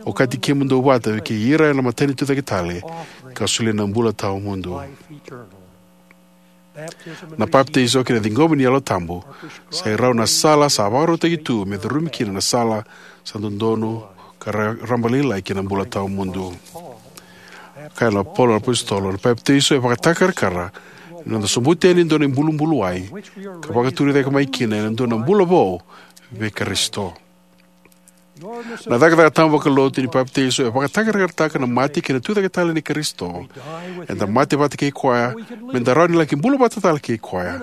okati kemudou vata kei ira ena matanitu cake tale, ka solia na bula tawamudu. Na papitaiso kei na ciqomi ni Yalo Tabu sa i rau na sala sa vakarautaki tu me curumi kina na sala sa dodonu ka ra-, rabalailai ki na bula tawamudu. Kaya na Paula na apositolo, na papitaiso e vakatakarakara ni noda sobuti yani e dua na ibulubulu wai ka vakaturi cake mai kina ena dua na bula vou vei Karisito. Na cakacaka tabu vakalotu ni papitaiso e vakatakarakarataka na mate kei na tucake tale nei Karisito. Eda mate vata kei koya meda rawa ni laki bula vata tale kei koya.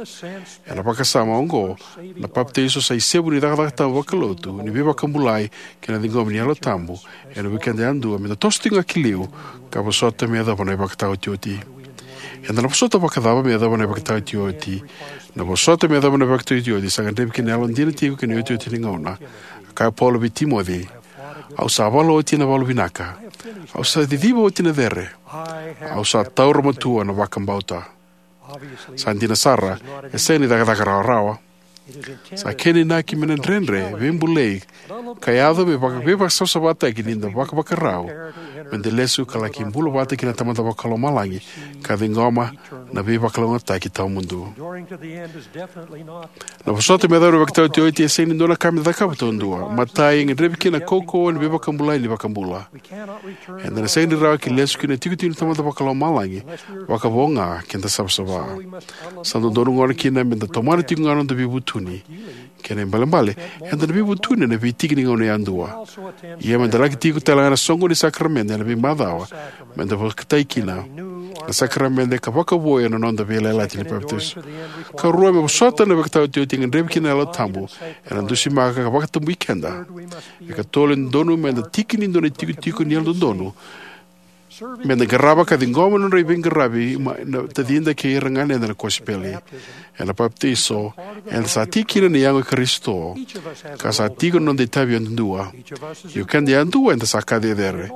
Ena vakasama oqo, na papitaiso sa isevu ni cakacaka tabu vakalotu ni veivakabulai kei na ciqomi ni Yalo Tabu ena vukeda yadua meda toso tiko ga ki liu ka vosota me yacova na ivakataotioti. Eda na vosota vakacava me yacova na ivakataotioti? Na vosota me yacova na ivakataotioti sa gadrevi kina na yalodina tiko kei na iotioti ni gauna. A kaya o Paula vei Timoci, au sa vala oti na valu vinaka, au sa ciciva oti na cere, au sa taura matua na vakabauta. Sa dina sara, e sega ni cakacaka rawarawa. Sa kena inaki me na dredre, veibulai, ka yaco me vaka veivakasavasavataki ni da vakavakarau meda lesu ka laki bula vata kei na Tamada Vakalomalagi ka ciqoma na veivakalougatataki tawamudu. Na vosota me yacova na ivakataotioti e sega ni dua na ka me cakava taudua. Matai, e gadrevi kina na kaukauwa ni veivakabulai ni iVakabula. Eda na sega ni rawa ki lesu ki na itikotiko ni Tamada Vakalomalagi vakavo ga keda savasava. Sa dodonu gona kina meda tomana tiko ga na noda veivutuni. Kena ibalebale, eda na veivutuni ena veitiki ni gauna yadua. Ia meda laki tiko talega ena soqo ni sakaramede ena veimacawa meda vakatai kina na sakaramede ka vakavoui ena noda veiyalayalati ni papitaiso. Karua, me vosota na ivakataotioti e gadrevi kina na Yalo Tabu ena dusimaka ka vakatabui keda. Ikatolu, e dodonu meda tiki ni dua na itikotiko ni yalododonu meda qarava ka ciqoma na nodra veiqaravi mai na tacida kei ira na ganeda na kosipeli. Ena papitaiso, eda sa tiki kina na yago i Karisito ka sa tiko na noda itavi yadudua. Ia o keda yadua eda sa ka cecere.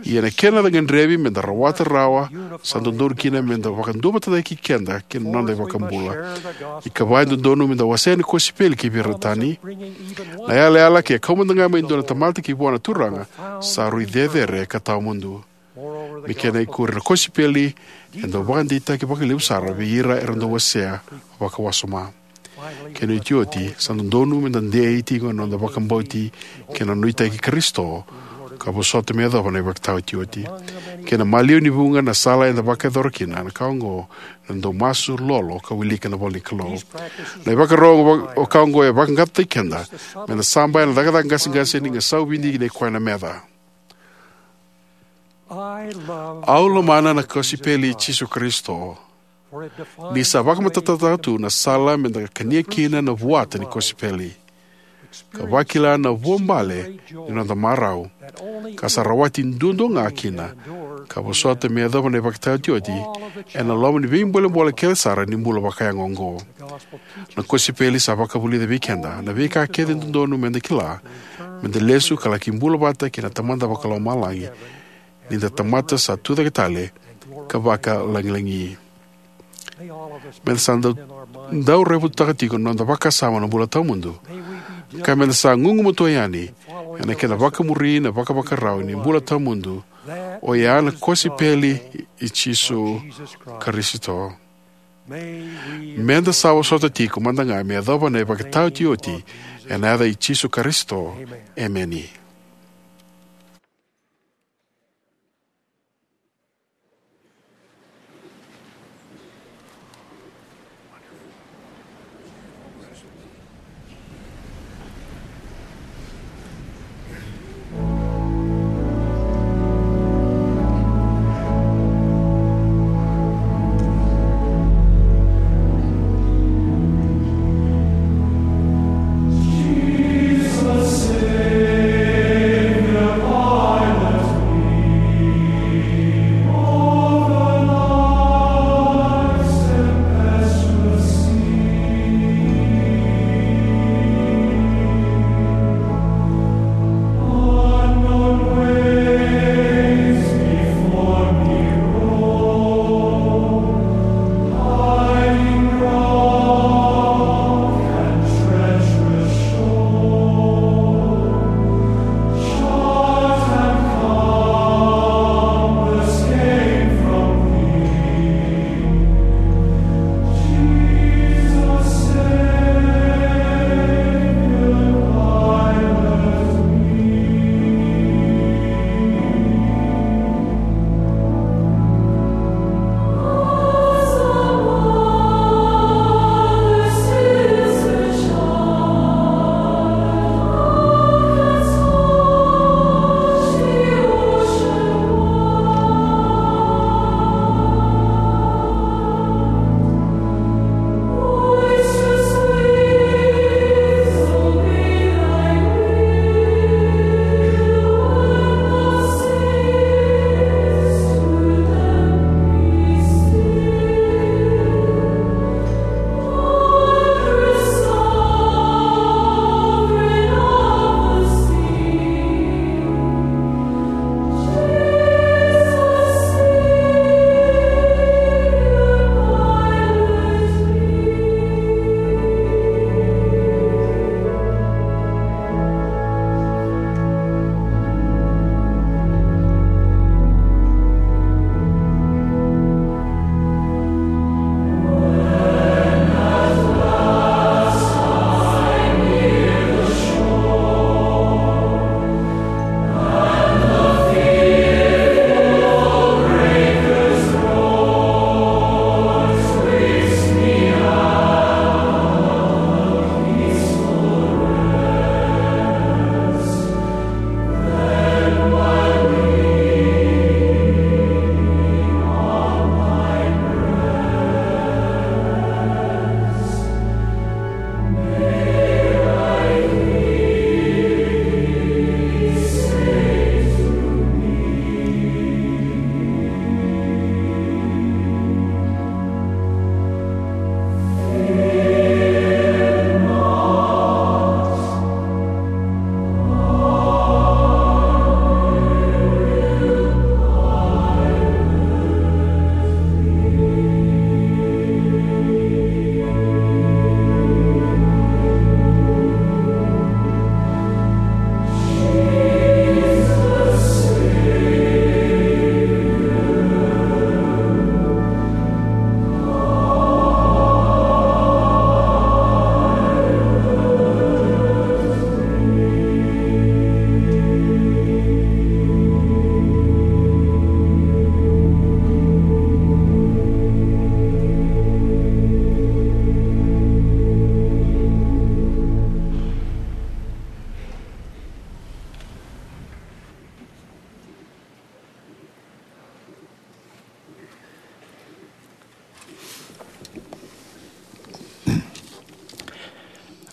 Ia na kena gadrevi meda rawata rawa, sa dodonu kina meda vakaduavatataki keda kei na noda iVakabula. Ikava, e dodonu meda wasea na kosipeli ki vei ira tani. Na yalayala ke kau mada ga mai e dua na tamata ki vua na Turaga sa rui cecere ka tawamudu. Me kena ikuri, na kosipeli e dau vakadeitaki vakalevu sara vei ira era dau wasea vakawasoma. Kena iotioti, sa dodonu meda dei tiko ena noda vakabauti kei na nuitaki Karisito ka vosota me yacova na ivakataotioti. Kei na maliwa ni vuqa na sala eda vakayacora kina na ka oqo, na dau masu, lolo, ka wilika na ivolanikalou. Na ivakarau vaka oqo e vaqaqacotaki keda meda saba ena cakacaka qaseqase ni gasau vidi nei koya na meca. Au lomana na kosipeli i Jisu Karisito, ni sa vakamatatataka tu na sala meda kania kina na vuata ni kosipeli, ka vakila na vuabale ni noda marau, ka sa rawati duadua ga kina, ka vosota me yacova na ivakataotioti ena loma ni veibolebole kece sara ni bula vakayago oqo. Na kosipeli sa vakavulica vei keda na veika kece e dodonu meda kila meda lesu ka laki bula vata kei na Tamada Vakalomalagi ni da tamata sa tucake tale ka vakalagilagi. Meda sa dau, dau raivotutaka tiko na noda vakasama na bula tawamudu, ka meda sa gugumatua yani ena kena vakamuri na vakavakarau ni bula tawamudu, oya na kosipeli i Jisu Karisito. Meda sa vosota tiko mada ga me yacova na ivakataotioti, ena yaca i Jisu Karisito. Emeni.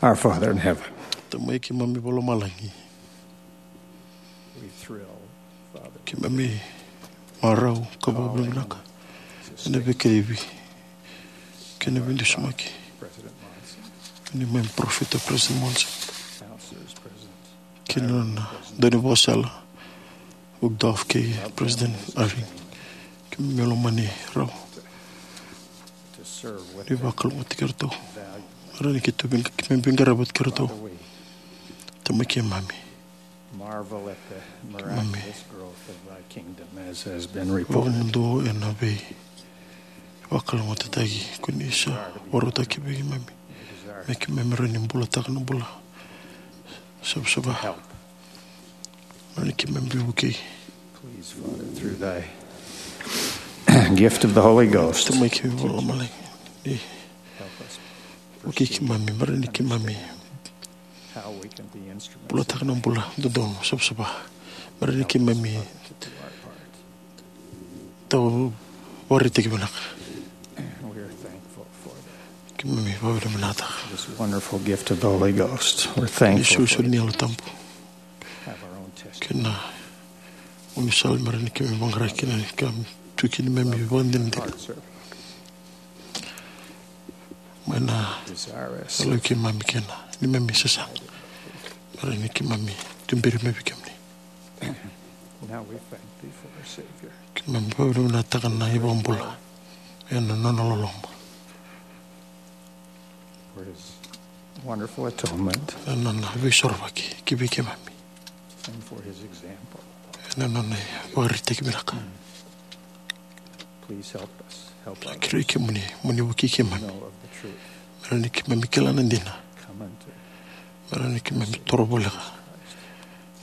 Our Father in heaven. Tamai keimami vakalomalagi. We thrill, Father. Keimami marau ka vakavinavinaka ena veikaivi kei na veidusimaki. President Monson. Neimami parofita President Monson. Counselors, President. Kei na nona daunivakasala, Uchtdorf kei President Eyring. Keimami lomani rau. Ni vakalougatataki iratou. Mera ni keitou vei, keimami veiqaravi vata kei iratou. Tamai keimami. Marvel at the miraculous growth of thy kingdom, as has been reported. Vakamuduo ena veivakalougatataki ko ni sa vakarautaki vei keimami. Me keimami rawa ni bulataka na bula savasava. Help. Mera ni keimami vukei. Please, Father, through thy gift of the Holy Ghost. Tamai keimami vakalomalagi. Ni vukei keimami, mera ni keimami bulataka na bula dodonu savasava. Mera ni keimami tau vakaraitaki vinaka. Keimami vakavinavinakataka. This wonderful gift of the Holy Ghost. We're thankful for it. Ni solisoli ni Yalo Tabu. Have our own testimony. Kei na gaunisala mera ni keimami vaqara kina, ka tu kina neimami vakadinadina. Hearts are Mai na desirous. Yalo keimami kei na neimami sasaga. Mera ni keimami tuberi mai vei kemuni. Now we thank thee for our Savior. Keimami vakavinavinakataka na iVakabula ena nona loloma. For his wonderful atonement. Ena nona veisorovaki ki vei keimami. And for his example. Ena nona ivakaraitaki vinaka. Please help us. Help others. Kerei kemuni mo ni vukei keimami. Know of the truth. Mera ni keimami kila na dina. Come unto. Mera ni keimami toro voleka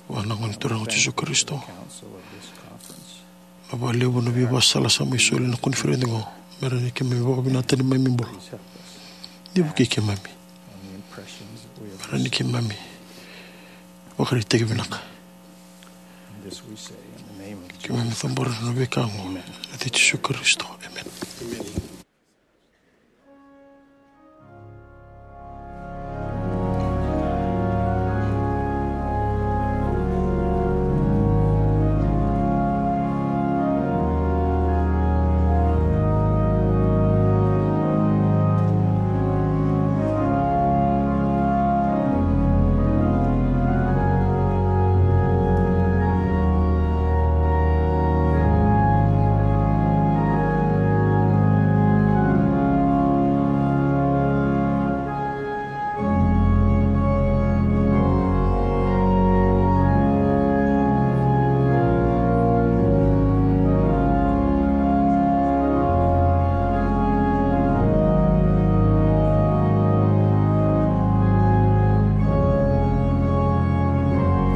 vua na Gone Turaga o Jisu Karisito. Council of this conference. Na vakalevu na veivakasala sa mai soli na koniferedi oqo. Mera ni keimami vakavinakata neimami bula. Please help us. Ni vukei keimami. On the impressions that we have received. Mera ni keimami vakaraitaki vinaka. This we say in the name of Jesus. Keimami cabora na veika oqo ena yaca i Jisu Karisito. Emeni.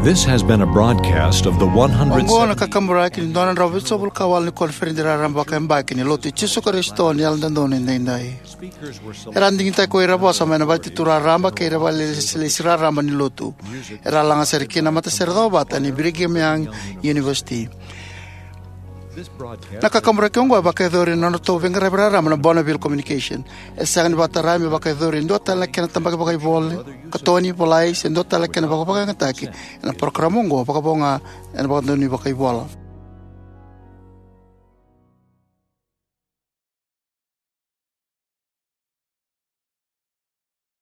This has been a broadcast of the one hundred. Oqo na kakaburaki ni dua na drau vitusagavulu ka walu ni koniferedi raraba vakayabaki ni Lotu i Jisu Karisito ni Yalododonu Edaidai. Era digitaki ko ira vosa mai na vale ni Turaga Raraba kei ira vale ni lesilesi raraba ni Lotu. Era laga sere kina na matasere cakacaka vata ni Brigham Young University. Na kakaburaki oqo e vakayacori ena nodratou veiqaravi raraba na Bonneville Communication. E sega ni vakatarai me vakayacori e dua tale na kena tabaki vakaivola, katoni, volai, se dua tale na kena vakavakayagataki ena parokaramu oqo, vakavo ga ena vakadonui vakaivola.